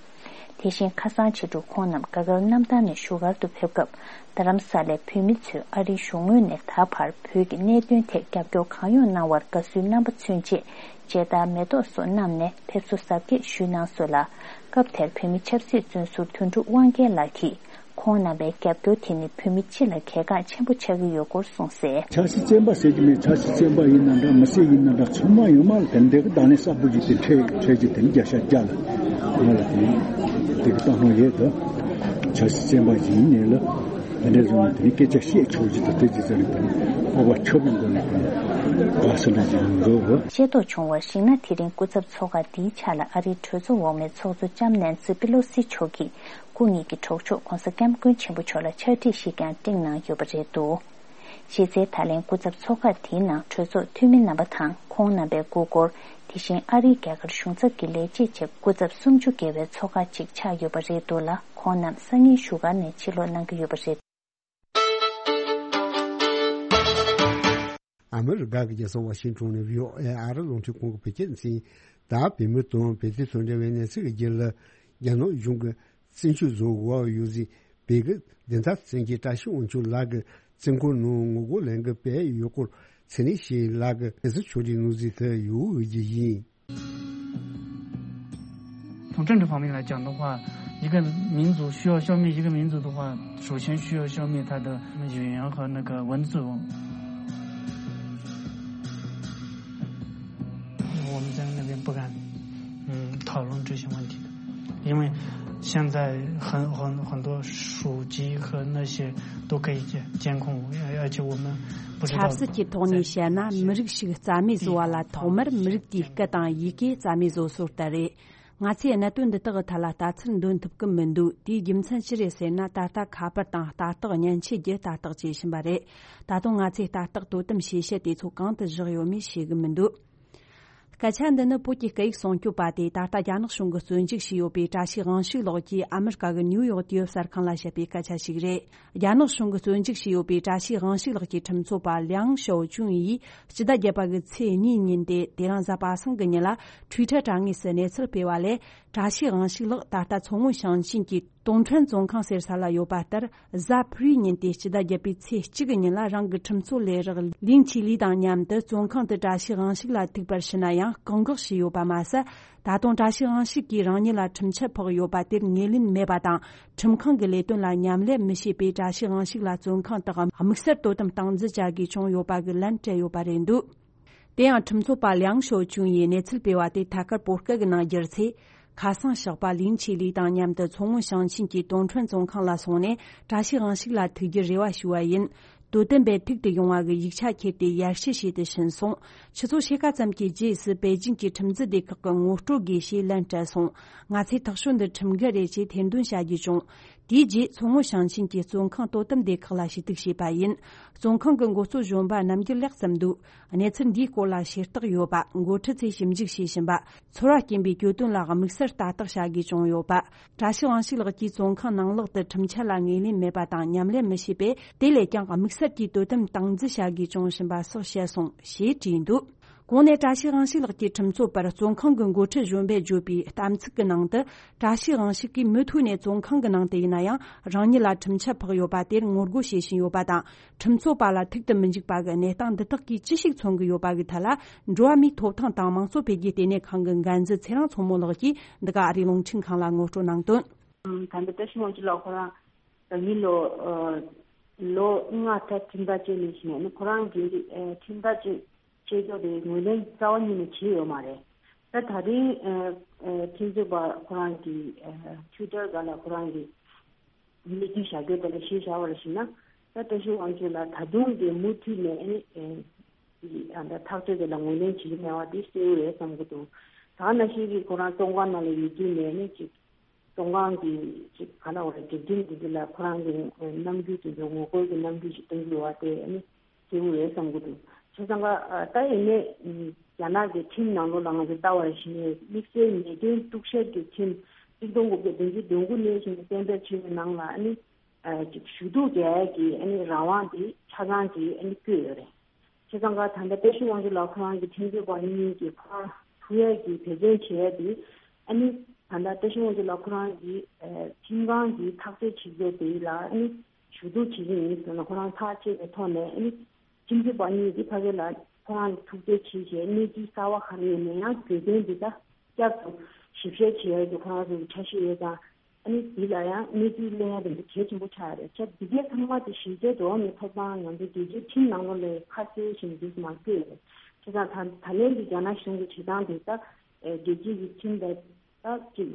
དེ་བཞིན་ཁ་སང་ཕྱི་དྲོ་ཁོང་རྣམས་རྒྱ་གར་གནམ་ཐང་ནས་བཞུགས་སྒར་དུ་ཕེབས་སྐབས་རྡ་རམ་ས་ལའི་བོད་མི་ཚོས་ཨ་རིའི་གཞུང་ངོས་ནས་ད་བར་བོད་ཀྱི་གནད་དོན་ཐད་རྒྱབ་སྐྱོར་གང་ཡོང་གནང་བར་དགའ་བསུའི་རྣམ་པ་མཚོན་ཆེད་མཇལ་དར་མེ་ཏོག་སོགས་བསྣམས་ནས་ཕེབས་བསུ་གཟབ་རྒྱས་ཞུས་གནང་སོང་ལ། སྐབས་དེར་བོད་མི་ཆབ་སྲིད་བཙོན་ཟུར་དོན་གྲུབ་དབང་རྒྱལ་ལགས་ཀྱིས་ཁོང་རྣམ་པའི་རྒྱབ་སྐྱོར་དེ་ནི་བོད་མི་སྤྱི་ལ་གལ་འགངས་ཆེན་པོ་ཆགས་ཀྱི་ཡོད་སྐོར་གསུངས་གསལ། ཆབ་སྲིད་བཙོན་པ་ཟེར་གྱི་མེད། ཆབ་སྲིད་བཙོན་པ་ཡིན་ན་འདྲ་མི་སེར་ཡིན་ན་འདྲ་ཚང་མ་ཡོད་མ་རེད། དེ་འདྲའི་གི་ད་ནས་གསར་བུ་ཞིག་དེ་འཕྲད་འཕྲད་ཀྱི་དེ་ནི་བརྒྱ་ཆ་བརྒྱ་ལ་ང་ལ་དེ་ནི་དེ་གི་བཏང་སྣང་ཡོད་དོ། ཆབ་སྲིད་བཙོན་པ་ཡིན་ནས་ལ་དེ་འདྲའི་བཟོ་ནས་དེ་ནི་སྐད་ཆ་བཤད་ཆོག་གི་དང་དེ་ཅི་ཟེར་ནས་དེ་ནི་སྤོབས་པ་ཁྱབ་པའི་སྒོ་ནས་དེ་ནི་དགའ་བསུ་འདྲ་ཅིག་མི་འདུག་གོ། ཤེས་རྟོགས་བྱུང་བར་གཞིགས་ན་དེ་རིང་སྐུ་ཚབ་ཚོགས་ཁག་འདིའི་ཆ་ལ་ཨ་རིའི་གྲོས་ཚོགས་འོག་མའི་ཚོགས་གཙོ་ལྕམ་ནན་སི་པི་ལོ་སི་མཆོག་གིས་སྐུ་ཉིད་ཀྱི་གྲོགས་མཆོག་གོང་ས་སྐྱབས་མགོན་ཆེན་པོ་མཆོག་ལ་ཕྱག་བྲིས་ཤིག་ཀྱང་སྤྲིངས་གནང་ཡོད་པ་རེད་འདུག་གཞི་རྩའི་ད་ལན་སྐུ་ཚབ་ཚོགས་ཁག་དེའི་ནང་གྲོས་ཚོགས་འཐུས་མི་རྣམ་པ་དང་ཁོང་རྣམ་པའི་སྐུ་འཁོར། དེ་བཞིན་ཨ་རིའི་རྒྱ་གར་གཞུང་ཚབ་ཀྱི་ལས་བྱེད་བཅས་སྐུ་ཚབ་སུམ་ཅུ་བརྒལ་བའི་ཚོགས་ཁག་ཅིག་ཆགས་ཡོད་པ་རེད་འདུག་ལ། ཁོང་རྣམས་སང་ཉིན་བཞུགས་སྒར་ནས་ཕྱིར་ལོག་གནང་གི་ཡོད་པ་རེད། ཨ་མི་རི་ཀ་གི་རྒྱལ་ས་ཝ་ཤིང་ཏོན་ནས་བྷི་ཨོ་ཨེ་ཨ་རི་རླུང་འཕྲིན་ཁང་གི་བོད་སྐད་སྡེ་ཚན། ད་བོད་མི་དང་བོད་དོན་དང་འབྲེལ་བའི་གནས་ཚུལ་གྱི་རྒྱུད་ལ། རྒྱ་ནག་གཞུང་གི་བཙན་བྱོལ་བཟོ་འོག་ཡོད་སའི་བོད་ཀྱི་བདེན་མཐའ་བཙན་གྱི་བཀྲ་ཤིས་དབང་ཕྱུག་ལགས་ཀྱི་བཙོན་ཁང་ནང་ངོ་རྒོལ་ལས་འགུལ་སྤེལ་ཡོད་སྐོར་ཚེ་རིང་ཞེས་ལགས་ཀྱི་གནས་ཚུལ་ཕྱོགས་སྒྲིག་གནང་གཟིགས་དུ་ཡོད་རྒྱུ་ཡིན། 从政治方面来讲的话，一个民族需要消灭一个民族的话，首先需要消灭他的语言和那个文字。我们在那边不敢，嗯，讨论这些问题的，因为现在很很很多手机和那些都可以监监控，而而且我们不知道。 ཆབ་སྲིད་ཀྱི་ཐོག་ནས་བཤད་ན་མི་རིགས་ཤིག་རྩ་མེད་བཟོ་བ་ལ་ཐོག་མར་མི་རིགས་དེའི་སྐད་དང་ཡི་གེ་རྩ་མེད་བཟོ་སྲོལ་ལྟར་རེད། ང་ཚོས་གནད་དོན་འདི་དག་གི་ཐད་ལ་ལྟ་ཚུལ་འདོན་ཐུབ་ཀྱི་མི་འདུག་དེའི་རྒྱུ་མཚན་ཅི་རེད་ཟེར་ན། ད་ལྟ་ཁ་པར་དང་ལྟ་རྟོག་མཉེན་ཆས་བརྒྱུད་ལྟ་རྟོག་བྱེད་བཞིན་པ་རེད། ད་དུང་ང་ཚོས་ལྟ་རྟོག་དོ་དམ་བྱེད་བྱེད་དེ་ཚོ་གང་དུ་བཞག་ཡོད་མེད་ཤེས་ཀྱི་མི་འདུག་སྐད་ཆ་འདི་ནི་བོད་ཀྱི་སྐད་ཡིག་སྲུང་སྐྱོབ་པ་དེས་ད་ལྟ་རྒྱ་ནག་གཞུང་གིས་བཙོན་འཇུག་བྱས་ཡོད་པའི་བཀྲ་ཤིས་དབང་ཕྱུག་ལགས་ཀྱིས་ཨ་མི་རི་ཀ་གི་ནིའུ་ཡོག་དུས་བབ་གསར་ཁང་ལ་བཤད་པའི་སྐད་ཆ་ཞིག་རེད། རྒྱ་ནག་གཞུང་གིས་བཙོན་འཇུག་བྱས་ཡོད་པའི་བཀྲ་ཤིས་དབང་ཕྱུག་ལགས་ཀྱི་ཁྲིམས་རྩོད་པ་ལིའང་ཞའོ་ཅུན་ཡིས་སྤྱི་ཟླ་བརྒྱད་པ་གི་ཚེས་གཉིས་ཉིན་ཏེ། དེ་རིང་གཟའ་པ་སངས་ཀྱི་ཉིན་ལ་ཊུའི་ཊར་དྲ་ངོས་སུ་གནས་ཚུལ་སྤེལ་བ་ལས། བཀྲ་ཤིས་དབང་ཕྱུག་ལགས་ད་ལྟ་མཚོ་སྔོན་ཞིང་ཆེན་གྱི་ཏུང་ཁྲོན་བཙོན་ཁང་ཟེར་ས་ལ་ཡོད་པ་ལྟར། གཟའ་ཕུར་བུའི་ཉིན་ཏེ་སྤྱི་ཟླ་བརྒྱད་པའི་ཚེས་གཅིག་གི་ཉིན་ལ་རང་གི་ཁྲིམས་རྩོད་ལས་རོགས་ལིན་ཆི་ལི་དང་མཉམ་དུ་བཙོན་ཁང་དུ་བཀྲ་ཤིས་དབང་ཕྱུག་ལ་ཐུག་པར་ཞུ་ན་ཡང་བཀག་འགོག་བྱས་ཡོད་པ་མ་ཟད། ད་དུང་བཀྲ་ཤིས་དབང་ཕྱུག་གིས་རང་ཉིད་ལ་ཁྲིམས་ཆད་ཕོག་ཡོད་པ་དེར་ངོས་ལེན་མེད་པ་དང་། ཁྲིམས་ཁང་གི་ལས་དོན་ལ་མཉམ་ལས་མི་བྱེད་པའི་བཀྲ་ཤིས་དབང་ཕྱུག་ལ་བཙོན་ཁང་དུ་དམིགས་བསལ་དོ་དམ་སྟངས་འཛིན་བྱ་དགོས་བྱུང་ཡོད་པ་གི་ལན་སྤྲད་ཡོད་པ་རེད་འདུག་དེ་ཡང་ཁྲིམས་རྩོད་པ་ལིའང་ཞའོ་ཅུན་ཡིས་གནས་ཚུལ་སྤེལ་བ་དེ་ཐད་ཀར་བོད་སྐད་ཀྱི་ནང་བསྒྱུར་ཚེ། ཁ་སང་ཞོགས་པ་ལིན་ཆི་ལི་དང་མཉམ་དུ་མཚོ་སྔོན་ཞིང་ཆེན་གྱི་ཏུང་ཁྲོན་བཙོན་ཁང་ལ་སོང་ནས་བཀྲ་ཤིས་དབང་ཕྱུག་ལ་ཐུག་རྒྱུའི་རེ་བ་ཞུ་བ་ཡིན། དོ་དམ་པས་ཐུག་ཏུ་ཡོང་བ་གི་ཡིག་ཆ་ཁྱེར་ཏེ་ཡར་ཞུ་བྱས་ཏེ་ཕྱིན་སོང་། ཆུ་ཚོད་ཕྱེད་ཀ་ཙམ་གྱི་རྗེས་སུ་པེ་ཅིང་གི་ཁྲིམས་འཛིན་སྡེ་ཁག་གིས་ངོ་སྤྲོད་དགོས་ཞེས་ལན་སྤྲད་སོང་། ང་ཚོས་ཐག་གཅོད་འདི་ཁྲིམས་འགལ་རེད་ཅེས་ཐེར་འདོན་བྱ་རྒྱུ་བྱུང་། དེའི་རྗེས་མཚོ་སྔོན་ཞིང་ཆེན་གྱི་བཙོན་ཁང་དོ་དམ་སྡེ་ཁག་ལ་ཞུ་གཏུག་བྱས་པ་ཡིན། བཙོན་ཁང་གི་འགོ་གཙོ་གཞོན་པ་རྣམ་རྒྱལ་ལེགས་བསམ་འདུག་གནས་ཚུལ་འདིའི་སྐོར་ལ་ཤེས་རྟོགས་ཡོད་པ། འགོ་ཁྲིད་ཚོས་ཞིབ་འཇུག་བྱེད་བཞིན་པ། ཚོར་བ་སྐྱེན་པའི་གྱོད་དོན་ལ་དམིགས་བསལ་ལྟ་རྟོག་བྱ་དགོས་བྱུང་ཡོད་པ། བཀྲ་ཤིས་དབང་ཕྱུག་ལགས་ཀྱིས་བཙོན་ཁང་ནང་ལོགས་དུ་ཁྲིམས་འཆར་ལ་ངོས་ལེན་མེད་པ་དང་མཉམ་ལས་མི་བྱེད་པས། དེ་ལས་ཀྱང་དམིགས་བསལ་གྱིས་དོ་དམ་སྟངས་འཛིན་བྱ་དགོས་བྱུང་བཞིན་པ་སོགས་བཤད་སོང་ཞེས་བྲིས་འདུག་གོང་ནས་བཀྲ་ཤིས་དབང་ཕྱུག་ལགས་ཀྱི་ཁྲིམས་རྩོད་པར་བཙོན་ཁང་གི་འགོ་ཁྲིད་གཞོན་པས་བརྗོད་པའི་གཏམ་ཚིག་གི་ནང་དུ། བཀྲ་ཤིས་དབང་ཕྱུག་གིས་མུ་མཐུད་ནས་བཙོན་ཁང་གི་ནང་དུ་ཡིན་ན་ཡང་རང་ཉིད་ལ་ཁྲིམས་ཆད་ཕོག་ཡོད་པ་དེར་ངོ་རྒོལ་བྱེད་བཞིན་ཡོད་པ་དང་། ཁྲིམས་རྩོད་པ་ལ་ཐུག་ཏུ་མི་འཇུག་པ་གི་གནས་སྟངས་འདི་དག་གིས་ཅི་ཞིག་མཚོན་གྱི་ཡོད་པ་གི་ཐད་ལ། འགྲོ་བ་མིའི་ཐོབ་ཐང་དང་དམངས་གཙོ་འཕེལ་རྒྱས་ལྟེ་གནས་ཁང་གི་འགན་འཛིན་ཚེ་རིང་མཚོ་མོ་ལགས་ཀྱིས་འདི་ག་ཨ་རིའི་རླུང་འཕྲིན་ཁང་ལ་ངོ་སྤྲོད་གནང་དོན། ད་ལྟ་བཀྲ་ཤིས་དབང་ཕྱུག་ལགས་ཁོ་རང་ད་མི་ལོ་ལོ་ལྔ་ད་ཁྲིམས་ཐག་བཅད་ནས་བྱས་ནས་ཁོ་རང་གི་ཁྲིམས་ཐག་བཅད་བཅད་ཕྱོགས་དེ་ངོས་ལེན་རྩ་བ་ཉིད་ནས་བྱས་ཡོད་མ་རེད། ད་ད་རིང་ཁྲིམས་རྩོད་པ་ཁོ་རང་གི་ཊུའི་ཊར་སྒང་ལ་ཁོ་རང་གི་གནས་ཚུལ་བཞག་རྒྱུ་དེ་ལ་གཞི་བཞག་པར་བྱས་ན། ད་བཀྲ་ཤིས་དབང་ཕྱུག་ལགས་ད་དུང་གི་མུ་མཐུད་ནས་ཨ་ནི་ཨ་ད་ཐག་གཅོད་དེ་ལ་ངོས་ལེན་བྱེད་ཀྱི་མེད་པ་དེ་གསལ་པོ་རེད་བསམ་གྱི་འདུག་ད་ནང་བཞིན་གྱི་ཁོ་རང་བཙོན་ཁང་ནང་ལ་ཡོད་དུས་ནས་ཨ་ནི་ཅིག་བཙོན་ཁང་གི་ཅིག་ག་ལ་བ་རེད། སྒྲིག་ཁྲིམས་འདི་ཚོ་ལ་ཁོ་རང་གི་རྣམ་འགྱུར་དེ་ཚོ་ངོ་རྒོལ་གྱི་རྣམ་འགྱུར་ཞིག་སྟོན་གྱི་ཡོད་པ་དེ་ཨ་ནི་གསལ་པོ་རེད་བསམ་གྱི་འདུག་བྱས་ཙང་ཀ་ད་ཡིན་ནའི་རྒྱ་ནག་གི་ཁྲིམས་ནང་ལོགས་ལ་ང་ཚོ་ལྟ་བར་ཞིག་ནས་དམིགས་བསལ་ཉེས་དོན་གཏུག་བཤེར་གྱི་ཁྲིམས་གཅིག་སྟོང་དགུ་བརྒྱ་བདུན་ཅུ་དོན་དགུ་ནས་བཞིན་གཏན་འབེབས་བྱས་པའི་ནང་ལ་ཨ་ནི་ཅིག་ཞུ་གཏུག་རྒྱག་ཡས་ཀྱི་ཨ་ནི་རང་དབང་དེ་ཆ་ཚང་གིས་ཨ་ནི་བཀོད་ཡོད་རེད། བྱས་ཙང་ཀ་ད་ལྟ་བཀྲ་ཤིས་དབང་ཕྱུག་ལགས་ཁོ་རང་གི་ཁྲིམས་རྩོད་པ་གཉིས་ཀྱིས་ཁོ་རང་ཐུག་ཡས་ཀྱི་འབད་བརྩོན་བྱེད་ཡས་དེ་ཨ་ནི་ད་ལྟ་བཀྲ་ཤིས་དབང་ཕྱུག་ལགས་ཁོ་རང་གི་ཁྲིམས་ཁང་གི་ཐག་གཅོད་བྱེད་རྒྱུ་དེ་ལ་ཨ་ནི་ཞུ་གཏུག་བྱེད་ཀྱི་ཡིན་ཟེར་ན་ཁོ་རང་ཐག་བཅད་པའི་ཐོག་ནས་ཨ་ནི་ཁྲིམས་རྩོད་པ་གཉིས་ཀྱིས་ཕ་གི་ལ་ཁོ་རང་ལ་ཐུག་འཕྲད་བྱས་བྱས་གནས་ཚུལ་གསར་པ་ག་རེ་ཡོད་ན་ཡང་གྱོད་དོན་འདི་དག་བསྐྱར་དུ་ཞིབ་བཤེར་བྱེད་ཡས་ཀྱི་ཁོ་རང་ཚོ་གི་འཆར་གཞི་ཡོད་ཙང་། ཨ་ནི་འདི་ལ་ཡང་གནས་ཚུལ་གླེང་ཡ་དེ་འདྲ་གལ་ཆེན་པོ་ཆགས་ཡོད་རེད། ཆ་འདི་གའི་ཚང་མ་དེ་གཞི་རྩའི་འགྲོ་བ་མིའི་ཐོབ་ཐང་ང་ཚོ་རྒྱལ་སྤྱིའི་ཁྲིམས་ནང་ལོགས་ལ་ཁ་གསལ་ཞིག་འདུག་མ་བཀོད་ཡོད་རེད། བྱས་ཙང་ད་ད་ལན་གྱི་རྒྱ་ནག་གཞུང་གི་བྱེད་སྟངས་དེ་ད་རྒྱལ་སྤྱིའི་ཁྲིམས་དང་ད་ཅིག་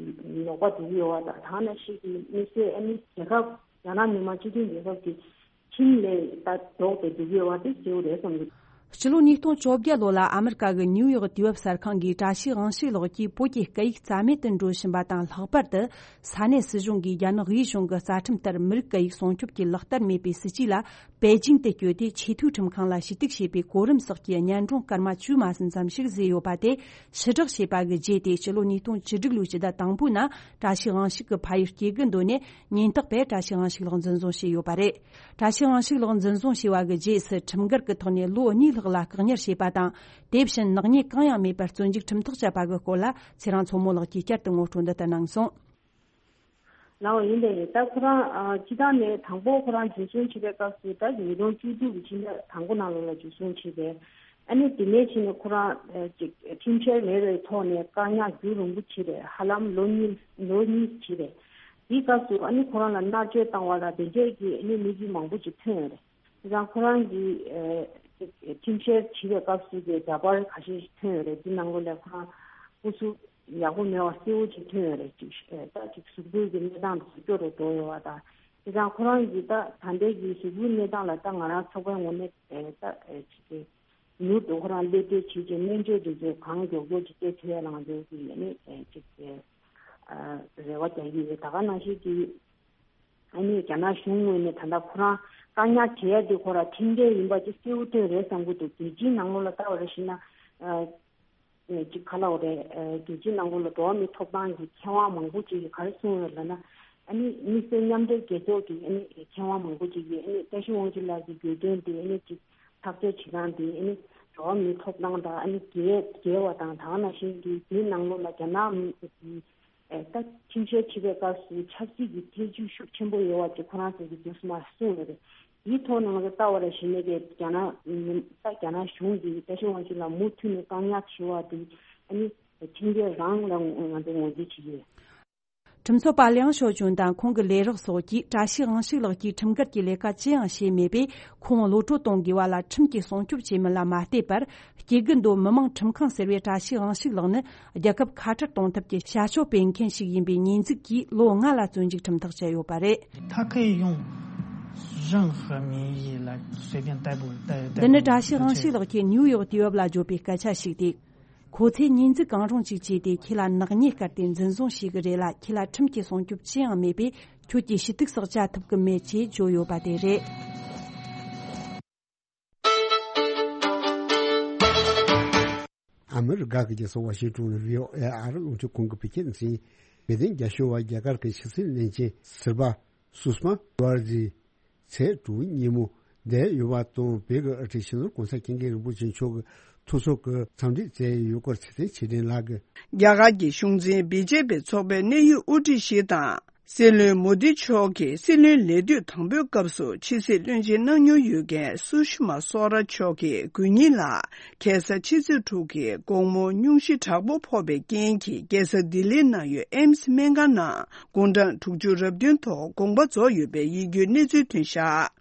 ལོག་པ་འགྲོ་གི་ཡོད་པ་དང་ད་ནང་བཞིན་གྱི་དམིགས་བསལ་ཨ་ནི་རྒྱལ་ཁབ་རྒྱ་ནག་མི་དམངས་སྤྱི་མཐུན་རྒྱལ་ཁབ་ཀྱི་ཁྲིམས་ལས་ད་ལྡོག་སྟེ་འགྲོ་གི་ཡོད་པ་དེ་གསལ་པོ་རེད་བསམ་གྱི་འདུག་སྤྱི་ལོ་ཉིས་སྟོང་བཅོ་བརྒྱད་ལོ་ལ་ཨ་མི་རི་ཀ་གི་ནིའུ་ཡོག་དུས་བབ་གསར་ཁང་གིས་བཀྲ་ཤིས་དབང་ཕྱུག་ལགས་ཀྱིས་བོད་ཀྱི་སྐད་ཡིག་རྩ་མེད་དུ་འགྲོ་བཞིན་པ་དང་། ལྷག་པར་དུ་ས་གནས་སྲིད་གཞུང་གིས་རྒྱ་ནག་དབུས་གཞུང་གི་རྩ་ཁྲིམས་ལྟར་མི་རིགས་སྐད་ཡིག་སྲུང་སྐྱོབ་ཀྱི་ལག་བསྟར་མེད་པའི་སྲིད་ཇུས་ལ་པེ་ཅིང་དུ་བསྐྱོད་དེ་ཆེས་མཐོའི་ཁྲིམས་ཁང་ལ་ཞུ་གཏུག་བྱས་པའི་གོ་རིམ་སོགས་ཀྱི་སྙན་སྒྲོན་སྐར་མ་བཅུ་མ་ཟིན་ཙམ་ཞིག་བཟོས་ཡོད་པ་དེ་ཕྱིར་བསྒྲགས་བྱས་པ་གི་རྗེས་ཏེ། སྤྱི་ལོ་ཉིས་སྟོང་བཅུ་དྲུག་ལོའི་སྤྱི་ཟླ་དང་པོའི་ནང་བཀྲ་ཤིས་དབང་ཕྱུག་གི་ཕ་ཡུལ་སྐྱེ་དགུ་མདོ་ནས་ཉེན་རྟོག་པས་བཀྲ་ཤིས་དབང་ཕྱུག་ལགས་འཛིན་བཟུང་བྱས་ཡོད་པ་རེད། བཀྲ་ཤིས་དབང་ཕྱུག་ལགས་འཛིན་བཟུང་བྱས་པ་གི་རྗེས་སུ་ཁྲིམས་འགལ་གྱི་ཐོག་ནས་ལོ་གཉིས་ལྷག་ལ་བཀག་ཉར་བྱས་པ་དང་། དེ་བཞིན་ནག་ཉེས་གང་ཡང་མེད་པར་བཙོན་འཇུག་ཁྲིམས་ཐག་བཅད་པ་གི་སྐོར་ལ་ཚེ་རིང་མཚོ་མོ་ལགས་ཀྱིས་བསྐྱར་དུ་ངོ་སྤྲོད་འདི་ལྟར་གནང་སོང་། ལགས་འོ་ཡིན་པས་ད་ཁོ་རང་ཨ་སྤྱི་བཏང་ནས་དང་པོ་ཁོ་རང་འཛིན་བཟུང་བྱས་པའི་སྐབས་སུ་ད་ཉིས་སྟོང་བཅུ་དྲུག་གི་ཕྱི་ཟླ་དང་པོ་ནང་ལོགས་ལ་འཛིན་བཟུང་བྱས་པས། ཨ་ནི་དེ་ནས་ཕྱིན་ནས་ཁོ་རང་ཨ་ཅིག་ཁྲིམས་འཆར་མེད་པའི་ཐོག་ནས་བཀག་ཉར་རྒྱུན་རིང་པོ་བྱས་པས་ཧ་ལམ་ལོ་གཉིས་ལོ་གཉིས་བྱས་པས། དེའི་སྐབས་སུ་ཨ་ནི་ཁོ་རང་ལ་མནར་གཅོད་བཏང་བ་ལ་དེ་འདྲས་ཀྱི་ཨ་ནི་གནས་ཚུལ་མང་པོ་ཅིག་ཐོན་ཡོད་རེད། དེ་ཙང་ཁོ་རང་གིས་ཨ་ཅིག་ཁྲིམས་འཆར་བྱེད་པའི་སྐབས་སུ་གི་འདྲ་པར་ཁ་ཤས་ཤིག་ཐོན་ཡོད་རེད། དེ་ནང་ལོགས་ལ་ཁོ་རང་སྐུ་གཟུགས་ཡག་པོ་མེད་པ་གསལ་པོ་ཅིག་ཐོན་ཡོད་རེད། ཅིག་ཨ་ད་ཅིག་གཟུགས་པོའི་གི་གནས་སྟངས་དེ་ཚོ་སྐྱོ་རུ་འགྲོ་ཡོད་པ་དང་། དེ་ཙང་ཁོ་རང་གིས་ད་ད་ལྟའི་གི་གཟུགས་པོའི་གནས་སྟངས་ལ་ད་ང་རང་ཚོགས་པའི་ངོས་ནས་ཨ་ད་ཨ་ཅིག་གི་མྱུར་དུ་ཁོ་རང་སླེབས་བསྡད་བྱེད་ཅིང་སྨན་བཅོས་དེ་ཚོ་གང་མགྱོགས་མགྱོགས་ཀྱིས་སྤྲད་ཐུབ་ཡ་ལ་ང་ཚོ་གི་ཡ་ནི་ཅིག་ ཨ་རེ་བ་རྒྱག་གི་ཡོད། ད་ག་ནང་བཞིན་གྱི་ཨ་ནི་རྒྱ་ནག་གཞུང་ངོས་ནས་ད་ལྟ་ཁོ་རང་བཀག་ཉར་བྱེད་ཡ་དེ་ཁོ་རང་ཁྲིམས་འགལ་ཡིན་པ་ཅིག་གསལ་པོ་བཏོན་རེད་བསམ་གྱི་འདུག་རྒྱལ་སྤྱིའི་ནང་ལོགས་ལ་ལྟ་བ་རེ་བཞིན་ན། ཨ་ཅིག་ག་ལབ་དགོས་རེད། རྒྱལ་སྤྱིའི་ནང་ལོགས་ལ་འགྲོ་བ་མིའི་ཐོབ་ཐང་གི་མཁས་དབང་མང་པོ་ཅིག་གིས་ག་རེ་གསུངས་ཡོད་ལབ་ན། ཨ་ནི་དམིགས་བསལ་མཉམ་འབྲེལ་རྒྱལ་ཚོགས་ཀྱི་ཨ་ནི་མཁས་དབང་མང་པོ་ཅིག་གིས་ཨ་ནི་བཀྲ་ཤིས་དབང་ཕྱུག་ལགས་ཀྱི་གྱོད་དོན་དེ་ཨ་ནི་ཅིག་ཐག་གཅོད་བྱེད་སྟངས་དེ་ཨ་ནི་འགྲོ་བ་མིའི་ཐོབ་ཐང་དང་ཨ་ནི་འགལ་འགལ་བ་དང་། ད་ག་ནང་བཞིན་གྱི་དེའི་ནང་ལོགས་ལ་རྒྱ་ནག་མི་གི་ཨེ་ད་ཁྲིམས་བཤེར་བྱེད་པའི་སྐབས་སུ་ཆབ་སྲིད་ཀྱི་ཐེ་ཇུས་ཤུགས་ཆེན་པོ་ཡོད་པ་ཅིག་ཁོ་རང་ཚོ་གིས་དུས་སུ་མར་གསུངས་ཡོད་རེད། དེའི་ཐོག་ནང་ལ་ལྟ་བ་ར་བཞིན་ནས་ཀྱི་རྒྱ་ནག་ད་རྒྱ་ནག་གཞུང་གིས་བཀྲ་ཤིས་དབང་ཕྱུག་ལ་མུ་མཐུད་ནས་བཀག་ཉར་བྱེད་པ་དེ་ཨ་ནི་ཁྲིམས་འགལ་རང་ལ་ང་ཚོ་ངོས་འཛིན་བྱེད་ཀྱི་ཡོད། ཁྲིམས་ཚོགས་པ་ལིའང་ཞའོ་ཅུན་དང་ཁོང་གི་ལས་རོགས་སོགས་ཀྱིས་བཀྲ་ཤིས་དབང་ཕྱུག་ལགས་ཀྱིས་ཁྲིམས་འགལ་གྱི་ལས་ཀ་ཅི་ཡང་བྱས་མེད་པས། ཁོང་གློད་གྲོལ་གཏོང་དགོས་པ་ལ་ཁྲིམས་ཀྱིས་སྲུང་སྐྱོབ་བྱེད་མིན་ལ་མ་ལྟོས་པར། སྐྱེ་རྒུ་མདོ་མི་དམངས་ཁྲིམས་ཁང་ཟེར་བའི་བཀྲ་ཤིས་དབང་ཕྱུག་ལགས་ནི་རྒྱལ་ཁབ་ཁ་བྲལ་གཏོང་ཐབས་ཀྱི་བྱ་སྤྱོད་སྤེལ་མཁན་ཞིག་ཡིན་པའི་ཉེས་འཛུགས་ཀྱིས་ལོ་ལྔ་ལ་བཙོན་འཇུག་ཁྲིམས་ཐག་བཅད་ཡོད་པ་རེད། 他可以用任何名义来随便逮捕、逮、逮捕。 འདི་ནི་བཀྲ་ཤིས་དབང་ཕྱུག་ལགས་ཀྱིས་ཉེའུ་ཡོག་དུས་བབ་ལ་བརྗོད་པའི་སྐད་ཆ་ཞིག་སྟེ། ཁོ་ཚོས་ཉེས་འཛུགས་གང་རུང་ཞིག་བྱས་ཏེ། ཁྱེད་ལ་ནག་ཉེས་བཀལ་ཏེ་འཛིན་བཟུང་བྱེད་ཀྱི་རེད་ལ། ཁྱེད་ལ་ཁྲིམས་ཀྱི་སྲུང་སྐྱོབ་ཅི་ཡང་མེད་པས། ཁྱོད་ཀྱིས་ཞུ་གཏུག་སོགས་བྱ་ཐུབ་ཀྱི་མེད་ཅེས་བརྗོད་ཡོད་པ་དེ་རེད། ཨ་མི་རི་ཀ་གི་རྒྱལ་ས་ཝ་ཤིང་ཏོན་ནས་བྷི་ཨོ་ཨེ་ཨ་རི་རླུང་འཕྲིན་ཁང་གི་བོད་སྐད་སྡེ་ཚན། དཔལ་ལྡན་རྒྱ་ཤོད་པ་རྒྱ་གར་གྱི་ཕྱི་སྲིད་བློན་ཆེན་སིལ་བ་སུ་ཤྨ་ཤཱ་ར་ཇི་ཚེས་དྲུག་ཉིན་མོ་བསྡད་ཡོད་པ་དང་། བོད་ཀྱི་དབུ་ཁྲིད་སྤྱི་ནོར་༸གོང་ས་༸སྐྱབས་མགོན་རིན་པོ་ཆེ་མཆོག་གི་ཐུགས་གསོ་གི་འཚམས་འདྲི་བསྩལ་ཡོད་སྐོར་ཚེ་བརྟན་ཆོས་སྒྲོན་ལགས་ཀྱིས། རྒྱ་གར་གྱི་གཞུང་འཛིན་བི་ཇེ་པི་ཚོགས་པའི་གནད་ཡོད་དབུ་ཁྲིད་ཞིག་དང་། སྲིད་བློན་མོ་དི་མཆོག་གིས་སྲིད་བློན་ལས་དུས་དང་པོའི་སྐབས་སུ་ཕྱི་སྲིད་བློན་ཆེན་གནང་མྱོང་ཡོད་མཁན་སུ་ཤི་མ་སོ་ར་མཆོག་གིས་དགོས་ཉིན་ལ་ཁ་སང་ཕྱི་ཚེས་དྲུག་གི་དགོང་མོ་སྙུང་གཞི་དྲག་པོ་ཕོག་པའི་རྐྱེན་གྱིས་རྒྱལ་ས་ལྡི་ལིར་གནང་ཡོད་ཨེམ་སི་སྨན་ཁང་ནང་དགུང་གྲངས་དྲུག་ཅུ་རབ་བདུན་ཐོག་དགོངས་པ་རྫོགས་ཡོད་པའི་ཡིད་སྐྱོའི་གནས་ཚུལ་ཐོན་བཞག་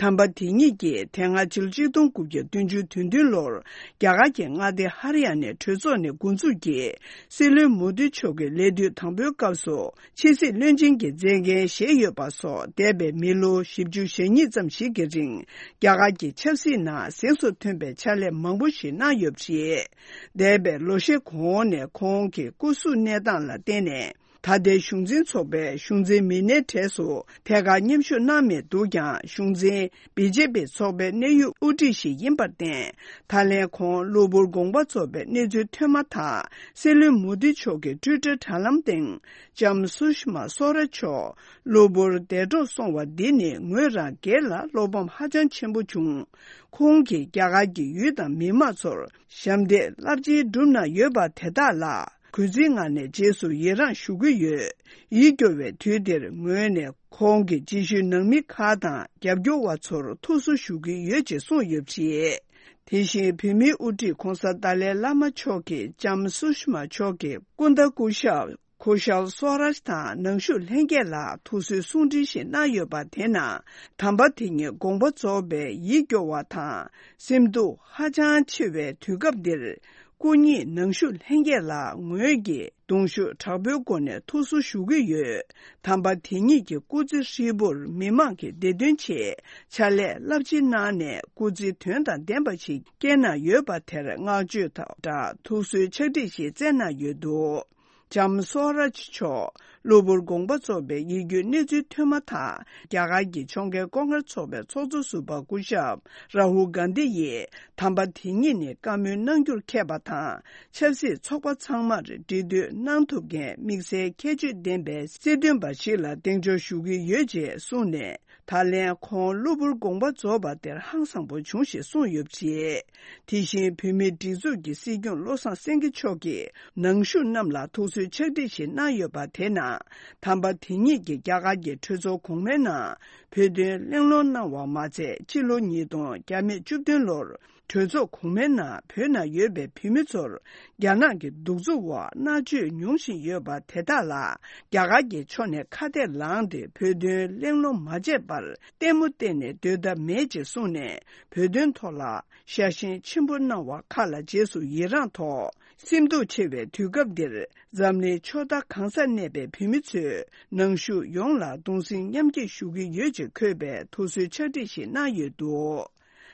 དམ་པ་དེ་ཉིད་ཀྱིས་དེ་སྔ་ཕྱི་ལོ་ཆིག་སྟོང་དགུ་བརྒྱ་བདུན་ཅུ་དོན་བདུན་ལོར་རྒྱ་གར་གྱི་མངའ་སྡེ་ཧ་རི་ཡ་ནའི་གྲོས་ཚོགས་ནས་འགོ་འཛུགས་ཀྱིས་སྲིད་བློན་མོ་དི་མཆོག་གི་ལས་དུས་དང་པོའི་སྐབས་སུ་ཕྱི་སྲིད་བློན་ཆེན་གྱི་མཛད་འགན་བཞེས་ཡོད་པ་སོགས། འདས་པའི་མི་ལོ་བཞི་བཅུ་ཞེ་གཉིས་ཙམ་ཞིག་གི་རིང་རྒྱ་གར་གྱི་ཆབ་སྲིད་ནང་གཟེངས་སུ་ཐོན་པའི་ཕྱག་ལས་མང་པོ་ཞིག་གནང་ཡོད་པ་རེད། འདས་པའི་ལོ་ཤས་གོང་ནས་ཁོང་གི་སྐུ་གཟུགས་གནས་སྟངས་ལ་བརྟེན་ནས། ད་ལྟའི་གཞུང་འཛིན་ཚོགས་པའི་གཞུང་འཛིན་མི་སྣའི་གྲས་སུ་ཐད་ཀར་མཉམ་ཞུགས་གནང་མེད་འདུག་ཀྱང་། གཞུང་འཛིན་བི་ཇེ་པི་ཚོགས་པའི་གནད་ཡོད་དབུ་ཁྲིད་ཞིག་ཡིན་པར་བརྟེན། ད་ལན་ཁོང་གློ་བུར་དགོངས་པ་རྫོགས་པའི་གནས་ཚུལ་ཐོན་མ་ཐག་སྲིད་བློན་མོ་དི་མཆོག་གི་ཊུའི་ཊར་དྲ་ལམ་སྟེང་ལྕམ་སུ་ཤི་མ་སོ་ར་མཆོག་གློ་བུར་འདས་གྲོངས་སོང་བ་འདི་ནི་ངོས་རང་སྒེར་ལ་བློ་ཕམ་ཧ་ཅང་ཆེན་པོ་བྱུང་། ཁོང་གིས་རྒྱ་གར་གྱི་ཡུལ་དང་མི་མང་ཚོར་ཞབས་འདེགས་རླབས་ཆེན་བསྒྲུབས་གནང་ཡོད་པ་དེ་དག་ལ། གུས་བརྩིའི་ངང་ནས་རྗེས་སུ་ཡི་རངས་ཞུ་གི་ཡོད། ཡིད་སྐྱོ་བའི་དུས་འདིར་ངོས་ནས་ཁོང་གི་རྗེས་ཤུལ་ནང་མི་ཁག་དང་རྒྱབ་སྐྱོར་བ་ཚོར་ཐུགས་གསོ་ཞུ་གི་ཡོད་ཅེས་གསུངས་ཡོད་པ་རེད། དེ་བཞིན་བོད་མིའི་དབུ་ཁྲིད་༸གོང་ས་ཏཱ་ལའི་བླ་མ་མཆོག་གིས་ལྕམ་སུ་ཤི་མ་མཆོག་གི་སྐུ་ཟླ་སྐུ་ཞབས་ཁུ་ཤལ་སོ་རཱཇ་དང་ནང་བཞུགས་ལྷན་རྒྱས་ལ་ཐུགས་གསོའི་གསུང་འཕྲིན་ཞིག་གནང་ཡོད་པ་དེ་ནང་། དམ་པ་དེ་ཉིད་དགོངས་པ་རྫོགས་པའི་ཡིད་སྐྱོ་བ་དང་སེམས་སྡུག་ཧ་ཅང་ཆེ་བའི་དུས་སྐབས་འདིར། སྐུ་ཉིད་ནང་བཞུགས་ལྷན་རྒྱས་ལ་ངོས་ཀྱིས་གདུང་ཤུགས་དྲག་པོའི་སྒོ་ནས་ཐུགས་གསོ་ཞུ་གི་ཡོད། དམ་པ་དེ་ཉིད་ཀྱི་སྐུ་ཚེ་ཧྲིལ་པོར་མི་མང་གི་བདེ་དོན་ཆེད་ཕྱག་ལས་རླབས་ཆེན་གནང་ནས་སྐུ་ཚེ་དོན་དང་ལྡན་པ་ཞིག་བསྐྱལ་གནང་ཡོད་པ་དེར་བསྔགས་བརྗོད་དང་སྦྲགས་ཐུགས་གསོའི་ཕྱག་བྲིས་ཤིག་བསྩལ་གནང་ཡོད་འདུག་ལྕམ་སོ་རཱཇ་མཆོག་གློ་བུར་དགོངས་པ་རྫོགས་པའི་ཡིད་སྐྱོའི་གནས་ཚུལ་ཐོན་མ་ཐག་རྒྱ་གར་གྱི་ཕྱོགས་འགལ་ལྐོག་འགལ་ཚོགས་པའི་ཚོགས་གཙོ་ཟུར་པ་སྐུ་ཞབས་རཱ་ཧུལ་གྷན་དྷི་ཡིས་དམ་པ་དེ་ཉིད་ནས་བཀའ་མོལ་གནང་རྒྱུར་མཁས་པ་དང་། ཆབ་སྲིད་ཚོགས་པ་ཚང་མར་འབྲེལ་མཐུད་གནང་ཐུབ་མཁན་དམིགས་བསལ་ཁྱད་ཆོས་ལྡན་པའི་སྲིད་དོན་པ་ཞིག་ལ་གདེང་འཇོག་ཞུ་གི་ཡོད་ཅེས་གསུངས་ནས། ད་ལན་ཁོང་གློ་བུར་དགོངས་པ་རྫོགས་པ་དེར་ཧང་སངས་པོ་བྱུང་ཞེས་གསུངས་ཡོད་པ་རེད། དེ་བཞིན་བོད་མིའི་སྒྲིག་འཛུགས་ཀྱི་སྲིད་སྐྱོང་བློ་བཟང་སེང་གེ་མཆོག་གིས་ནང་བཞུགས་རྣམས་ལ་ཐུགས་གསོའི་ཕྱག་བྲིས་ཤིག་གནང་ཡོད་པ་དེ་ནང་། དམ་པ་དེ་ཉིད་ཀྱིས་རྒྱ་གར་གྱི་གྲོས་ཚོགས་གོང་མའི་ནང་བོད་དོན་གླེང་སློང་གནང་བ་མ་ཚད། ཕྱི་ལོ་ཉིས་སྟོང་བརྒྱ་མེད་བཅུ་བདུན་ལོར་གྲོས་ཚོགས་གོང་མའི་ནང་བོད་ནང་ཡོད་པའི་བོད་མི་ཚོར་རྒྱ་ནག་གི་གདུག་རྩུབ་འོག་མནར་གཅོད་མྱོང་བཞིན་ཡོད་པ་དེ་དག་ལ་རྒྱ་གར་གྱི་ཕྱོགས་ནས་ཁ་གཏད་ལངས་ཏེ་བོད་དོན་གླེང་སློང་མ་བྱས་པར་ལྟད་མོ་བལྟས་ནས་སྡོད་ཐབས་མེད་ཅེས་གསུངས་ནས། བོད་དོན་ཐོག་ལ་ཤ་ཞེན་ཆེན་པོ་གནང་བ་ཁག་ལ་རྗེས་སུ་ཡི་རངས་ཐོག་སེམས་སྡུག་ཆེ་བའི་དུས་སྐབས་འདིར་འཛམ་གླིང་ཕྱོགས་མཐའ་གང་སར་གནས་པའི་བོད་མི་ཚོས་ནང་བཞུགས་ཡོངས་ལ་གདུང་སེམས་མཉམ་སྐྱེད་ཞུ་གི་ཡོད་ཅེས་འཁོད་པའི་ཐུགས་གསོའི་ཕྱག་བྲིས་ཤིག་གནང་ཡོད་འདུག་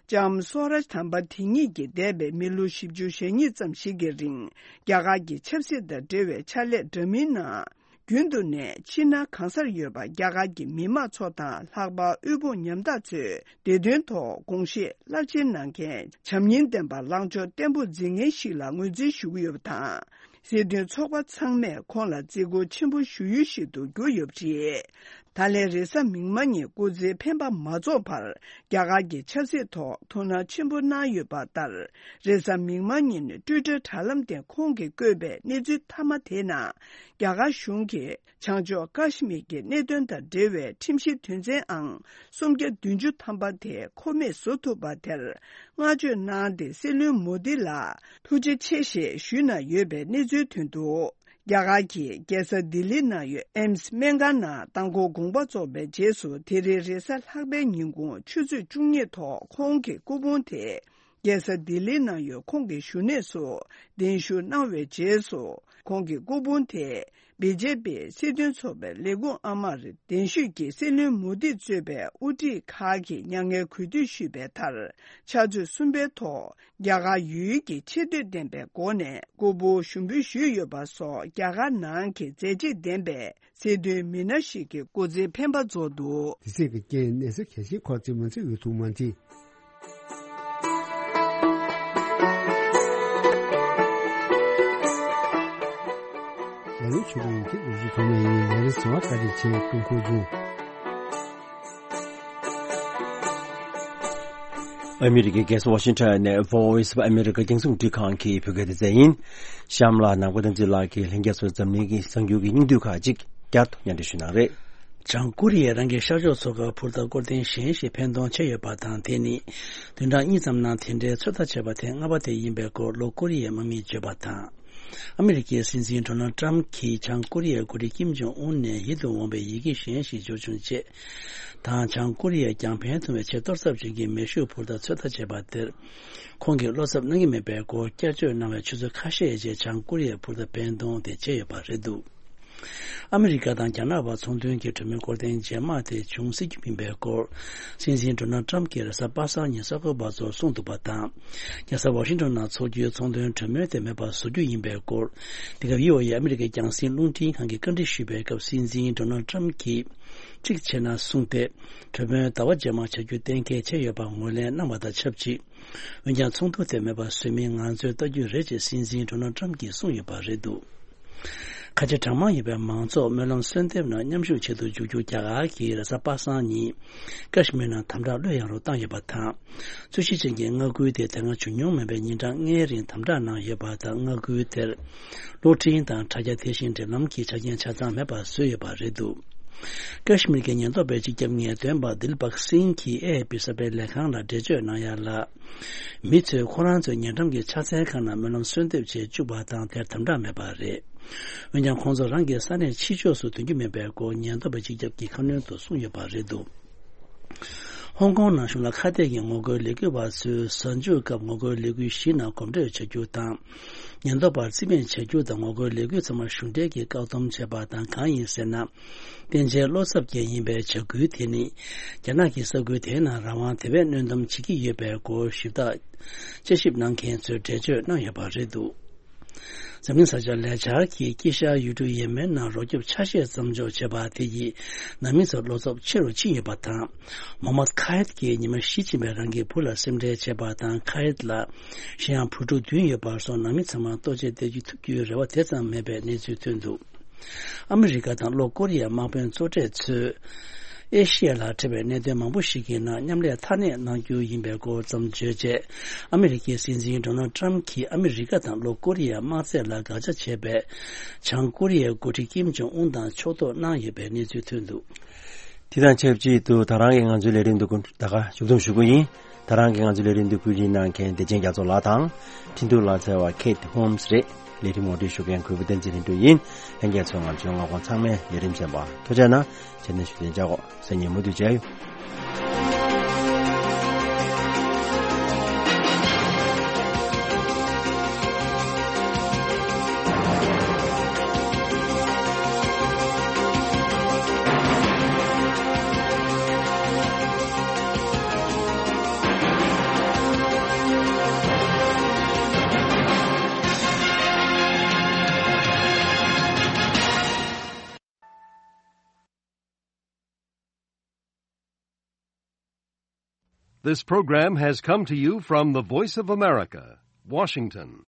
ལྕམ་སོ་རཱཇ་དམ་པ་དེ་ཉིད་ཀྱིས་འདས་པའི་མི་ལོ་བཞི་བཅུ་ཞེ་གཉིས་ཙམ་ཞིག་གི་རིང་རྒྱ་གར་གྱི་ཆབ་སྲིད་དང་འབྲེལ་བའི་ཕྱག་ལས་འདྲ་མིན་ནང་། རྒྱུན་དུ་ནས་ཕྱི་ནང་གང་སར་ཡོད་པ་རྒྱ་གར་གྱི་མི་དམངས་ཚོ་དང་ལྷག་པར་དབུལ་ཕོངས་ཉམ་ཐག་ཚོའི་བདེ་དོན་ཐོག་དགོངས་བཞེས་རླབས་ཆེན་གནང་མཁན་བྱམས་སྙིང་ལྡན་པ་ལངས་ཕྱོགས་བརྟན་པོ་འཛིན་མཁན་ཞིག་ལ་ངོས་འཛིན་ཞུ་གི་ཡོད་པ་དང་། སྲིད་དོན་ཚོགས་པ་ཚང་མས་ཁོང་ལ་བརྩི་བཀུར་ཆེན་པོ་ཞུ་ཡུལ་ཞིག་ཏུ་གྱུར་ཡོད་པ་རེད། ད་ལན་རེས་གཟའ་མིག་དམར་ཉིན་སྐུ་ཚེའི་འཕེན་པ་མ་རྫོགས་བར་རྒྱ་གར་གྱི་ཆབ་སྲིད་ཐོག་ཐུགས་སྣང་ཆེན་པོ་གནང་ཡོད་པ་ལྟར། རེས་གཟའ་མིག་དམར་ཉིན་ཊུའི་ཊར་དྲ་ལམ་སྟེང་ཁོང་གིས་བཀོད་པའི་གནས་ཚུལ་མཐའ་མ་དེའི་ནང་། རྒྱ་གར་གཞུང་གིས་བྱང་ཕྱོགས་ཀ་ཤི་མིར་གྱི་གནད་དོན་དང་འབྲེལ་བའི་ཁྲིམས་གཞི་དོན་ཚན་ཨང་སུམ་བརྒྱ་བདུན་ཅུ་ཐམ་པ་དེ་མཁོ་མེད་བཟོ་ཐུབ་པ་དེར་བསྔགས་བརྗོད་གནང་སྟེ། སྲིད་བློན་མོ་དི་ལ་ཐུགས་རྗེ་ཆེ་ཞེས་ཞུས་གནང་ཡོད་པའི་གནས་ཚུལ་ཐོན་འདུག་རྒྱ་གར་གྱི་རྒྱལ་ས་ལྡི་ལི་ནང་ཡོད་ཨེམ་སི་སྨན་ཁང་ནང་མདང་དགོང་དགོངས་པ་རྫོགས་པའི་རྗེས་སུ། དེ་རིང་རེས་གཟའ་ལྷག་པའི་ཉིན་གུང་ཆུ་ཚོད་བཅུ་གཉིས་ཐོག་ཁོང་གི་སྐུ་ཕུང་དེ་རྒྱལ་ས་ལྡི་ལི་ནང་ཡོད་ཁོང་གི་བཞུགས་གནས་སུ་གདན་ཞུ་གནང་བའི་རྗེས་སུ། ཁོང་གི་སྐུ་ཕུང་དེ་བི་ཇེ་པི་སྲིད་དོན་ཚོགས་པའི་ལས་ཁུངས་ཨ་མར་གདན་ཞུས་ཀྱིས་སྲིད་བློན་མོ་དི་གཙོས་པའི་དབུ་ཁྲིད་ཁག་གིས་མྱ་ངན་གུས་འདུད་ཞུས་པའི་མཐར། ཕྱག་ཚོད་གསུམ་པའི་ཐོག་རྒྱ་གར་ཡུལ་ཡུལ་གྱི་ཆེ་བསྟོད་ལྡན་པའི་སྒོ་ནས་སྐུ་ཕུང་ཞུགས་འབུལ་ཞུས་ཡོད་པ་སོགས། རྒྱ་གར་ནང་གི་མཛད་རྗེས་ལྡན་པའི་སྲིད་དོན་མི་སྣ་ཞིག་གི་སྐུ་ཚེའི་འཕེན་པ་རྫོགས་འདུག་དེ་སྲིད་ཀྱི་རྐྱེན་གནས་ཚུལ་གལ་ཆེན་ཁག་ཅིག་མ་འཚོལ་བའི་ཐུགས་མ་འདྲི། ལས་ལུགས་ཆུ་ལུགས་ཡིན་གྱི་ལོ་རྒྱུས་ཐོག་མ་ཡིན། ལས་རིམ་གསན་པར་བཀའ་དྲིན་ཆེ། ཀྲུང་གོ་ལྗོངས། ཨ་མི་རི་ཀའི་རྒྱལ་ས་ཝ་ཤིང་ཊོན་ནས་Voice of America རྒྱང་སྲིང་རླུང་འཕྲིན་ཁང་གི་བོད་སྐད་སྡེ་ཚན་ཡིན། གཤམ་ལ་ནང་པ་བསྟན་འཛིན་ལགས་ཀྱིས་ལྷན་རྒྱས་ཚོར་འཛམ་གླིང་གི་གསར་འགྱུར་གྱི་སྙིང་བསྡུས་ཁག་ཅིག་བསྐྱར་དུ་སྙན་སྒྲོན་ཞུ་གནང་རེད། བྱང་ཀོ་རི་ཡས་རང་གི་ཤར་ཕྱོགས་མཚོ་ཁར་འཕུར་མདའ་སྐོར་ཐེངས་གཞན་ཞིག་འཕེན་གཏོང་བྱས་ཡོད་པ་དང་། དེ་ནི་བདུན་ཕྲག་གཉིས་ཙམ་ནང་དེ་འདྲའི་ཚོད་ལྟ་བྱས་པ་ཐེངས་ལྔ་པ་དེ་ཡིན་པའི་སྐོར་ལྷོ་ཀོ་རི་ཡའི་དམག་མིས་བརྗོད་པ་དང་། ཨ་མི་རི་ཀའི་སྲིད་འཛིན་ཌོ་ནལ་ཏྲམ་གྱིས་བྱང་ཀོ་རི་ཡའི་འགོ་ཁྲིད་ཀིམ་ཇོང་ཨུན་ནས་ཡིད་དུ་འོང་བའི་ཡི་གེ་གཞན་ཞིག་འབྱོར་བྱུང་ཅེས་དང་། བྱང་ཀོ་རི་ཡས་རྒྱང་འཕེན་ཐུབ་པའི་ཆེས་གཏོར་ཚབས་ཅན་གྱི་མེ་ཤུགས་འཕུར་མདའ་ཚོད་ལྟ་བྱས་པ་དེར་ཁོང་གིས་བློ་འཚབ་གནང་གི་མེད་པའི་སྐོར་བསྐྱར་བརྗོད་གནང་བའི་ཆུ་ཚོད་ཁ་ཤས་རྗེས། བྱང་ཀོ་རི་ཡས་འཕུར་མདའ་འཕེན་གཏོང་དེ་བྱས་ཡོད་པ་རེད་འདུག་ཨ་མི་རི་ཀ་དང་རྒྱ་ནག་བར་ཚོང་དོན་གྱི་གྲོས་མོལ་སྐོར་ཐེངས་རྗེས་མ་དེ་བྱུང་སྲིད་རྒྱུ་ཡིན་པའི་སྐོར། སྲིད་འཛིན་ཌོ་ནལ་ཏྲམ་གྱིས་རེས་གཟའ་པ་སངས་ཉིན་གསར་འགོད་པ་ཚོར་གསུངས་འདུག་པ་དང་། རྒྱལ་ས་ཝ་ཤིང་ཊོན་ནང་འཚོགས་རྒྱུའི་ཚོང་དོན་གྲོས་མོལ་དེ་མེད་པར་བཟོ་རྒྱུ་ཡིན་པའི་སྐོར། འདི་ག་བྷི་ཨོ་ཨེ་ཨ་མི་རི་ཀའི་རྒྱང་སྲིང་རླུང་འཕྲིན་ཁང་གིས་བཀའ་འདྲི་ཞུས་པའི་སྐབས། སྲིད་འཛིན་ཌོ་ནལ་ཏྲམ་གྱིས་གཅིག་བྱས་ན་གསུངས་ཏེ། གྲོས་མོལ་ཟླ་བ་རྗེས་མར་བྱ་རྒྱུ་གཏན་འཁེལ་བྱས་ཡོད་པ་ངོས་ལེན་གནང་བ་དང་ཆབས་ཅིག་འོན་ཀྱང་ཚོགས་འདུ་དེ་མེད་པར་བཟོས་མིན་ང་ཚོས་ལྟ་རྒྱུ་རེད་ཅེས་སྲིད་འཛིན་ཌོ་ནལ་ཏྲམ་གྱིས་གསུངས་ཡོད་པ་རེད་འདུག་ཁ་ཆེ་གྲངས་མང་ཡོད་པའི་མང་ཚོགས་སྨོན་ལམ་གསོལ་འདེབས་ནང་མཉམ་ཞུགས་བྱེད་དུ་འཇུག་རྒྱུ་རྒྱ་གར་གྱིས་རེས་གཟའ་པ་སངས་ཉིན་ཀ་ཤི་མིར་ནང་དམ་དྲག་གློད་ཡངས་རུ་བཏང་ཡོད་པ་དང་། རྩོད་གཞི་ཅན་གྱི་མངའ་ཁུལ་དེ་དེ་སྔ་བྱུང་མྱོང་མེད་པའི་ཉིན་གྲངས་ལྔའི་རིང་དམ་དྲག་གནང་ཡོད་པ་དང་། མངའ་ཁུལ་དེར་གློག་འཕྲིན་དང་དྲ་རྒྱ་དེ་བཞིན་འབྲེལ་ལམ་གྱི་ཆ་རྐྱེན་ཆ་ཚང་མེད་པར་བཟོས་ཡོད་པ་རེད་འདུག་ཀ་ཤི་མིར་གྱི་ཉེན་རྟོག་པའི་སྤྱི་ཁྱབ་ངེས་སྟོན་པ་དིལ་བག་སིང་གིས་ཨེ་ཨེ་པི་གསར་པའི་ལས་ཁང་ལ་འགྲེལ་བརྗོད་གནང་ཡ་ལ། མི་ཚོས་ཁོ་རང་ཚོའི་ཉེ་འགྲམ་གྱི་ཕྱག་འཚལ་ཁང་ནང་སྨོན་ལམ་གསོལ་འདེབས་བྱེད་བཅུག་པ་དང་། དེར་དམ་དྲག་མེད་པ་རེད། འོན་ཀྱང་ཁོང་ཚོ་རང་གི་ས་གནས་ཕྱི་ཕྱོགས་སུ་ཐོན་རྒྱུ་མེད་པའི་སྐོར་ཉེན་རྟོག་པའི་སྤྱི་ཁྱབ་ཀྱིས་ཁ་སྣོན་དུ་གསུངས་ཡོད་པ་རེད་འདུག་ཧོང་ཀོང་ནང་གཞུང་ལ་ཁ་གཏད་ཀྱི་ངོ་རྒོལ་ལས་འགུལ་བ་ཚོས་གཟའ་མཇུག་སྐབས་ངོ་རྒོལ་ལས་འགུལ་བཞི་ནང་གོམ་བགྲོད་བྱ་རྒྱུ་དང་། ཉེན་རྟོག་པར་རྩིས་མེད་བྱ་རྒྱུ་དང་། ངོ་རྒོལ་ལས་འགུལ་ཚང་མ་གཞུང་འབྲེལ་གྱིས་བཀག་སྡོམ་བྱས་པ་དང་། གང་ཡིན་ཟེར་ན། བསྟན་འཇལ་བློ་འཚབ་ཅན་ཡིན་པའི་བྱ་འགུལ་དེ་ནི། རྒྱ་ནག་གི་ས་ཁུལ་དེའི་ནང་རང་དབང་དེ་བས་གནོན་སྡོམ་བྱེད་ཀྱི་ཡོད་པའི་སྐོར་ཞིབ་ཐག་དཔྱད་ཞིབ་གནང་མཁན་ཚོས་འགྲེལ་བརྗོད་གནང་ཡོད་པ་རེད་འདུག་འཛམ་གླིང་གསར་འགྱུར་ལས་འཆར་གྱིས་དཀྱིལ་ཤར་ཡུལ་གྲུ་ཡེ་མེན་ནང་རོ་སྐྱོབ་ཆ་ཤས་མཚམས་འཇོག་བྱས་པ་དེ་ཡིས་ནང་མི་ཚོར་བློ་འཚབ་ཆེ་རུ་ཕྱིན་ཡོད་པ་དང་། མོ་མད་ཁ་ཧེད་ཀྱིས་ཉི་མ་བཞི་ཕྱིན་པའི་རང་གི་བུ་ལ་སེམས་ཁྲལ་བྱས་པ་དང་། ཁ་ཧེད་ལ་གཞན་ཡང་བུ་ཕྲུག་བདུན་ཡོད་པར་སོང་། ནང་མི་ཚང་མ་ལྟོ་ཆས་སྟེར་རྒྱུ་ཐུབ་རྒྱུའི་རེ་བ་དེ་ཙམ་མེད་པའི་གནས་ཚུལ་ཐོན་འདུག་ཨ་མི་རི་ཀ་དང་ལྷོ་ཀོ་རི་ཡའི་དམག་དཔོན་གཙོ་གྲས་ཚོས་ཨེ་ཤི་ཡ་ལ་འཕྲད་པའི་གནད་དོན་མང་པོ་ཞིག་གི་ནང་མཉམ་ལས་མཐའ་གནས་གནང་རྒྱུ་ཡིན་པའི་སྐོར་ཙམ་བརྗོད་རྗེས། ཨ་མི་རི་ཀའི་སྲིད་འཛིན་ཌོ་ནལ་ཏྲམ་གྱིས་ཨ་མི་རི་ཀ་དང་ལྷོ་ཀོ་རི་ཡའི་དམག་རྩལ་ལ་དགག་བྱ་བྱས་པའི་བྱང་ཀོ་རི་ཡའི་འགོ་ཁྲིད་ཀིམ་ཇོང་ཨུན་དང་ཕྱོགས་གཏོགས་གནང་ཡོད་པའི་གནས་ཚུལ་ཐོན་འདུག་དེ་དང་ཆབས་ཅིག་ཏུ་ད་རང་གི་ང་ཚོའི་ལས་རིམ་འདི་ཀུན་ད་ག་མཇུག་བསྡོམས་ཞུ་གི་ཡིན། ད་རང་གི་ང་ཚོའི་ལས་རིམ་འདི་བཀོད་སྒྲིག་གནང་མཁན་བདེ་ཆེན་རྒྱ་མཚོ་ལགས་དང་། འཕྲིན་ཐུང་ལག་རྩལ་བ་ཁེ་ཐི་ཧོམ་སི་རེད། ལས་རིམ་ངོ་སྤྲོད་ཞུ་མཁན་གུས་པ་བསྟན་འཛིན་ལྷུན་གྲུབ་ཡིན། ལྷན་རྒྱས་ཚོས་ང་ཚོའི་མངའ་ཁོངས་ཚང་མའི་ལས་རིམ་གསན་པར་ཐུགས་རྗེ་གནང་། རྗེས་ནས་ཞུ་ལན་བྱ་གོ་སང་ཉིན་མུ་མཐུད་མཇལ་ཡོང་། This program has come to you from the Voice of America, Washington.